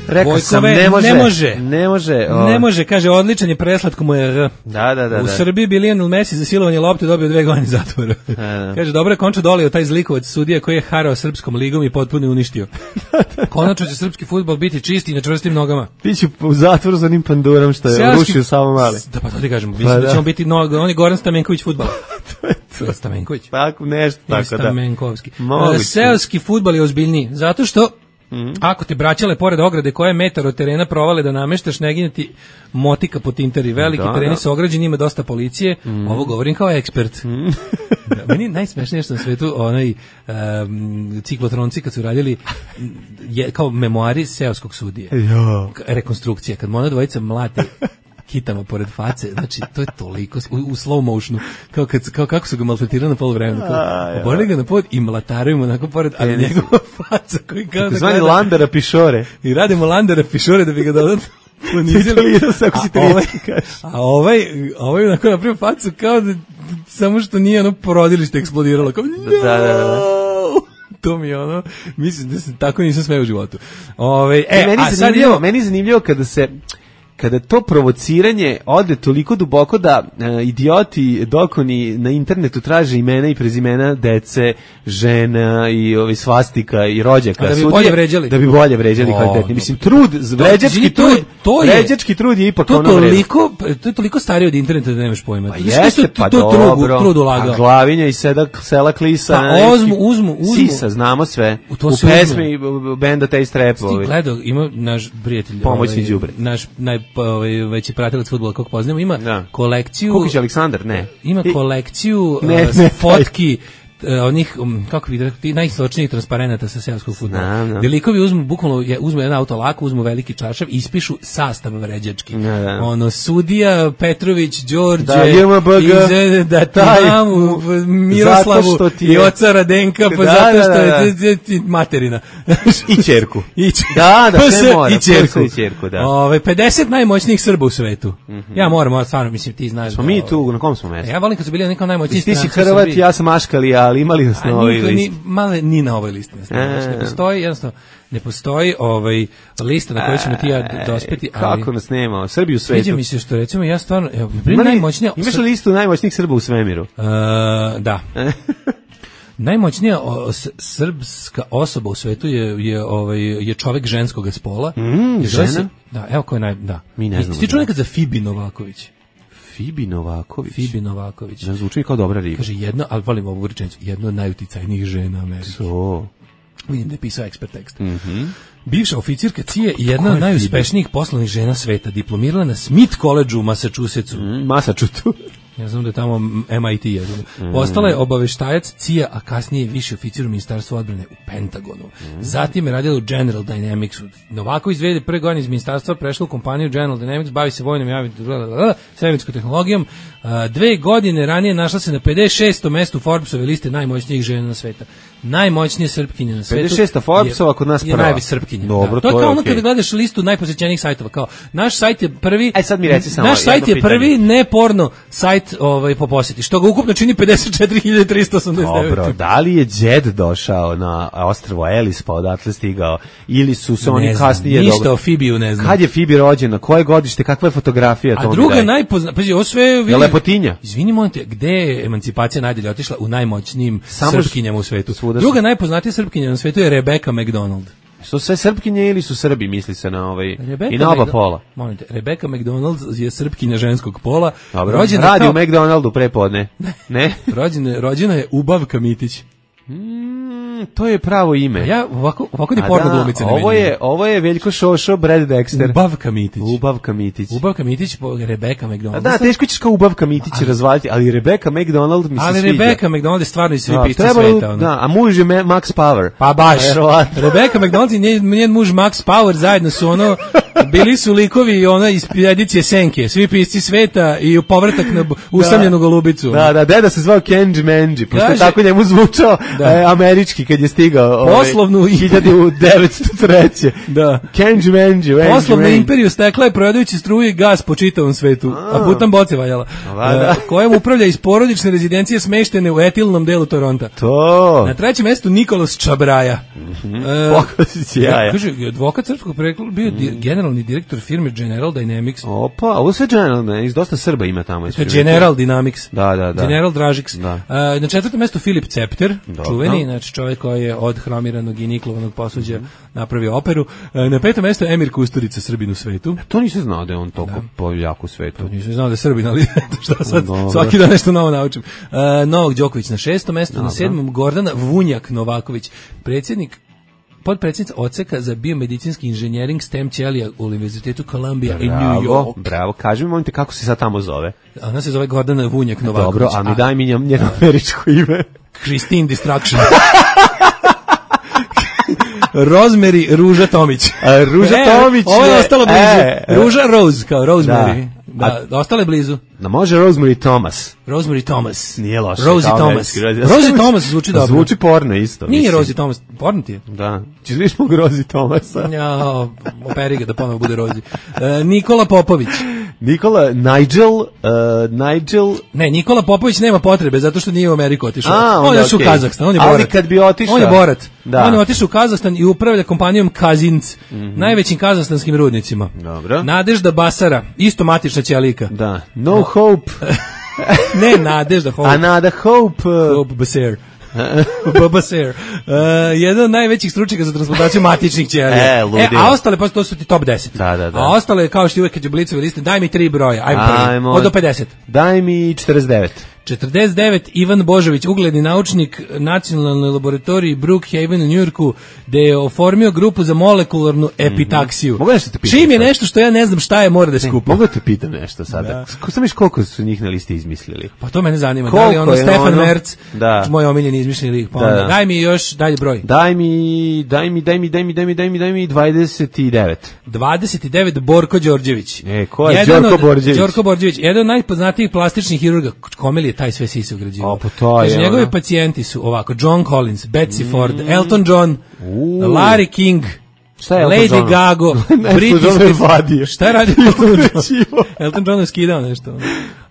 Rekao sam, Vojkove, ne može. ne može. Ne može. o. Ne može, kaže, odličan je, preslatko mu je. R. Da, da, da. U da. Srbiji bi Lionel Messi za silovanje lopte dobio dve godine zatvora. da. Kaže, dobro je Končo dolio taj zlikovac sudija koji je harao srpskom ligom i potpuno je uništio. Konačno će srpski fudbal biti čist i na čvrstim nogama. Biću u zatvoru za onim pandurom što je Seoski- rušio samo mali. Da, pa to ti kažem, mislim Pa da da. ćemo biti noga, on je Goran Stamenković fudbala. to je Stamenković. Tako nešto, Ili tako da. Stamenkovski. Moguće. E, Seoski fudbal je ozbiljniji, zato što ako te braćale pored ograde koja je metar od terena provale da nameštaš, ne gine ti motika po tinteri. Veliki Da, tereni da. su ograđeni, ima dosta policije. Ovo govorim kao ekspert. Da, meni najsmešnije što na svetu onaj um, ciklotronci kad su radili je, kao memoari seoskog sudije. Jo. Rekonstrukcija, kad mu ona dvojica mlate kitama pored face, znači to je toliko u, u slow motionu, kao, kad, kao kako su ga maltretirali na poluvremenu, kao oborili ga na pod i mlataraju mu onako pored, ali Penis. njegova faca koji kao da Zvani gleda- Landera Pišore. i radimo Landera Pišore da bi ga dodatno ponizili. Titulirao se ako si A ovaj- trijetski kažeš. A ovaj, ovaj onako napravio facu kao da samo što nije ono porodilište eksplodiralo, kao Da, da, da, da. to mi je ono, mislim da se tako nisam smeo u životu. Ove, e, E, meni, a je sad zanimljivo, imamo, meni je zanimljivo kada se kada to provociranje ode toliko duboko da e, idioti dokoni na internetu traže imena i prezimena dece, žena i ovi svastika i rođaka. A da bi sudije, bolje vređali. Da bi bolje vređali O, kvalitetnije. dobro. Mislim, trud, vređački izvini, to je- trud, to je- vređački trud je ipak to ono vreme. toliko, to je toliko starije od interneta da nemaš pojma. Pa Znaš kako jeste, su pa to dobro. trud, trud ulagao. A Glavinja i Sedak, Sela Klisa. Pa neki- uzmu, uzmu, uzmu. Sisa, znamo sve. U to U se pesmi benda Taste Rap. Ti ovi. gledao, ima naš prijatelj, Pomoćni ovaj, đubre. naš najveći pratilac fudbala kog poznamo, ima Da. kolekciju, Kukić Aleksandar, ne. ima I- kolekciju Ne, uh, ne, fotki uh, onih, um, kako bi rekao, ti najsočnijih transparenata sa seoskog fudbala. Znam, znam. Gde likovi uzmu, bukvalno, je, uzmu jedan auto lako, uzmu veliki čaršav, ispišu sastav vređački. Da, da. Ono, Sudija, Petrović, Đorđe, Da, J M B G, iz- da ti taj, mamu, Miroslavu zato što ti i je- oca Radenka, pa Da, zato da, što da, je da. t- t- materina. I ćerku. I ć- Da, da, Pa sve se- mora, i ćerku. sve i ćerku, da. Ove, pedeset najmoćnijih Srba u svetu. Ja moram, moram, stvarno, mislim, ti znaš. Smo da, mi ovaj, tu, na kom smo mestu? Ja volim kad su bili neko najmoćniji Ti si stranci u Hrvat, Srbiji. ja sam Aškali, ali imali nas na A ovoj niko ni, listi. male, ni na ovoj listi. Ne, znači, ne E. postoji, jednostavno, ne postoji ovaj lista na kojoj ćemo ti i ja d- dospeti, ali Kako nas nema? Srbi u sviđa svetu. mi se što recimo ja stvarno, evo, na primjer, Ima li- najmoćnija... Imaš li listu najmoćnijih Srba u svemiru? Uh, da. Najmoćnija o, s- srpska osoba u svetu je je ovaj je čovjek ženskog spola. Mm, I zove se- žena? Da, evo ko je naj da. Mi ne I- znamo Ti čuo da. nekad za Fibi Novaković? Fibi Novaković. Fibi Novaković. Ne zvuči kao dobra riba. Kaže jedna, ali volim ovu rečenicu, jedna od najuticajnijih žena Amerike. To. Vidim da je pisao ekspert tekst. Mhm. Bivša oficirka C I A i jedna Ko od je najuspešnijih poslovnih žena sveta, diplomirala na Smith College u Massachusettsu. Mm, Masačutu. Ja znam da je tamo M I T. Ja znam. Postala je obaveštajac C I A, a kasnije viši oficir u Ministarstvu odbrane u Pentagonu. Mm. Zatim je radila u General Dynamicsu. Novaković dve hiljade prve godine iz ministarstva prešla u kompaniju General Dynamics, bavi se vojnom javnim svemirskom tehnologijom. Dve godine ranije našla se na pedeset šestom mestu Forbesove liste najmoćnijih žena na sveta. Najmoćnije Srpkinje na svetu. pedeset šesta Forbesova kod nas prva. Je najviše Srpkinja. Dobro, to je to kao je ono okay. kada gledaš listu najposjećenijih sajtova. Kao, naš sajt je prvi... Aj sad mi reci samo naš sajt je pitanje. prvi ne porno sajt ovaj, po posjeti, što ga ukupno čini pedeset četiri hiljade trista osamdeset devet. Dobro, da li je Đed došao na ostrvo Elis pa odatle stigao ili su se oni znam, kasnije... Ništa dobro... o Fibiju ne znam. Kad je Fibi rođena, koje godište, kakva je fotografija? A druga najpozna... Pazi, ovo sve... Je Vidim, lepotinja? Izvini, molim te, gde je emancipacija najdalje otišla? U najmoćnijim Samo Srpkinjama u svetu. Svuda Druga najpoznatija Srpkinja na svetu je Rebecca McDonald. Su sve Srpkinje ili su Srbi, misli se na ovaj... Rebecca I na oba McDo- pola. Molim te, Rebecca McDonald je Srpkinja ženskog pola. Dobro, Rođena radi kao... u McDonaldu prepodne. Ne? rođena, rođena je Ubavka Mitić. Mm, to je pravo ime. Ja ovako ovako ni A porno da, glumice ne ovo vidim. je ovo je Veljko Šošo, Brad Dexter. Ubavka Mitić. Ubavka Mitić. Ubavka Mitić, po Rebecca McDonald. A da, teško ćeš kao Ubavka Mitić ali, razvaliti, ali Rebecca McDonald mi se ali sviđa. Ali Rebecca McDonald je stvarno iz svi da, pisci trebalo, sveta. Ono. Da, a muž je Max Power. Pa baš. Rebecca McDonald i njen, njen muž Max Power zajedno su ono, bili su likovi ona iz edicije Senke, svi pisci sveta i povratak na usamljenu golubicu. Da, da, deda se zvao Kenji Menji, pošto je tako njemu zvučao e, američki kad je stigao. Poslovnu ovaj, hiljadu devetsto treće. Da. Kenji Menji. Poslovnu imperiju stekla je prodajući struju i gas po čitavom svetu, a, a putam boce valjala. Da. Uh, kojem upravlja iz porodične rezidencije smeštene u etilnom delu Toronta. To. Na trećem mestu Nikolas Čabraja. Mm-hmm. Uh, Pokosić jaja. Kaže, advokat srpskog porekla, bio mm. di, generalni direktor firme General Dynamics. Opa, ovo sve General Dynamics, dosta Srba ima tamo. To je General Dynamics. Da, da, da. General Dražiks. Da. Uh, na četvrtom mestu Filip Cepter, Dobro. čuveni, znači čovjek koji je od hromiranog i niklovanog posuđa mm. napravio operu. Uh, na petom mestu Emir Kusturica, Srbin u svetu. To nisam znao da je on toliko po jaku svetu. To nisam znao da je Srbin, ali šta sad, no, svaki dan nešto novo naučim. Uh, Novak Đoković na šestom mestu, Dobro. Na sedmom Gordana Vunjak Novaković, predsjednik podpredsjednica odseka za biomedicinski inženjering STEM ćelija u Univerzitetu Columbia i New York. Bravo, kaži mi, molite, kako se sad tamo zove? Ona se zove Gordana Vunjak Novaković. Dobro, a mi daj mi njeno američko ime. Christine Distraction. Rosemary Ruža Tomić. A, Ruža e, Tomić. Ovo je ostalo blizu. E, Ruža Rose, kao Rosemary. Da, da, da ostale blizu. Da može Rosemary Thomas. Rosemary Thomas. Nije loše. Rosie Thomas. Rosie Thomas zvuči dobro. Zvuči porno isto. Nije Rosie Thomas, porno ti je. Da. Češ viš mog Rosie Thomasa? Ja, operi ga da ponovo bude Rosie. Uh, Nikola Popović. Nikola, Nigel, uh, Nigel... Ne, Nikola Popović nema potrebe, zato što nije u Ameriku otišao. A, on je okay. u Kazahstan, on je borat. Ali kad bi otišao... On je borat. Da. On je otišao u Kazahstan i upravlja kompanijom Kazinc, mm-hmm. najvećim kazahstanskim rudnicima. Dobro. Nadežda Basara, isto matična ćelika. Da. No Hope. Ne, Nadežda Hope. A Nada Hope. Hope Basar. Babaser. Uh, jedan od najvećih stručnjaka za transplantaciju matičnih ćelija. E, e, a ostale, pa to su ti top deset. Da, da, da. A ostale, kao što uvek kad je Blicove liste, daj mi tri broja. Ajmo prvi. Od do pedeset. Daj mi četrdeset devet. četrdeset devet. Ivan Božović, ugledni naučnik nacionalnoj laboratoriji Brookhaven u Njujorku, gde je oformio grupu za molekularnu epitaksiju. Mm-hmm. Mogu nešto te pitam? Čim je nešto što ja ne znam šta je, mora da skupa. Mogu te pitam nešto sada? Da. Sam viš koliko su njih na listi izmislili? Pa to mene zanima. Koliko da li ono Stefan ono? Merc, da. moj omiljeni izmišljeni lik. Pa da. onda, daj mi još dalje broj. Daj mi, daj mi, daj mi, daj mi, daj mi, daj mi, daj mi dvadeset devet. dvadeset devet. Borko Đorđević. E, ko je Đorko Borđević? Đorko Borđević, jedan od najpoznatijih plastičnih hirurga. Kome li je taj sve sise ugrađivao? O, pa to je. Kaže, njegovi ono... pacijenti su ovako, John Collins, Betsy mm. Ford, Elton John, uh. Larry King, šta je Lady Elton Gaga, Britney. Šta je radio Elton John? Elton John je skidao nešto.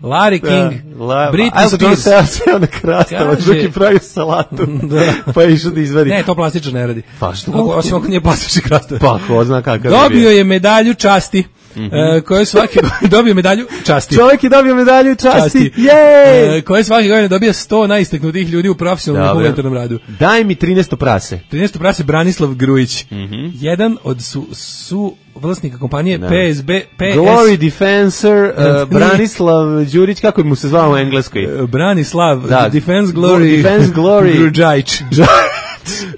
Larry King, La, Britney Spears. Elton John se seo na krastavac, drugi pravio salatu, da. Pa je išao da izvadi. Ne, to plastično ne radi. Pa što? Osim ako nije plastični krastavac. Pa ko zna kakav je. Dobio je medalju časti. Mm-hmm. Uh, koje svake dobio medalju časti. Čovjek je dobio medalju časti. časti. Jej! Uh, koje svake godine dobija sto najistaknutijih ljudi u profesionalnom humanitarnom radu. Daj mi trinaesto prase. trinaesto prase Branislav Grujić. Mm-hmm. Jedan od su, su vlasnika kompanije no. P S B P S Glory Defensor uh, Branislav Đurić, kako mu se zvao u engleskoj? Uh, Branislav da. Defense Glory Defense Glory Grujić.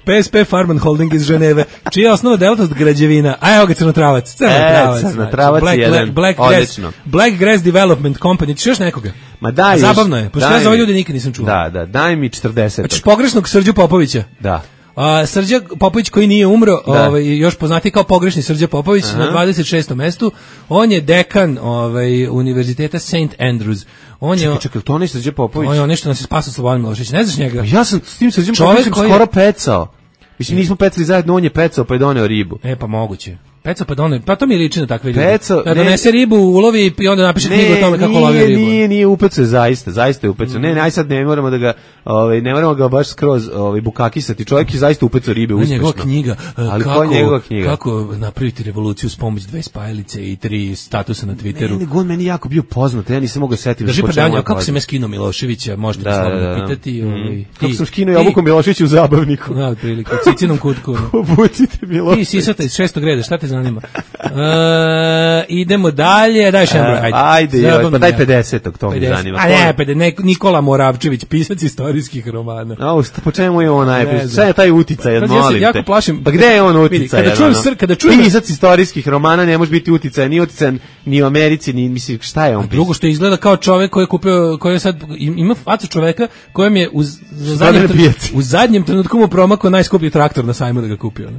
P S P Farman Holding iz Ženeve, čija je osnovna delatnost građevina. A evo ga Crnotravac. Crnotravac. E, Crnotravac Black, jedan. Black, Black, Grass, Black Grass Development Company. Ti još nekoga? Ma daj. A zabavno je, pošto ja za ove ljude nikad nisam čuo. Da, da, daj mi četrdeset. Znači pogrešnog Srđu Popovića. Da. A, Srđa Popović koji nije umro, ovaj, još poznati kao pogrešni Srđa Popović, aha, na dvadeset šestom mestu. On je dekan ovaj, univerziteta Saint Andrews. On čekaj, je, čekaj, to nije Srđa Popović? On je nešto nas je spasao Slobodan Milošević. Ne znaš njega? Ja sam s tim Srđom Popovićem skoro pecao. Mislim, nismo pecali zajedno, on je pecao pa je doneo ribu. E, pa moguće. Peca pa doneo, pa to mi liči na takve ljude. Peco, da donese ribu, ulovi i onda napiše knjigu o tome kako lovi ribu. Nije, nije upecao, zaista, zaista je upecao. Mm. Ne, ne, aj sad ne moramo da ga, ovaj, ne moramo ga baš skroz ovaj, bukakisati. Čovjek je zaista upecao ribe uspešno. Njegova knjiga, ali kako, njegova knjiga? Kako napraviti revoluciju s pomoć dve spajalice i tri statusa na Twitteru. Ne, nego on meni jako bio poznat, ja nisam mogao setiti. Drži predavanja, kako sam ja skinuo Miloševića, možete da, slobodno da, da. pitati. Mm. Ovaj, kako sam skinuo Jovuku Miloševiću u zabavniku. Da, otprilike, u cicinom kutku. Obucite Milošević. Ti sisata iz šestog reda, šta te zanima? E, idemo dalje, daj še broj, ajde. Ajde, joj, pa daj pedesetog, to mi zanima. A ne, pedeset, ne, Nikola Moravčević, pisac istorijskih romana. A, po čemu je on najbolji? Sve je taj uticaj, molim te. Ja se jako plašim. Pa gde je on uticaj? Kada čujem sr, kada čujem pisac istorijskih romana ne može biti uticaj, ni uticaj ni u Americi, ni mislim šta je on. A drugo što izgleda kao čovjek koji je kupio, koji je sad ima facu čovjeka kojem je u zadnjem u zadnjem trenutku mu promakao najskuplji traktor na sajmu da ga kupio.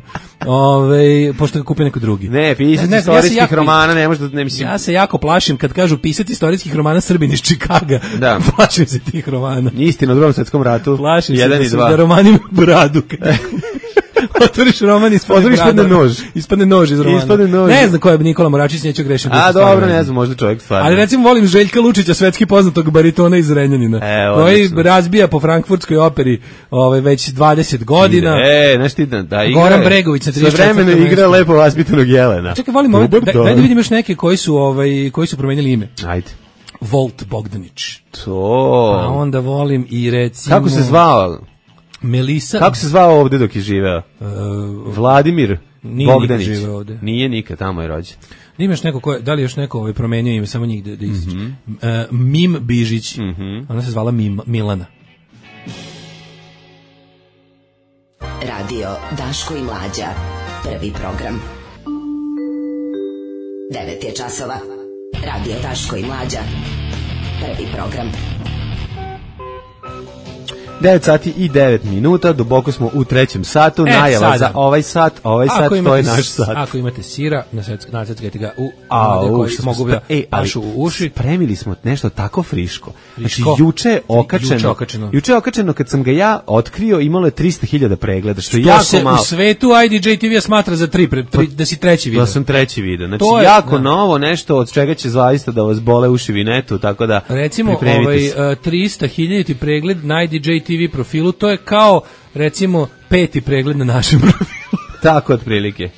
Ove, pošto ga kupio neko drugi. Ne, pisac istorijskih ja jako, romana ne može da ne mislim. Ja se jako plašim kad kažu pisac istorijskih romana Srbin iz Čikaga. Da. Plašim se tih romana. Istina o Drugom svetskom ratu. Plašim jedan se i dva. Da romani imaju bradu. Otvoriš roman, ispadne, ispadne nož. Ispadne nož iz romana. Ispadne nož. Ne znam ko je Nikola Moravčić, neću grešiti. A dobro, ne znam, možda čovjek stvarno. Ali recimo volim Željka Lučića, svetski poznatog baritona iz Renjanina, e, koji odlično razbija po frankfurtskoj operi ovaj, već dvadeset godina. E, znaš ti da, da igra. Goran Bregović na trideset četvrtom Sve vremena igra lepo vaspitanog Jelena. Čekaj, volim ovaj, daj da vidim još neke koji su, ovaj, koji su promenili ime. Ajde. Volt Bogdanić. To. A onda volim i recimo... Kako se zvao? Melisa. Kako se zvao ovde dok je živeo? Uh, Vladimir Bogdanić. Nije nikad ovde. Nije nikad, tamo je rođen. Imaš neko ko je, da li još neko ovaj promenio ime, samo njih da, da ističe. Mm -hmm. uh, Mim Bižić. Mm -hmm. Ona se zvala Mim, Milana. Radio Daško i Mlađa. Prvi program. devet je časova. Radio Daško i Mlađa. Prvi program. devet sati i devet minuta, duboko smo u trećem satu, e, najava sada za ovaj sat, ovaj ako sat, to je naš sat. Ako imate sira, naseckajte ga u A, u, koji mogu da e, pašu u uši. Spremili smo nešto tako friško. friško. Znači, juče je okačeno, juče okačeno. Juče je okačeno, kad sam ga ja otkrio, imalo je trista hiljada pregleda, što je to jako se malo. U svetu I D J T V smatra za tri, pre, tri da si treći video. Da sam treći video. Znači, to je, jako da. novo, nešto od čega će zaista da vas bole uši vinetu, tako da recimo, ovaj, trista hiljada pregled na I D J T V profilu, to je kao, recimo, peti pregled na našem profilu. Tako, otprilike.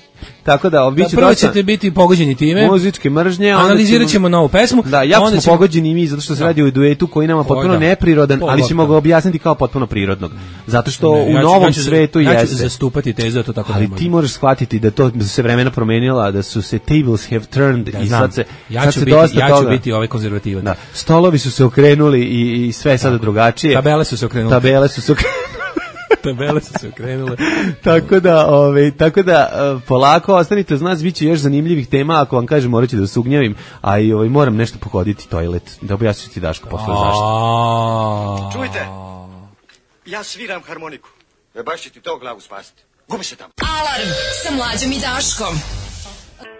Tako da, da prvo dosta ćete biti pogođeni time. Muzičke mržnje. Analizirat ćemo novu pesmu. Da, jako smo ćemo... pogođeni i mi, zato što se da. radi o duetu koji nama potpuno da. neprirodan, Pol ali ćemo ga objasniti kao potpuno prirodnog. Zato što ne, u ja ću, novom ja ću, svetu ja jeste. Ja ću zastupati tezu da to tako ali ne ti možeš shvatiti da to da su se vremena promenila, da su se tables have turned da, i znam. sad se, ja sad ću se biti, dosta ja toga. ću biti ovaj konzervativac. Da. Stolovi su se okrenuli i, i sve je sada drugačije. Tabele su se okrenule. Tabele su se okrenule. Tabele su se okrenule. tako da, ovaj, tako da uh, polako ostanite uz nas, biće još zanimljivih tema, ako vam kažem morat ću da se ugnjavim, a i ovaj, moram nešto pohoditi toilet, da objasniti ti Daško posle zašto. Čujte, ja sviram harmoniku, e baš će ti to glavu spasiti. Gubi se tamo. Alarm sa Mlađom i Daškom.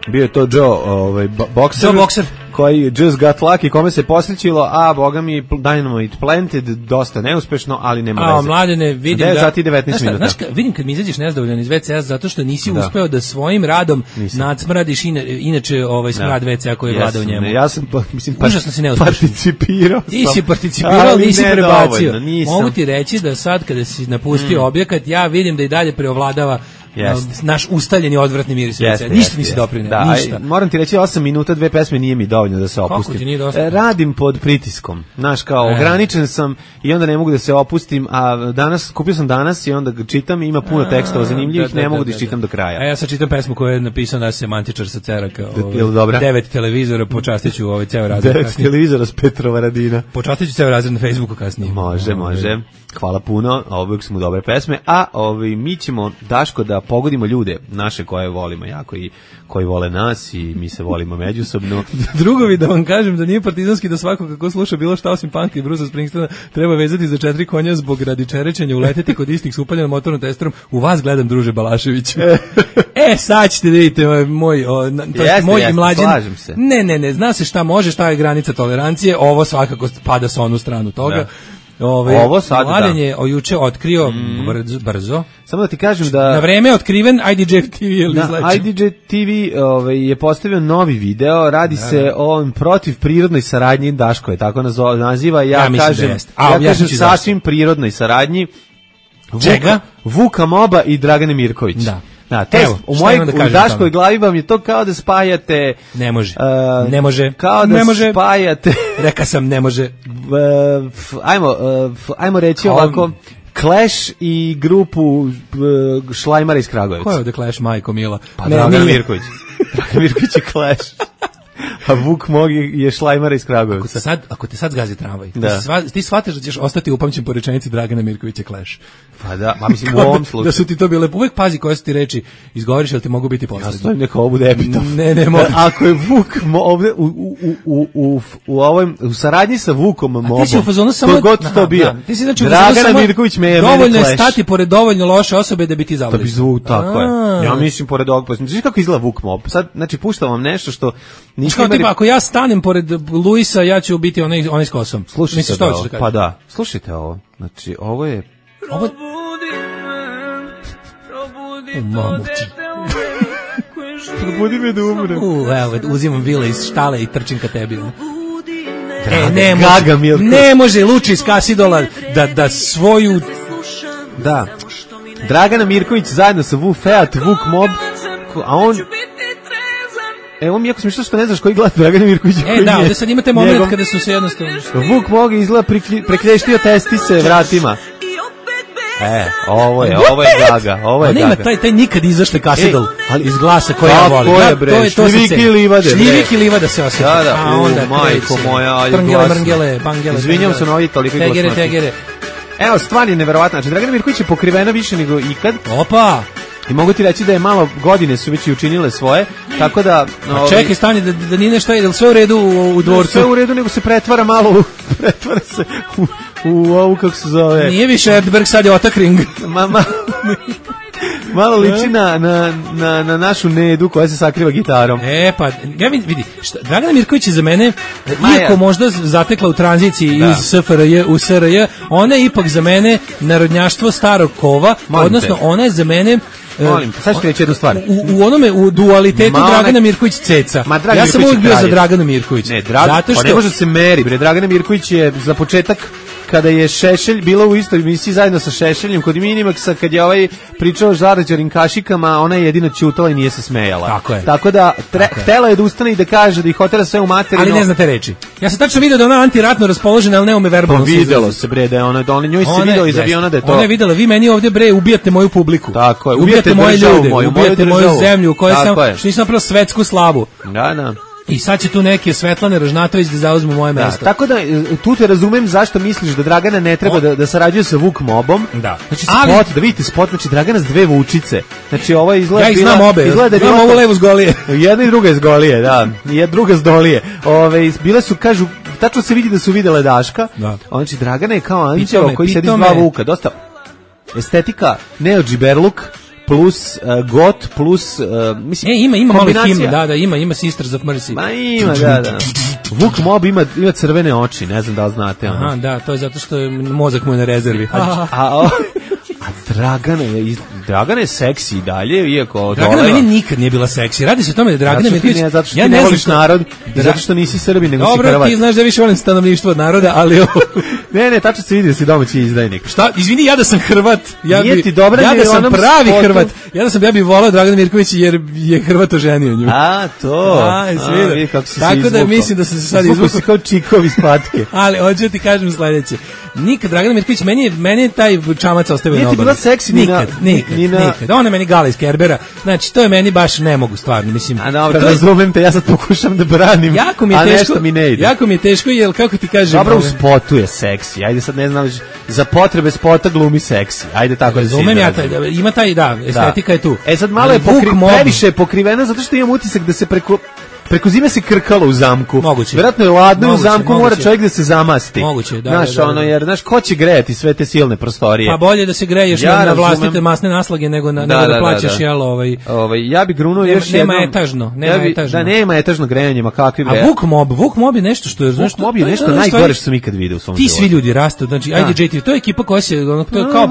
Bio je to Joe, ovaj, bokser, Joe Boxer, koji just got lucky, kome se posrećilo, a boga mi Dynamite Planted, dosta neuspešno, ali nema veze. A, Mladene, vidim da... devet sati i devetnaest minuta. Znaš, vidim kad mi izađeš nezadovoljan iz ve ce a zato što nisi da. uspeo da svojim radom Nisam. nadsmradiš ina, inače ovaj smrad da. ve ce a koji je vlada u njemu. Ne, ja sam, mislim, Užasno si neuspešan. Participirao sam. Ti si participirao, nisi prebacio. Mogu ti reći da sad kada si napustio mm. objekat, ja vidim da i dalje preovladava Jest. naš ustaljeni odvratni miris ve ce a. Ništa nisi doprineo, da, ništa. Moram ti reći, osam minuta, dve pesme nije mi dovoljno da se opustim. Kako ti nije dosta? Radim pod pritiskom. Znaš, kao e. ograničen sam i onda ne mogu da se opustim, a danas, kupio sam danas i onda ga čitam, ima puno tekstova zanimljivih, da, da, ne mogu da, da iščitam da. do kraja. A ja sad čitam pesmu koju je napisao naš semantičar sa Ceraka. Ovaj, devet televizora, počastiću ovaj ceo razred. Devet televizora s Petrova Radina. Počastiću ceo razred na Facebooku kasnije. Može, može. Hvala puno, uvijek su mu dobre pesme, a ovaj, mi ćemo, Daško, da da pogodimo ljude naše koje volimo jako i koji vole nas i mi se volimo međusobno. Drugovi, da vam kažem da nije partizanski da svako kako sluša bilo šta osim Punka i Brusa Springsteena treba vezati za četiri konja zbog radi čerečenja, uleteti kod istih s upaljenom motornom testerom. U vas gledam, druže Balašević. E, sad ćete da vidite moj, o, na, to jest moj i mlađen. Ne, ne, ne, zna se šta može, šta je granica tolerancije, ovo svakako pada sa onu stranu toga. Da. Ove, ovo sad Mladen je o juče otkrio mm. brzo, brzo. Samo da ti kažem da na vreme je otkriven I D J T V je I D J T V ovaj je postavio novi video, radi da, se da. o protiv prirodnoj saradnji, Daško je tako naziva, ja, ja kažem da A, ja kažem sasvim prirodnoj saradnji Vuka, Vuka Moba i Dragane Mirković. Da. Da, to Evo, u mojoj da u Daškoj glavi vam je to kao da spajate ne može. Uh, ne može. Kao da ne može. spajate. Reka sam ne može. Uh, f, ajmo uh, f, ajmo reći kao... ovako Clash i grupu uh, Šlajmara iz Kragujevca. Ko je ovde Clash, majko mila? Pa ne, Dragan Mirković. Dragan Mirković je Clash. A Vuk Mog je Šlajmara iz Kragujevca. Ako te sad, ako te sad zgazi tramvaj, da. ti, sva, ti shvataš da ćeš ostati upamćen po rečenici Dragana Mirkovića Clash. Pa da, ma mislim u ovom slučaju. Da su ti to bile, uvek pazi koje su ti reči izgovoriš, jel ti mogu biti poslednji. Ja stojim neka ovo bude epitaf. Ne, ne, mogu. Ako je Vuk ovde u, u, u, u, u, ovom, u saradnji sa Vukom Mobom, ti si u fazonu samo... To god to bio. Ti si znači Dragana Mirković me je dovoljno je stati pored dovoljno loše osobe da bi ti zavljeno. Da bi zvuk, tako je. Ja mislim pored ovog, pa znaš kako izgleda Vuk Mob. Sad, znači, puštam vam nešto što... Kao tipa, ako ja stanem pored Luisa, ja ću biti onaj, onaj s kosom. Slušajte da ovo, pa da, slušajte ovo. Znači, ovo je... Ovo... U mamu ti. Probudi me da umrem. U, evo, uzimam vile iz štale i trčim ka tebi. E, ne može, ne može Luči iz Kasidola da, da svoju... Da. Dragana Mirković zajedno sa Vu Feat, Vuk Mob, a on... Evo mi jako smišno što ne znaš koji gleda Dragana Mirkovića. E, da, ovdje sad imate moment njegov... kada su se jednostavno... Vuk Mog izgleda prekreštio testise vratima. E, ovo je, ovo je Gaga, ovo je Gaga. Nema taj, taj nikad izašle Kasidol iz glasa koji ja volim. Kako je, bre, ja, šljiviki i livade. Šljiviki i livade se osjeća. Da, da, a onda majko moja, ajde glasno. Brngele, bangele. Izvinjam se na ovih toliko glasno. Tegere, tegere. Evo, stvar je neverovatna. Znači, Dragana Mirković je pokrivena više nego ikad. Opa! I mogu ti reći da je malo godine su već i učinile svoje, tako da... No, čekaj, stani, da, da nije nešto, je li sve u redu u, u dvorcu? Sve u redu, nego se pretvara malo u... pretvara se u, u ovu, kako se zove... Nije više Erdberg, sad je Otakring. Ma, ma, malo liči na, na, na, na našu Nedu koja se sakriva gitarom. E, pa, ja vidi, šta, Dragana Mirković je za mene, iako možda zatekla u tranziciji da. iz S F R J u S R J, ona je ipak za mene narodnjaštvo starog kova, Molim odnosno te. ona je za mene... Molim, sad ću ti reći jednu stvar. U, u onome, u dualitetu ma Dragana Mirković ceca. Ma, ja sam uvijek bio za Draganu Mirković. Ne, Drag, zato što... ne može se meri, bre. Dragana Mirković je za početak kada je Šešelj bila u istoj emisiji zajedno sa Šešeljem kod Minimaxa, kad je ovaj pričao o žarađarim kašikama, ona je jedino ćutala i nije se smejala. Tako je. Tako da tre, Tako htela je da ustane i da kaže da ih hotela sve u materinu. Ali ne znate reči. Ja sam tačno video da ona antiratno raspoložena, ali ne ume verbalno. Pa videlo se bre da je ona, da ona njoj se video iz aviona da je to. Ona je videla, vi meni ovdje bre ubijate moju publiku. Tako je. Ubijate, ubijate moje ljude, moju, ubijate moju, moju zemlju u kojoj sam, što nisam napravila svetsku slavu. Da, da. I sad će tu neke Svetlane Ražnatović da zauzmu moje da, mesto. Tako da tu te razumem zašto misliš da Dragana ne treba da, da sarađuje sa Vuk Mobom. Da. Znači ali, spot, da vidite spot, znači Dragana s dve vučice. Znači ovo izgleda... Ja ih znam obe, izgleda znam ovu levu s Golije. Jedna i druga iz Golije, da. I druga s Dolije. Ove, bile su, kažu, tačno se vidi da su videle Daška. Da. Znači Dragana je kao anđeo koji sedi s dva vuka. Dosta estetika, Neo Džiberluk, plus uh, got plus uh, mislim e, ima ima malo himne, da da ima ima Sisters of Mercy. Ma ima da da. Vuk Mob ima ima crvene oči, ne znam da li znate ono. Aha, da, to je zato što je mozak mu je na rezervi. A, a, a, a Dragana je Dragana je seksi i dalje, iako Dragana meni nikad nije bila seksi. Radi se o tome da Dragana Mirković, zato što ja ne voliš narod, i zato što nisi Srbin nego Dobro, si Hrvat. Dobro, ti znaš da više volim stanovništvo od naroda, ali ne, ne, tačno se vidi da si domaći izdajnik. Šta? Izvini, ja da sam Hrvat. Ja Nije bi, ti dobra, ja da sam pravi spotu. Hrvat. Ja da sam ja bih voleo Dragana Mirković jer je Hrvat oženio nju. A, to. A, a kako si tako da mislim da sam se sad izvukao. Izvukao si kao čikovi iz patke. Ali hoću ti kažem sledeće. Nikad Dragana Mirković, meni je, meni je taj čamac ostavio na obali. Nije ti bila seksi ni nikad, na... Nikad, nikad, na... nikad. Ona je meni Gala iz Kerbera. Znači, to je meni baš ne mogu stvarno. Mislim, a dobro, to razumem te, ja sad pokušam da branim, jako mi je a teško, nešto mi ne ide. Jako mi je teško, jer kako ti kažem... Dobro, u spotu je seksi. seksi. Ajde sad ne znam, za potrebe spota glumi seksi. Ajde tako da se Razumem ja, taj, ima taj, da, estetika da. je tu. E sad malo je pokri, previše je pokrivena zato što imam utisak da se preko preko zime se krkalo u zamku. Moguće. Verovatno je ladno moguće, u zamku, moguće. mora čovjek da se zamasti. Moguće, da. Znaš, da, da, da. ono, jer, znaš, ko će grejati sve te silne prostorije? Pa bolje da se greješ ja na, na razumem. vlastite masne naslage nego, na, da, nego da, da plaćaš, da. jel, ovaj... ovaj... Ja bi grunuo nema, još nema jednom... etažno, nema ja bi, etažno. Da, nema etažno grejanje, ma kakvi bre. A Vuk Mob, Vuk Mob je nešto što je... Vuk Mob je nešto najgore što sam ikad vidio u svom Ti životu. svi ljudi rastu, znači, I D J T V, to je ekipa koja se, ono, to je kao...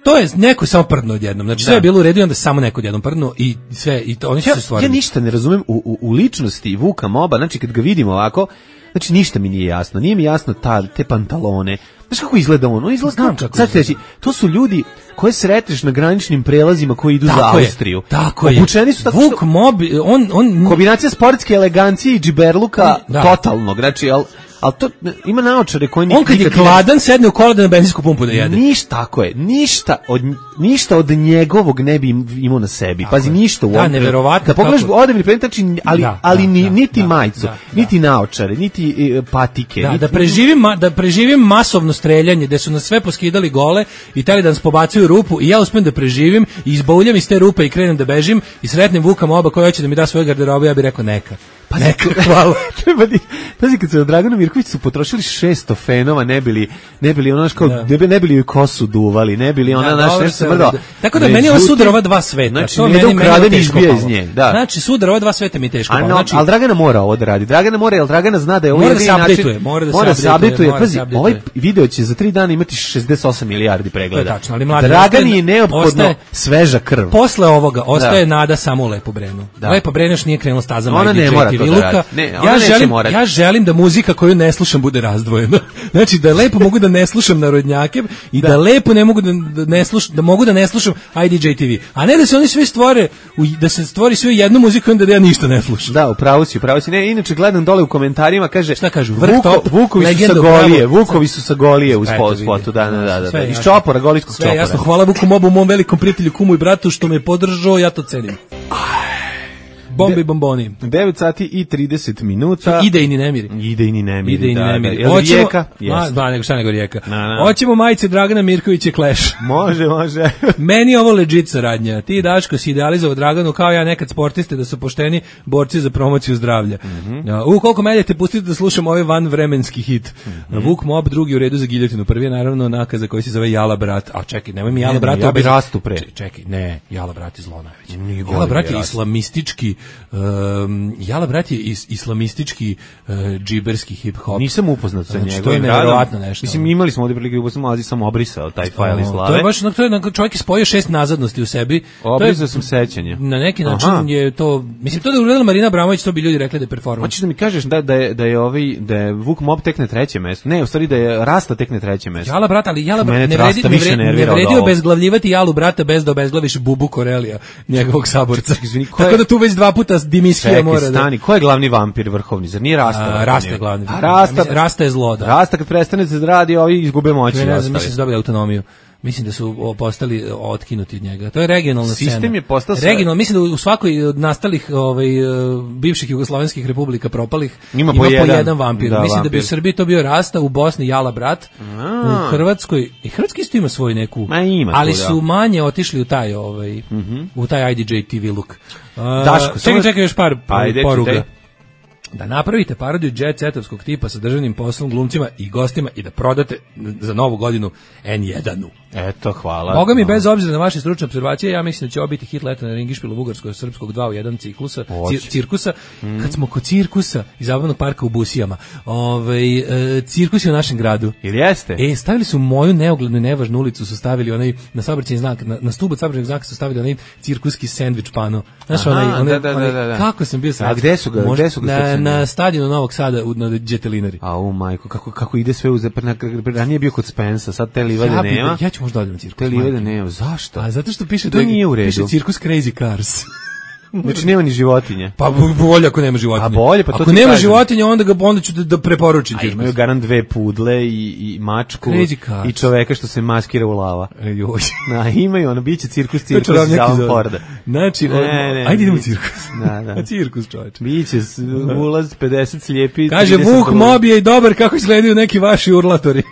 To je neko samo prdno odjednom. Znači sve je bilo u redu i onda samo neko odjednom prdno i sve i to, oni su ja, se stvorili. Ja ništa ne razumem u, u, u ličnosti Vuka Moba, znači kad ga vidim ovako, znači ništa mi nije jasno. Nije mi jasno ta, te pantalone. Znaš kako izgleda on? On izgleda Znam kao, kako sad ću reći, to su ljudi koje sretneš na graničnim prelazima koji idu tako za je, Austriju. Tako Obučeni je. su tako Vuk što... Mob, on... on... Kombinacija sportske elegancije i džiberluka da. totalnog. Znači, al, al to ima naočare koji on kad je gladan sedne u kola da na benzinsku pumpu da jede. Ništa, tako je. Ništa od ništa od njegovog ne bi imao na sebi. Tako Pazi, je. ništa u Da, ovom. neverovatno Kad pogledaš kako... odevni predmet, znači, ali, da, ali da, ni, da, niti da, majicu, da, niti naočare, niti e, patike. Da, niti, da preživim, ma, da preživim masovno streljanje, gde su nas sve poskidali gole i teli da nas pobacuju u rupu i ja uspem da preživim i izbauljam iz te rupe i krenem da bežim i sretnem Vuka Moba koji hoće da mi da svoju garderobu, ja bih rekao neka. Pazi, neka, hvala. Treba di, pazi, kad se od Dragana Mirkovića su potrošili šesto fenova, ne bili, ne bili ono kao, Da. ne, bi, ne bili joj kosu duvali, ne bili ona Da, naša dobro nešto se mrdao. uredi. Tako da meni je ovo sudar ova dva sveta. Znači, to ne meni, da meni ukraden je i teško izbija palo. iz nje. Da. Znači, sudar ova dva sveta mi je teško A palo. no, Znači, ali Dragana mora ovo da radi. Dragana mora, jer Dragana zna da je ovo Mora da jedini se način. updateuje, mora da se mora updateuje, updateuje. mora da Pazi, se updateuje. ovaj video će za tri dana imati šezdeset osam milijardi pregleda. To je tačno, ali mladi, Dragani ostaje- je neophodno ostaje- sveža krv. Posle ovoga ostaje Da. nada samo u Lepo Brenu. Da. Lepo Brenu još nije krenula stazama Ona I D J ne mora T V to da Luka. radi. Ne, ona ja neće želim, morati. ja želim da muzika koju ne slušam bude razdvojena. Znači da lepo mogu da ne slušam narodnjake i da, da lepo ne mogu da, da ne slušam, da mogu da ne slušam I D J T V. A ne da se oni svi stvore u, da se stvori sve jednu muziku i onda da ja ništa ne slušam. Da, upravo si, upravo si. Ne, inače gledam dole u komentarima, kaže šta kažu? Vrh Vuko, top, Vukovi su sa legenda, Golije, bravo. Vukovi su sa Golije u Sve spot, to spotu, da, da, da, da. Sve Iz jasno. čopora, golijskog Sve čopora. jasno, hvala Vuku Mobu, mom velikom prijatelju, kumu i bratu što me podržao, ja to cenim. Bombi bomboni. devet sati i trideset minuta. Idejni nemiri. Idejni nemiri. Idejni da, nemiri. Da. Jel Hoćemo- Rijeka? Ma, Jeste. da, nego šta nego Rijeka. Na, na. Hoćemo majice Dragana Mirkovića Clash. Može, može. Meni je ovo legit saradnja. Ti, Daško, si idealizovao Draganu kao ja nekad sportiste da su pošteni borci za promociju zdravlja. Mhm. U koliko medijete pustite da slušam ovaj vanvremenski hit. Mhm. Vuk Mob, drugi u redu za giljotinu. Prvi je naravno nakaza koji se zove Jala brat. A čekaj, nemoj mi Jala Ne, brat. ja bi rastu pre. Čekaj, čekaj, ne, Jala brat je zlo najveće. Nije Jala bolje brat bi je rastu. islamistički um, Jala brat je is, islamistički uh, džiberski hip hop. Nisam upoznat sa Znači, to je njegovim neverovatno radom. nešto. Mislim, imali smo ovdje prilike, pa sam mlazi sam obrisao taj fajl iz O, glave. To je baš, no, to je, no, čovjek je spojio šest nazadnosti u sebi. To je- Obrisao sam sećanje. Na neki način Aha. je to, mislim, to da je uradila Marina Abramović, to bi ljudi rekli da je performans. Hoćeš da mi kažeš da, da, je, da je ovaj, da je Vuk Mob tek na trećem mestu? Ne, u stvari da je Rasta tek na trećem mestu. Jala brat, ali Jala Mene brat, ne vredi, Rasta ne više vredi, ne nervira od vredi ovog. obezglavljivati Jalu brata bez da obezglaviš Bubu Korelija, njegovog saborca. izvini, ko je- Tako da tu već dva puta Dimiskija Čekaj, mora da... stani, ko je glavni vampir vrhovni? Zar nije Rasta? A, vrhovni? Rasta je glavni. A Rasta, Mislim, Rasta je zlo, da. Rasta kad prestane se da radi, ovi izgube moći. Ne znam, ostali. mislim da su dobili autonomiju. Mislim da su o, postali otkinuti od njega. To je regionalna scena. Sistem je postao sve- Regionalno, mislim da u svakoj od nastalih ovaj, e, bivših jugoslovenskih republika propalih Ima po jedan. vampir. Da, mislim da bi vampir. u Srbiji to bio Rasta, u Bosni Jala brat, u Hrvatskoj, i Hrvatski isto ima svoj neku, Ma ima tu, ali da. su manje otišli u taj, ovaj, u taj I D J T V look. Uh, Daško, samo- čekaj, čekaj još par Ajde, poruga. čitaj. Da napravite parodiju jet setovskog tipa sa državnim poslom, glumcima i gostima i da prodate za novu godinu en jedan-u. Eto, hvala. Boga mi, No. bez obzira na vaše stručne observacije, ja mislim da će ovo biti hit leta na Ringišpilu bugarsko-srpskog dva u jedan ciklusa, Hoće. cir, cirkusa. Kad smo kod cirkusa i zabavnog parka u Busijama, ovaj, e, cirkus je u našem gradu. Ili jeste? E, stavili su moju neoglednu i nevažnu ulicu, su stavili onaj, na saobraćajni znak, na, na stubu saobraćajnog znaka su stavili onaj cirkuski sendvič pano. Znaš, Aha, onaj, onaj, da, da, onaj- da, da. kako sam bio srećan. A gde su ga- Možda- gde su ga Na, stacionirali? na stadionu Novog Sada, u, na Đetelinari. A u majku, kako, kako ide sve uz... Ranije bio kod Spensa, sad te livade Ja, bi, nema. ja ću možda odem na cirkus. Te livade majke. nema. Zašto? A zato što piše To da je- nije u redu. Piše cirkus Crazy Cars. Znači nema ni životinje. Pa bolje ako nema životinje. A bolje, pa to ako ti nema kažem. životinje, onda ga onda ću da, da preporučim. A imaju garant dve pudle i, i mačku i čoveka što se maskira u lava. E, joj. Na, imaju, ono, biće cirkus, cirkus za Alan Forda. Znači, ne, ne, ajde idemo u cirkus. Da, da. Cirkus, čovječ. Biće ulaz pedeset slijepi. Kaže, Vuk Mob je i dobar kako izgledaju neki vaši urlatori.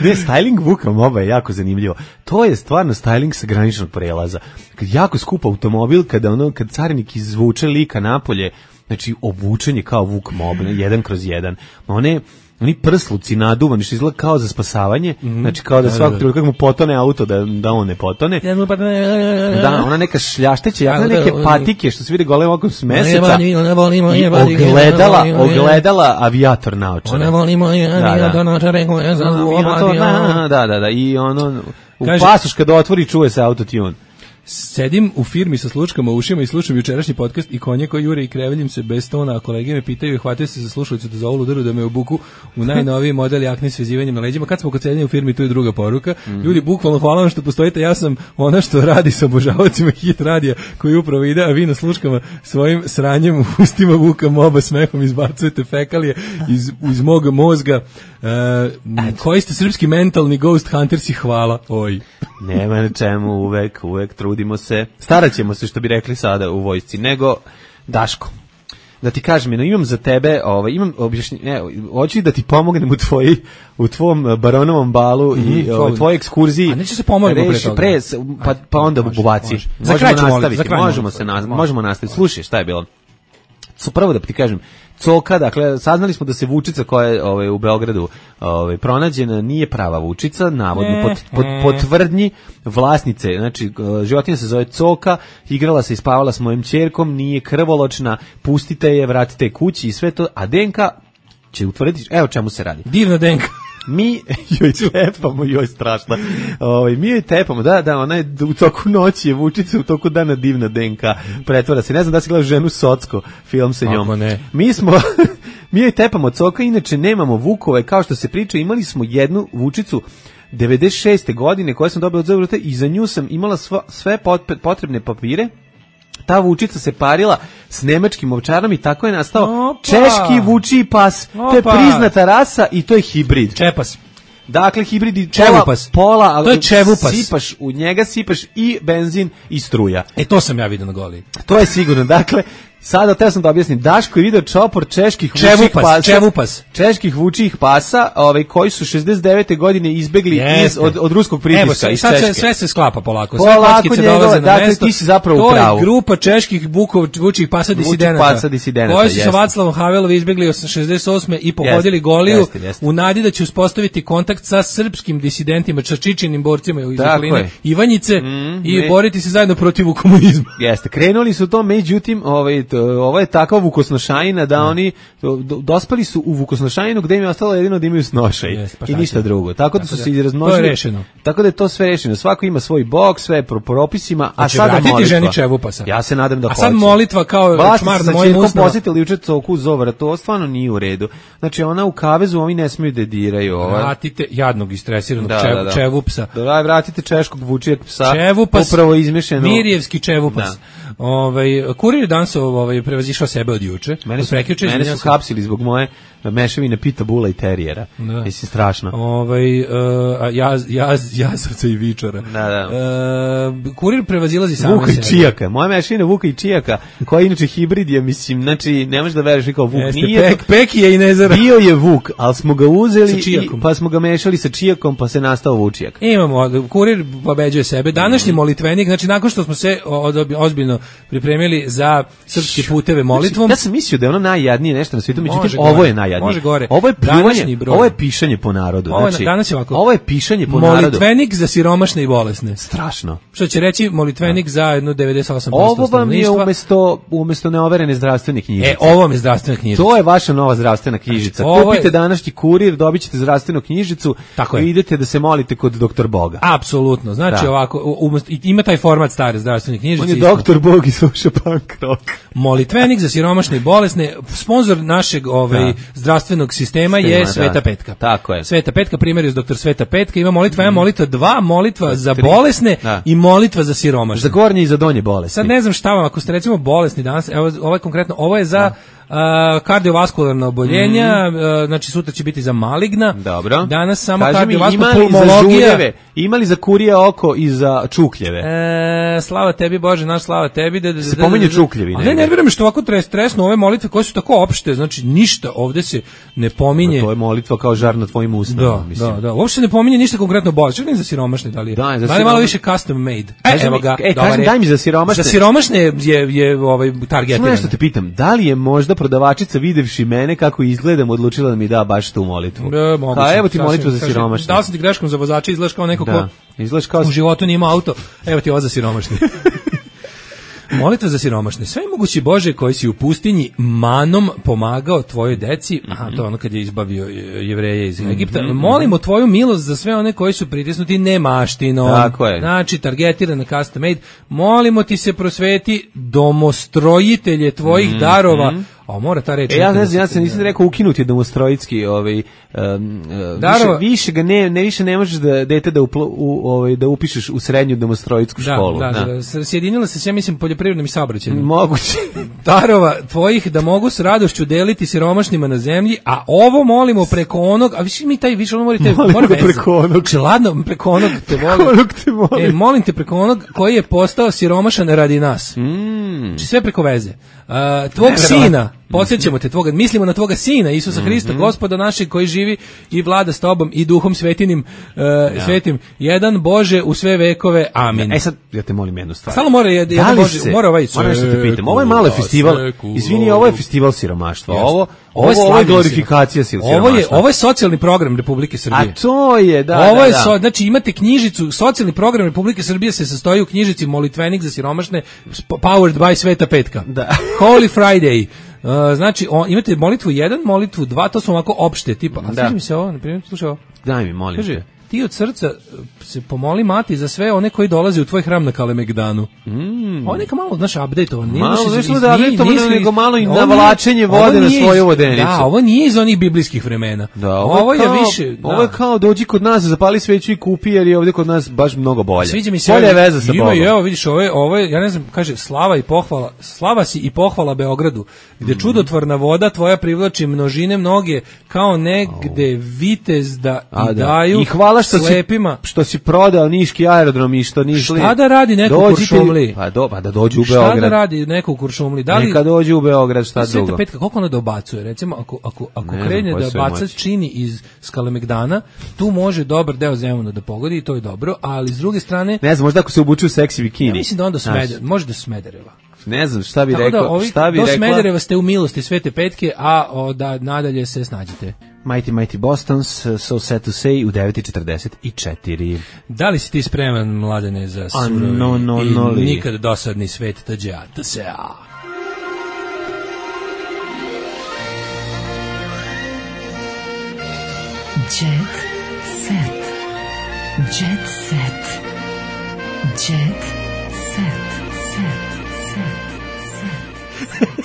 Ne, styling Vuka Moba je jako zanimljivo. To je stvarno styling sa graničnog prelaza. Kad jako skup automobil, kada ono, kad carinik izvuče lika napolje, znači obučen je kao Vuk Mob, jedan kroz jedan. One, oni prsluci naduvani, što izgleda kao za spasavanje, mm-hmm. znači kao da svakog trenutka kako mu potone auto, da, da on ne potone. Da, ona neka šljašteća, jako neke patike, što se vidi golem okom s meseca, i ogledala, ogledala avijator naočara. Da, da, da, i ono, u pasoš kada otvori čuje se autotune. Sedim u firmi sa slučkama u ušima i slušam jučerašnji podcast i konje koji jure i kreveljim se bez tona, a kolege me pitaju i hvataju se za slušalicu da za ovu ludaru da me obuku u najnoviji model jakne s vezivanjem na leđima. Kad smo kod sedenja u firmi, tu je druga poruka. Mm. Ljudi, bukvalno hvala vam što postojite, ja sam ona što radi sa obožavacima Hit radija koji upravo ide, a vi na slučkama svojim sranjem u ustima Vuka Moba smehom izbacujete fekalije iz, iz mog mozga. Uh, koji ste srpski mentalni ghost huntersi, hvala. Oj. Nema na čemu, uvek, uvek trudimo se. Starat ćemo se, što bi rekli sada u vojsci. Nego, Daško, da ti kažem, imam za tebe, ovaj, imam objašnjenje, ne, hoću da ti pomognem u tvoji, u tvom baronovom balu mm-hmm, i o tvojoj ekskurziji. A neće se pomoći pre toga. Pre, pa, pa onda može, u Baciji. Može. Možemo Za nastaviti, kraj, možemo, se na, možemo nastaviti. Slušaj, šta je bilo? Prvo da ti kažem, Coka, dakle, saznali smo da se Vučica koja je ovaj, u Beogradu ovaj, pronađena nije prava Vučica, navodno pod, pod, pod tvrdnji vlasnice, znači životinja se zove Coka, igrala se i spavala s mojim ćerkom, nije krvoločna, pustite je, vratite je kući i sve to, a D N K će utvrditi, evo čemu se radi. Divna D N K. Mi joj tepamo, joj strašno. Ovaj mi joj tepamo, da, da, ona je u toku noći je Vučica, u toku dana divna D N K pretvara se. Ne znam da si gledao Ženu Socko, film sa njom. Mi smo mi joj tepamo Coka, inače nemamo Vukove, kao što se priča, imali smo jednu Vučicu devedeset šeste godine koja sam dobila od Zavrta i za nju sam imala sva, sve potrebne papire. Ta Vučica se parila s nemačkim ovčarom i tako je nastao Opa. češki vučiji pas. Opa. To je priznata rasa i to je hibrid. Čepas. Dakle, hibrid i Čevupas. Pola, ali to je Čevupas. Sipaš, u njega sipaš i benzin i struja. E, to sam ja vidio na Goli. To je sigurno, dakle, sada te sam da objasnim, Daško je video čopor čeških Čevupas, vučih pasa, Čevupas. čeških vučih pasa, ovaj, koji su šezdeset devete godine izbegli iz, od, od ruskog pritiska iz Češke. Sad sve se sklapa polako, sve kockice dolaze na dakle, mesto. Ti si zapravo to u pravu. To je grupa čeških vukov, vučih pasa disidenata, disidenata koji su sa Vaclavom Havelom izbegli šezdeset osme i pohodili jest, Goliju jest, jest. u nadi da će uspostaviti kontakt sa srpskim disidentima, sa Čičinim borcima iz okoline Ivanjice mm, i ne. boriti se zajedno protiv komunizma. Jeste, krenuli su to, međutim, ovaj, to, ovo je takva vukosnošajina da mm. oni do, dospeli su u vukosnošajinu gde im je ostalo jedino da imaju snošaj yes, pa i ništa će. drugo. Tako da su se izrazmnožili. To je rešeno. Tako da je to sve rešeno. Svako ima svoj bok, sve po propisima, a će sada molitva. ženi Čevupasa. Ja se nadam da hoće. A sad molitva kao čmar na mojim usnama. Posjetili juče Coku Zovra, to stvarno nije u redu. Znači ona u kavezu, oni ne smiju da diraju. Ovaj. Vratite jadnog istresiranog da, čev, da, da. Čevupsa. Da, vratite češkog vučijeg psa. Čevupas, upravo izmišljeno. Mirjevski Čevupas. Da. Ovaj Kurir dansov ovaj prevazišao sebe od juče. Mene su, mene su hapsili zbog moje mešavine pita bula i terijera. Mislim strašno. Ovaj uh, jaz jaz jazovca i vičara. Da, da. Uh, kurir prevazilazi sam Vuka i Čijaka. Moja mešavina Vuka i Čijaka, koja je inače hibrid je, mislim, znači ne možeš da veruješ kao Vuk. Jeste, nije pek, pek je i nezara. Bio je Vuk, al smo ga uzeli i, pa smo ga mešali sa Čijakom, pa se nastao Vučijak. Imamo Kurir pobeđuje sebe. Današnji mm. molitvenik, znači nakon što smo se ozbiljno pripremili za srpske puteve molitvom. Ja sam mislio da je ono najjadnije nešto na svijetu, međutim ovo je najjadnije. Može gore. Ovo je pljuvanje, ovo je pišanje po narodu. Ovo, znači, danas je ovako. Ovo je pišanje po narodu. Molitvenik za siromašne i bolesne. Strašno. Što će reći molitvenik da. za jedno devedeset osam posto ovo vam je umesto, umesto neoverene zdravstvene knjižice. E, ovo mi je zdravstvena knjižica. To je vaša nova zdravstvena knjižica. Znači, kupite je... današnji Kurir, dobit ćete zdravstvenu knjižicu i idete da se molite kod doktor Boga. Apsolutno. Znači da. ovako, umesto, ima taj format stare zdravstvene knjižice. On je doktor Bog i sluša punk rock. molitvenik za siromašne i bolesne. Sponzor našeg ovaj, da. zdravstvenog sistema Stima, je Sveta da. Petka. Tako je. Sveta Petka, primjer doktor Sveta Petka, ima molitva, mm. molitva dva, molitva za bolesne da. i molitva za siromašne. Za gornje i za donje bolesne. Sad ne znam šta vam, ako ste recimo bolesni danas, evo, ovo je konkretno, ovo je za da. Uh, kardiovaskularna oboljenja, mm. uh, znači sutra će biti za maligna. Dobro. Danas samo Kaži kardiovaskularna mi, pulmologija. Ima li za kurije oko i za čukljeve? E, slava tebi Bože, naš slava tebi. Da, da, se pominje čukljevi. A ne, nervira me što ovako tres, tresno ove molitve koje su tako opšte, znači ništa ovde se ne pominje. No, to je molitva kao žar na tvojim ustima. Da, mislim. da, da. Uopšte ne pominje ništa konkretno bolest. Čak ne za siromašne, da li je? Da, da li malo više custom made. E, evo ga. E, kažem, daj mi za siromašne. Za siromašne je, je ovaj targetirano. Nešto te pitam, da li je možda prodavačica videvši mene kako izgledam odlučila da mi da baš tu molitvu? Da, moguće. A evo ti molitva za siromašne. Dao sam ti greškom za vozača, izgledaš kao neko da. ko izgledaš kao u životu nije imao auto. Evo ti ovo za siromašne. Molitva za siromašne. Sve mogući Bože koji si u pustinji manom pomagao tvojoj deci, aha, to je ono kad je izbavio Jevreje iz Egipta, mm-hmm. molimo tvoju milost za sve one koji su pritisnuti nemaštinom. Tako je. Znači, targetirana custom made. Molimo ti se prosveti domostrojitelje tvojih mm-hmm. darova. A mora ta reč. E, ja ne znam, ja sam nisam rekao ukinuti domostrojitski, ovaj um, više, više ga ne ne više ne možeš da dete da uplo, u, ovaj da upišeš u srednju domostrojitsku da, školu. Da, da, da. Sjedinila se, ja mislim, poljoprivrednim i saobraćajnim. Moguće. Darova tvojih da mogu s radošću deliti siromašnima na zemlji, a ovo molimo preko onog, a više mi taj više ono morate mora preko onog, čeladno preko onog te volim. te volim. E, molim te preko onog koji je postao siromašan radi nas. Mm. Znači sve preko veze. Uh, tvog ne, sina, podsjećamo te tvoga, mislimo na tvoga sina Isusa mm-hmm. Hrista, Gospoda našeg koji živi i vlada s tobom i duhom svetinim, uh, ja. svetim, jedan Bože u sve vekove, amin. E sad, ja te molim jednu stvar. Samo mora je, da jedan Bože, se, mora ovaj moram nešto te pitam, ovo je malo festival, izvini, ovo je festival siromaštva, ovo, ovo, ovo, ovo je glorifikacija siromaštva. Ovo je, ovo je socijalni program Republike Srbije. A to je, da, ovo da, je da. So, znači imate knjižicu, socijalni program Republike Srbije se sastoji u knjižici Molitvenik za siromašne, powered by Sveta Petka. Da. Holy Friday. Uh, znači, on, imate molitvu jedan, molitvu dva, to su ovako opšte, tipa, a sviđa mi se ovo, na primjer, slušaj ovo. Daj mi, molim Kaže, te. Ti od srca se pomoli mati za sve one koji dolaze u tvoj hram na Kalemegdanu. Mm. Ovo neka malo, znaš, update-ovan. Malo nešto da update-ovan, nego malo i navlačenje vode na svoju vodenicu. Da, ovo nije iz onih biblijskih vremena. Da, ovo, ovo je, je kao, više... Da. Ovo je kao dođi kod nas, zapali sveću i kupi, jer je ovdje kod nas baš mnogo bolje. Sviđa mi se. Bolje je veza sa ima, Bogom. Evo, vidiš, ovo je, ovo je, ja ne znam, kaže, slava i pohvala, slava si i pohvala Beogradu, gde mm. čudotvorna voda tvoja privlači množine mnoge, kao negde vitez da A, i da. daju I hvala što slepima. Si, što si prodao niški aerodrom i što nišli. Šta da radi neko u Kuršumliji? Pa, do, pa da dođe u Beograd. Šta da radi neko u Kuršumliji? Da li, neka dođe u Beograd, šta Sveta drugo? Petka, koliko ona dobacuje? Recimo, ako, ako, ako krene da baca čini iz Kalemegdana, tu može dobar deo Zemuna da pogodi i to je dobro, ali s druge strane... Ne znam, možda ako se obuču u seksi bikini. Ja mislim da onda Smeder, može da Smedereva. Ne znam, šta bi Tako rekao, da, ovi, šta bi do rekla? Smedereva ste u milosti Svete Petke, a o, da nadalje se snađete. Mighty Mighty Bostons, So Sad to Say u devet i četrdeset četiri. Da li si ti spreman, Mladene, za surovi no, no, i no, nikad dosadni svet tađa, ta se a. Jet set. Jet set. Jet set.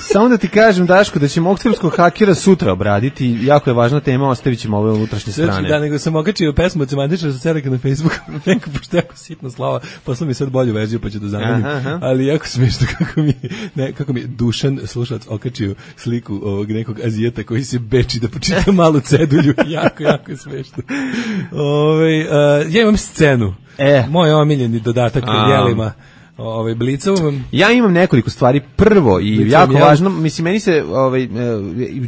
Samo da ti kažem, Daško, da ćemo oktobarskog hakera sutra obraditi, jako je važna tema, ostavit ćemo ove unutrašnje strane. Znači, da, nego sam okačio pesmu od Semantičara sa Seleka na Facebooku, neko, pošto jako sitna slava, posla mi sad bolju verziju, pa ću da zamenim, ali jako smiješno kako mi, ne, kako mi Dušan, slušalac, okačio sliku ovog nekog Azijeta koji se beči da počita malu cedulju, jako, jako je smiješno. Ove, uh, ja imam scenu, e. moj omiljeni dodatak u jelima, ovaj Blicovom. Ja imam nekoliko stvari. Prvo i Blicom, jako ja. važno, mislim meni se ovaj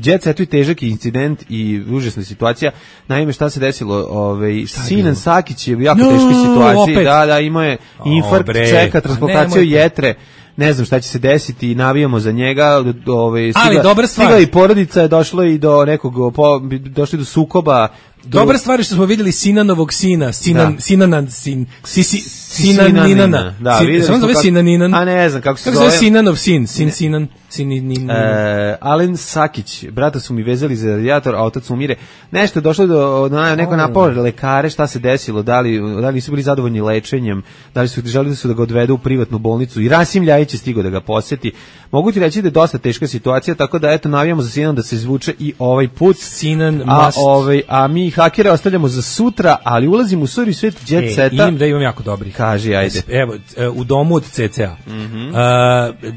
Jet Setu i težak incident i užasna situacija. Naime, šta se desilo, ovaj Sinan Sakić je u jako no, teškoj situaciji. Opet. Da, da, imao je infarkt, o, čeka transplantaciju jetre. Ne znam šta će se desiti, navijamo za njega, ovaj stigla, stigla i porodica je došlo i do nekog po, došli do sukoba. Dobra stvar je što smo vidjeli Sinanovog sina, Sinan, da. Sinanan, sin, si, si, Sinanina. Da, Sin, videli smo zove kako, Sinaninan. A ne znam kako se kako zove. Kako se zove Sinanov sin, sin Sinan, Sinininan. E, Alen Sakić, brata su mi vezali za radijator, a otac umire. Nešto je došlo do na, neko oh. napao lekare, šta se desilo, da li, da li nisu bili zadovoljni lečenjem, da li su želeli su da ga odvedu u privatnu bolnicu. I Rasim Ljajić neće stigo da ga poseti. Mogu ti reći da je dosta teška situacija, tako da eto navijamo za Sinan da se izvuče i ovaj put. Sinan a, must. ovaj, a mi hakere ostavljamo za sutra, ali ulazimo u suri svet jet e, seta. Imam da imam jako dobrih. Kaži, ajde. Evo, u domu od C C A. Mm-hmm. Uh,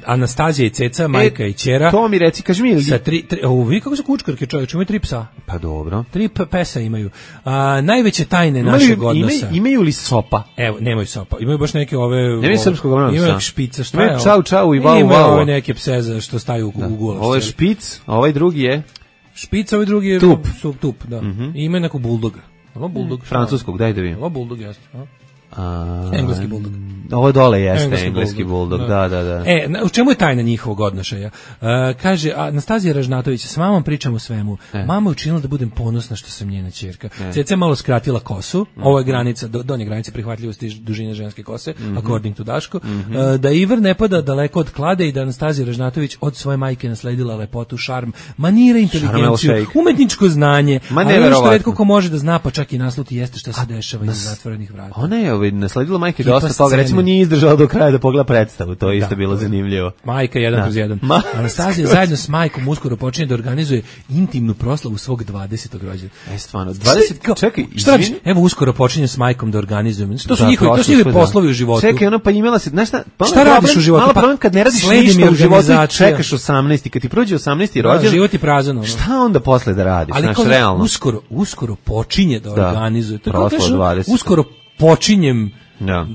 Anastazija i Ceca, majka e, i ćera. To mi reci, kaži mi. Sa tri, tri, o, vidi kako su kučkarke, čovječ, imaju tri psa. Pa dobro. Tri p- pesa imaju. A, najveće tajne našeg odnosa. Imaju, imaju li sopa? Evo, nemaju sopa. Imaju baš neke ove... Nemaju srpskog ogromnog psa. Imaju špica, šta imaju je? Čau, čau i vau, imaju vau. ove neke pse za što staju u, u gulaš. Ovo je špic, a ovaj drugi je... Špic, ovaj drugi je... Tup. Tup, tup da. Mm-hmm. I imaju nekog buldoga. Ovo buldog. Mm, francuskog, daj da vidim. Ovo buldog, jeste. A, engleski buldog. Ovo dole jeste engleski, engleski buldog, buldog. Da, da, da. E, u čemu je tajna njihovog odnošaja? Uh, kaže, Anastazija Ražnatović, s mamom pričam o svemu. E. Mama je učinila da budem ponosna što sam njena ćerka. E. Ceca je malo skratila kosu, mm. ovo je granica, do, donja granica prihvatljivosti dužine ženske kose, mm-hmm. according to Daško. Mm-hmm. Uh, da Iver ne pada daleko od klade i da Anastazija Ražnatović od svoje majke nasledila lepotu, šarm, manire, inteligenciju, umetničko znanje, ali ono što retko ko može da zna, pa čak i nasluti jeste što se dešava iza zatvorenih vrata. Ona je ovaj, nasledila majke dosta toga, recimo nije izdržala do kraja da pogleda predstavu, to je isto da, bilo zanimljivo. Majka jedan kroz jedan. Ma... Anastazija zajedno s majkom uskoro počinje da organizuje intimnu proslavu svog dvadesetog rođendana. E stvarno, dvadeset Kao, čekaj, šta radiš? Evo uskoro počinje s majkom da organizujem. Što su njihovi, to su njihovi poslovi u životu. Čekaj, ona pa imala se, znaš šta? Pa šta radiš u životu? Malo problem kad ne radiš ništa u životu, čekaš osamnaesti, kad ti prođe osamnaesti rođendan. Da, život je prazan. Ono. Šta onda posle da radiš? Ali znaš, kao, realno. Uskoro, uskoro počinje da, da organizuje. To je uskoro počinjem da.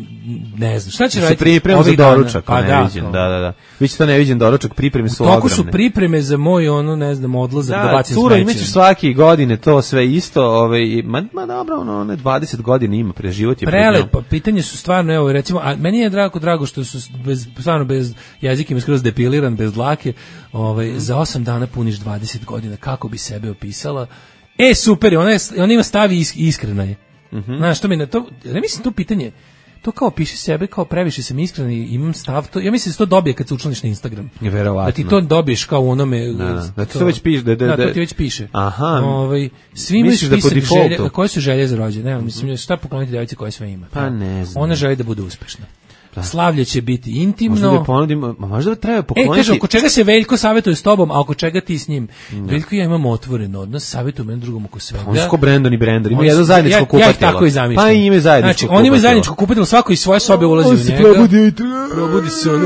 Ne znam, šta će se raditi? Priprema za doručak, pa da, neviđen, da, da, da. Vi ćete to neviđen doručak, pripreme su ogromne. Toliko su pripreme za moj, ono, ne znam, odlazak da, da bacim smeće. Da, cura, imaćeš svake godine to sve isto, ovaj, ma, ma dobro, ono, one dvadeset godina ima, pre život je prelep, pa pitanje su stvarno, evo, recimo, a meni je drago, drago što su bez, stvarno bez jezika im skroz depiliran, bez dlake, ovaj, mm. za osam dana puniš dvadeset godina, kako bi sebe opisala. E, super, ona, je, ona ima stavi is, iskrena je. Mm-hmm. Znaš, to mi na to, ne mislim to pitanje, to kao piši sebe, kao previše sam iskren i imam stav, to, ja mislim da se to dobije kad se učlaniš na Instagram. Verovatno. Da ti to dobiješ kao u onome... Da, da, da ti to već piše. Da, da, da, to ti već piše. Aha. Ovaj, svi imaju spisak želje, koje su želje za rođendan? Ne, mislim, šta pokloniti djevici koje sve ima? Pa ne znam. Ona želi da bude uspešna. Da. Slavlje će biti intimno. Možda da ponudimo, možda da treba pokloniti. E, kaže, oko čega se Veljko savjetuje s tobom, a oko čega ti s njim? Da. Veljko i ja imamo otvoren odnos, savjetuje meni drugom oko svega. On su ko Brandon i Brandon, imaju jedno zajedničko kupatilo. Ja ih tako i zamišljam. Pa i imaju zajedničko znači, oni imaju zajedničko kupatilo, svako iz svoje sobe ulazi u njega. Probudi, probudi se on.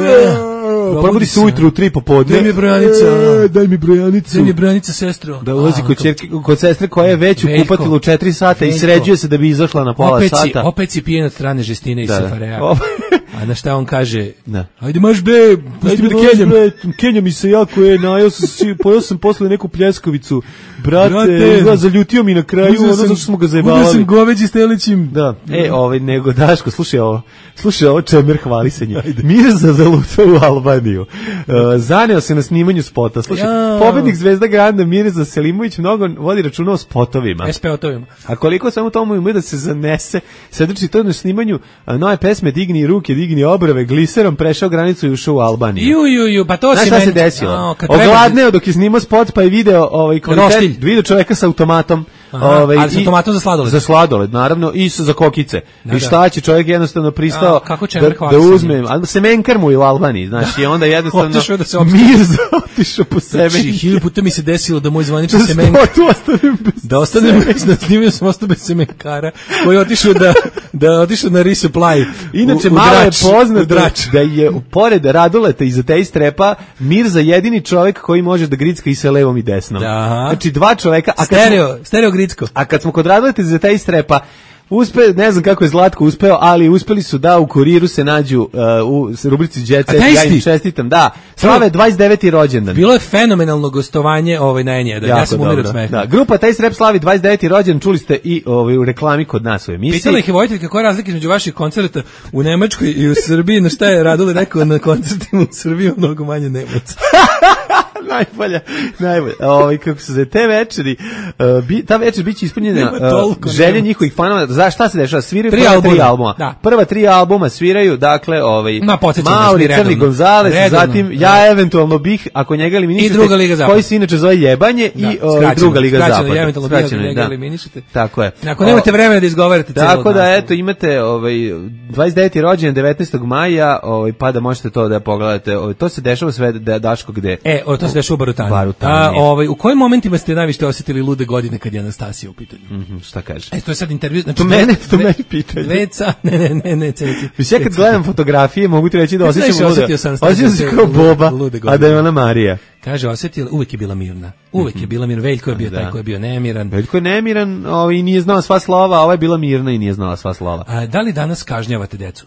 Probudi se ujutru u tri popodne. Daj mi brojanica. Daj mi brojanicu. Daj mi brojanica, sestro. Da ulazi kod ćerke, kod sestre koja je već u kupatilu četiri sata i sređuje se da bi izašla na pola sata. Opet si pijen od strane Žestine i Safareja. A na šta on kaže? Da. Ajde maš bre, pusti me da kenjam. Kenja mi se jako je, najao sam, pojao sam posle neku pljeskavicu. Brate, Brate zaljutio mi na kraju, ono zašto smo ga zajebavali. Uzeo sam goveđi s telećim. Da. E, ovaj, nego, Daško, slušaj ovo. Slušaj ovo, čemer hvali se njih. Mirza zalutao u Albaniju. Uh, zaneo se na snimanju spota. Slušaj, ja. Pobednik Zvezda Granda Mirza Selimović mnogo vodi računa o spotovima. S P O-tovima. A koliko samo tomu ima da se zanese, sedrči to na snimanju nove pesme Digni ruke, digni obrve, gliserom prešao granicu i ušao u Albaniju. Ju, ju, ju, pa to se meni... se desilo? No, ogladneo dok je snimao spot, pa je video ovaj, kvalitet, video čoveka sa automatom. Aha, ovaj, ali sa automatom za sladoled. Za sladoled, naravno, i za kokice. Da, I šta će čovjek jednostavno pristao a, da, da uzme, a semenkar mu je u Albaniji, znači, onda jednostavno otišao da se Mirza otišao po semenke. Znači, hiljadu puta mi se desilo da moj zvanični semenkar, da ostanem bez, da snimio sam ostao bez semenkara, koji je otišao da, da otišao na resupply. Inače, u, u malo drač, je poznato da je pored Raduleta iza te strepa Mirza jedini čovjek koji može da gricka i sa levom i desnom. Da. Znači, dva čovjeka, a stereo, stereo gricko. A kad smo kod Raduleta iza te strepa, uspe, ne znam kako je Zlatko uspeo, ali uspeli su da u kuriru se nađu uh, u rubrici Jet Set, ja im čestitam, da, slave dvadeset deveti rođendan. Bilo je fenomenalno gostovanje ovaj, na N jedan, ja sam umir od smeha. Da, grupa Taj Srep slavi dvadeset deveti rođendan, čuli ste i ovaj, u reklami kod nas u emisiji. Pitala ih je Vojteljka koja je razlika između vaših koncerta u Nemačkoj i u Srbiji, na šta je Radule rekao na koncertima u Srbiji mnogo manje Nemaca. najbolja, najbolja. Ovaj kako se zove te večeri, uh, bi, ta večer biće ispunjena uh, želje njihovih fanova. Za šta se dešava? Sviraju tri prva albuma. tri albuma. Da. Prva tri albuma sviraju, dakle, ovaj Ma, Mauri, Crni Gonzales, zatim ja eventualno bih ako njega eliminišete. I druga liga zapada. Koji se inače zove Jebanje da, i ovaj druga liga zapada. Ja eventualno bih ako njega eliminišete. Tako je. Ako nemate vremena da izgovarate celo. Tako da eto imate ovaj dvadeset deveti rođendan devetnaestog maja, ovaj pa da možete to da pogledate. Ovaj, to se dešava sve da Daško gde. E, o, to se dešava u Barutani. Barutani. A ovaj u kojim momentima ste najviše osetili lude godine kad je Anastasija u pitanju? Mhm, šta kaže? E, to je sad intervju, znači to mene, to meni pitanje. Veca, ne, ne, ne, ne, ceci. Ja kad gledam fotografije mogu ti reći da osjećam lude. Osjećam se kao Boba, a da je ona Marija. Kaže, osjetila, uvek je bila mirna. Uvek je bila mirna. Veljko je bio da. taj koji je bio nemiran. Veljko je nemiran ovaj, i nije znala sva slova, a ova je bila mirna i nije znala sva slova. A da li danas kažnjavate decu?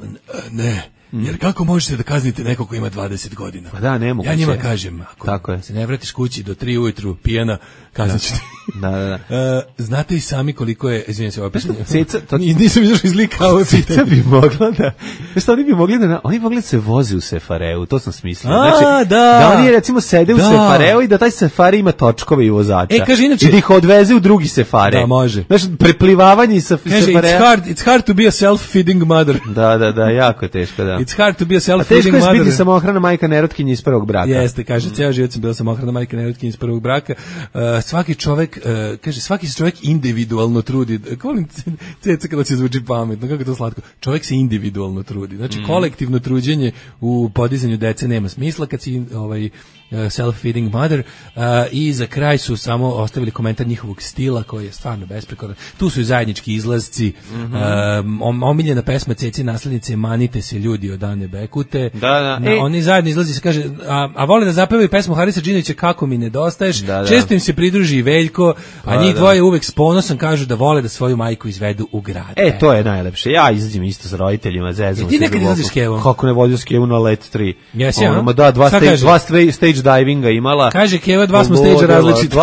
Ne. Jer kako možete da kaznite nekog ko ima dvadeset godina? Pa da, ne mogu. Ja njima kažem, ako tako je. se ne vratiš kući do tri ujutru pijena, kaznit ćete. Da, da, da. Uh, znate i sami koliko je, izvinjam se, ovo pitanje. Ceca, to nisam izašao iz lika, ovo pitanje. Ceca bi mogla da, znaš, oni bi mogli da, oni mogli da se voze u Sefareu, to sam smislio. Znači, A, da. da oni recimo sede da. u Sefareu i da taj Sefari ima točkove i vozača. E, kaže, inače, i da ih odveze u drugi Sefare. Da, može. Znači, preplivavanje sa kaže, Sefarea. It's hard, it's hard to be a self-feeding mother. Da, da, da, jako je teško, da. It's hard to be a self-feeding mother. Teško je biti samohrana majka nerotkinja iz prvog braka. Jeste, kaže, ceo život sam bila samohrana majka nerotkinja iz prvog braka. Uh, svaki čovek, uh, kaže, svaki se čovjek individualno trudi. Volim Ceca kada se zvuči pametno, kako je to slatko. Čovjek se individualno trudi. Znači, mm. kolektivno truđenje u podizanju dece nema smisla kad si ovaj self-feeding mother. Uh, i za kraj su samo ostavili komentar njihovog stila koji je stvarno besprekoran. Tu su i zajednički izlazci, mm-hmm. um, omiljena pesma Ceci naslednice Manite se ljudi od Ane Bekute. Da, da. Na, e. Oni zajedno izlazi se kaže, a, a vole da zapevaju pesmu Harisa Džinovića Kako mi nedostaješ. Da, da. Često im se pridruži i Veljko, a njih dvoje uvek s ponosom kažu da vole da svoju majku izvedu u grad. E, to je najlepše. Ja izađem isto sa roditeljima, zezam. E, ti nekad izlaziš s Kevom? Kako ne vodio s Kevom na Let tri? Jesi, ja? Ono, da, dva stage, dva stage divinga imala. Kaže Keva, dva smo stage različiti.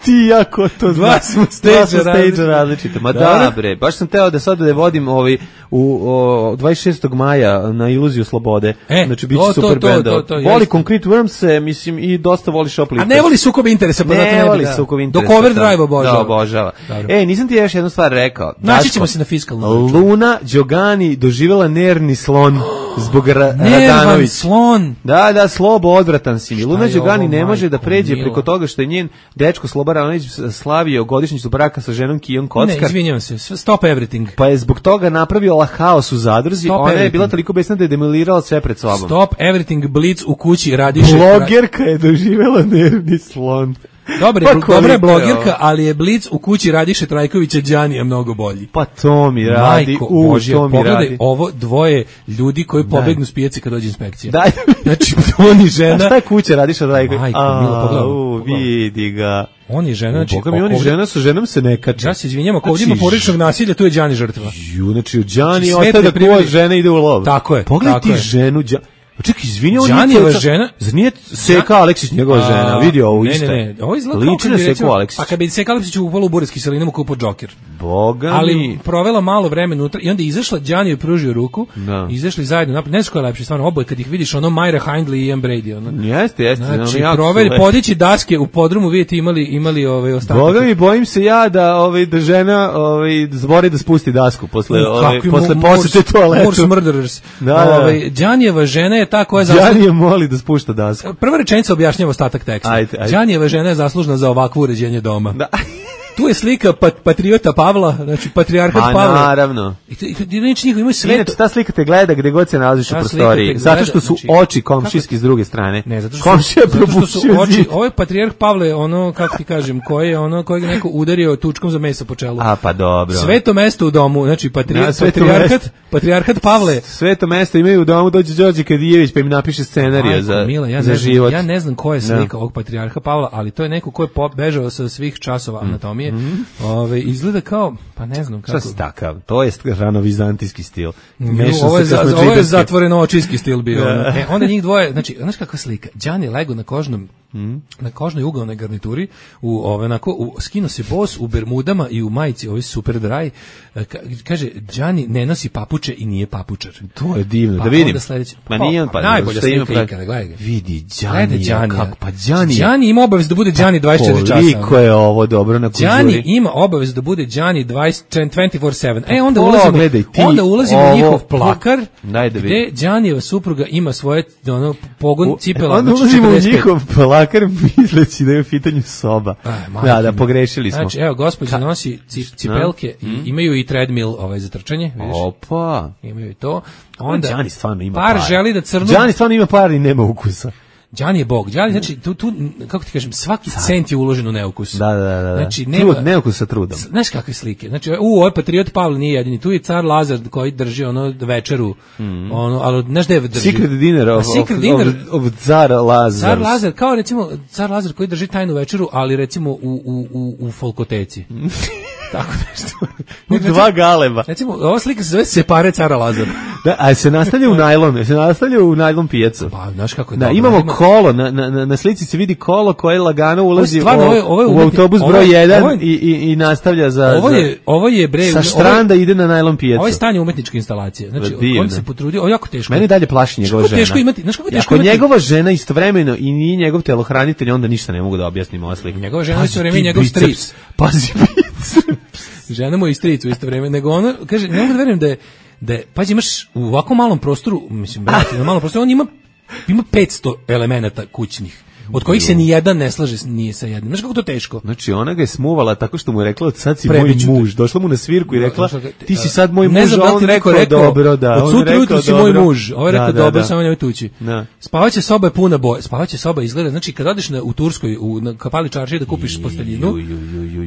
Ti jako to dva smo stage različite. Ma da, bre, baš sam teo da sad da vodim ovaj u o, dvadeset šestog maja na Iluziju slobode. E, znači biće super bend. Voli Concrete Worms se, mislim, i dosta voli Shoplifters. A ne voli sukob interesa, pa ne, ne voli da. sukob interesa. Do Overdrive obožava. Da, obožava. E, nisam ti još jednu stvar rekao. Naći ćemo se na fiskalnom. Luna Đogani doživjela nervni slon zbog ra Radanović. slon. Da, da, slobo odvratan si mi. Luna Đogani ne može da pređe preko toga što je njen dečko Sloba Radanović slavio godišnjicu braka sa ženom Kijom Kockar. Ne, izvinjavam se, stop everything. Pa je zbog toga napravio haos u zadruzi, stop ona everything. Je bila toliko besna da je demolirala sve pred sobom. Stop everything, Blitz u kući Radiše. Blogerka je doživjela nervni slon. Dobre, pa dobra je blogerka, ali je Blitz u kući Radiše Trajkovića Đanija mnogo bolji. Pa to mi radi, Majko, u, Božja, to mi pogledaj radi. Ovo dvoje ljudi koji pobegnu s pijace kad dođe inspekcija. Daj. Znači, on i žena... A šta je kuća Radiša Trajkovića? Majko, Milo, pogledaj. U, vidi ga. On je žena, znači... Boga mi, on i žena sa ženom se ne kače. Ja se izvinjam, ako ovdje ima porodičnog nasilja, tu je Đani žrtva. Ju, znači, Đani ostaje da kuva žena ide u lov. Tako je. Pogledaj ti ženu, Đani. Čekaj, izvini, on Đanijeva žena. Zar nije Seka Aleksić njegova žena? Vidio ovo isto. Ne, ne, ne. Ovo izgleda liči na Seku Aleksić. Pa kad bi Seka Aleksić upala u Buresk kiselinu kupo Džoker. Boga mi. Ali provela malo vremena unutra i onda izašla, Đani joj pružio ruku. Da. Izašli zajedno napred. Ne znam ko je lepši, stvarno oboje kad ih vidiš, ono Myra Hindley i Ian Brady, ono. Jeste, jeste. Znači, proveli podići daske u podrumu, vidite imali imali ove ostatke. Boga mi, bojim se ja da ovaj da žena ovaj zbori da spusti dasku posle ovaj posle posete toaletu. Morse murderers. Ovaj Đanijeva žena je ta koja je je moli da spušta dasku. Prva rečenica objašnjava ostatak teksta. Đanijeva žena je zaslužna za ovakvo uređenje doma. Da. Tu je slika pat, patriota Pavla, znači patrijarhat A, Pavla. Naravno. I to, i reći njih imaju sve. Inače, ta slika te gleda gdje god se nalaziš u prostoriji. Zato što su znači, oči komšijski kako? S druge strane. Ne, zato što, komšija zato što su oči. Ovo je patrijarh Pavle, ono, kako ti kažem, koji je ono, kojeg neko udario tučkom za meso po čelu. A, pa dobro. Sveto mesto u domu, znači patrijar, ja, patrijarhat, patrijarhat Pavle. Sveto mesto imaju u domu, dođe Đorđe Kadijević pa im napiše scenarij za, Mila, ja za ne život. Ja ne znam koja je slika ovog patrijarha Pavla, ali to je neko ko je bežao sa svih časova anatomije. ranije. Mm. Ove, izgleda kao, pa ne znam kako. Šta si takav? To je ranovizantijski stil. Ovo je, za, ovo je zatvoreno očijski stil bio. e, onda njih dvoje, znači, znaš kakva slika? Đani lego na kožnom, mm. na kožnoj ugalnoj garnituri, u, ove, onako, u, skino se bos u bermudama i u majici, ovaj super dry. Ka, kaže, Đani ne nosi papuče i nije papučar. To je divno, pa, da vidim. Sledeće, pa nije on, pa najbolja slika ikada, gledaj ga. Vidi, Đani, kako, pa Đani. Đani ima obavezu da bude Đani dvadeset četiri časa. Koliko je ovo dobro na kužuri. Đani ima obavezu da bude Đani dvadeset četiri sedam. E, onda o, ulazimo, gledaj, ti, onda ulazimo ovo, u njihov plakar, da gde Đanijeva supruga ima svoje ono, pogon cipela. Onda znači ulazimo četrdeset pet. u njihov plakar misleći da je u pitanju soba. Aj, da, da, pogrešili smo. Znači, evo, gospođa nosi cipelke i mm. imaju i treadmill ovaj, za trčanje. Vidiš? Opa. Imaju i to. Onda, Đani stvarno ima par. par. želi da crnu... Đani stvarno ima par i nema ukusa. Đani je bog. Đani, znači, tu, tu, kako ti kažem, svaki cent je uložen u neukus. Da, da, da. da. Znači, nema, Trud, neukus sa trudom. Znaš kakve slike? Znači, u, ovaj patriot Pavle nije jedini. Tu je car Lazar koji drži ono večeru. Mm. Ono, ali znaš gde drži? Secret dinner of, Secret of, dinner of, of car Lazar. Car Lazar, kao recimo, car Lazar koji drži tajnu večeru, ali recimo u, u, u, u folkoteci. Tako nešto. U dva galeba. Recimo, ova slika se zove Separe cara Lazara. Da, a se nastavlja u najlon, se nastavlja u najlon pijacu. Pa, znaš kako je da, dobro. imamo ima... kolo, na, na, na slici se vidi kolo koje lagano ulazi stvarno, o, ovo je, ovo je u umetni, autobus ovo broj je, jedan ovo je, i, i, i nastavlja za... Ovo je, ovo je bre... Sa štranda ovo, ide na najlon pijacu. Ovo je stanje umetničke instalacije. Znači, Divne. on se potrudio, ovo je jako teško. Mene dalje plaši njegova žena. Teško imati, znaš kako teško Ako imati... njegova žena istovremeno i nije njegov telohranitelj, onda ništa ne mogu da objasnim ova slika. Njegova žena isto vreme njegov stric. Pazi biceps. Žena mu i stric u isto vreme, nego ono, kaže, ne mogu da verujem da je, da je, pazi, imaš u ovako malom prostoru, mislim, brate, na malom prostoru, on ima, ima petsto elemenata kućnih, od kojih se ni jedan ne slaže nije sa jednim. Znaš kako to teško? Znači, ona ga je smuvala tako što mu je rekla, sad si Prebiću moj muž. Došla mu na svirku i rekla, da, ti si sad moj ne muž, znam, a on rekao, rekao dobro, da. Od sutra jutru si moj muž. Ovo je rekao, da, da, dobro, da. samo nemoj tući. Da. Spavaće soba je puna boja. Spavaće soba izgleda, znači kad odeš na, u Turskoj, u, na Kapali čaršiji da kupiš posteljinu,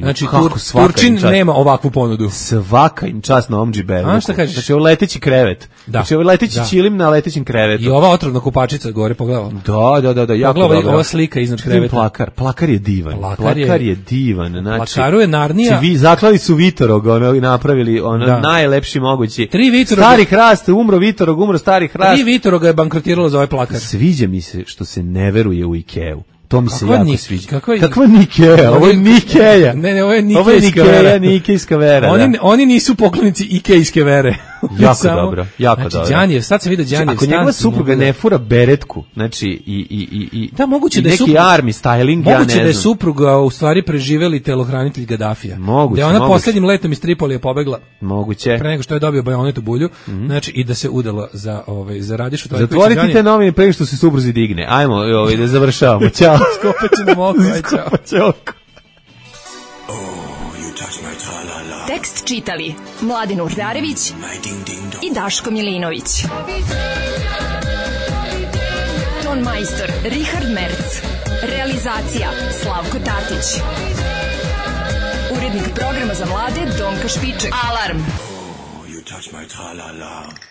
znači tur, Turčin nema ovakvu ponudu. Svaka im čast na Omdži Berluku. A šta kažeš? Znači, ovo leteći krevet. Da. Znači, ovo leteći da. čilim na letećem krevetu. I ova otrovna kupačica gore, pogledaj. Da, da, da, da, jako dobro. Ova slika iznad kreveta. Plakar, plakar je divan. Plakar je, plakar je divan. Znači, plakaru je Narnija. Vi zaklali su Vitorog, ono, i napravili ono da. najlepši mogući. Tri Vitoroga. Stari hrast, umro Vitorog, umro stari hrast. Tri Vitoroga je bankrotiralo za ovaj plakar. Sviđa mi se što se ne veruje u Ikeu. To mi se kakva jako nik, sviđa. Kakva, kakva Nikeja? Ovo je Nikeja. Ne, ne, ovo je Ovo je Nikejska vera. Nikejska vera. Oni, da. oni nisu poklonici Ikejske vere. Jako Samo, dobro, jako znači, dobro. Đanijev, sad se vidi Đanijev. Ako njegova supruga ne fura beretku, znači i i i i da moguće i da je neki supruga, army styling, ja ne moguće znam. da je supruga u stvari preživeli telohranitelj Gadafija. Moguće, da ona moguće. poslednjim letom iz Tripolija pobegla. Moguće. Pre nego što je dobio bajonet u bulju, mm-hmm. znači i da se udala za ovaj za Radišu Trajkovića. Zatvorite te novine pre što se supruzi digne. Ajmo, ovaj da završavamo. Ćao. Skopaće nam oko, aj čao. Ćao. Tekst čitali Mladin Urdarević i Daško Milinović. Ton majstor Richard Merc. Realizacija Slavko Tatić. Urednik programa za mlade Donka Špiček. Alarm! Oh, you touch my tra-la-la.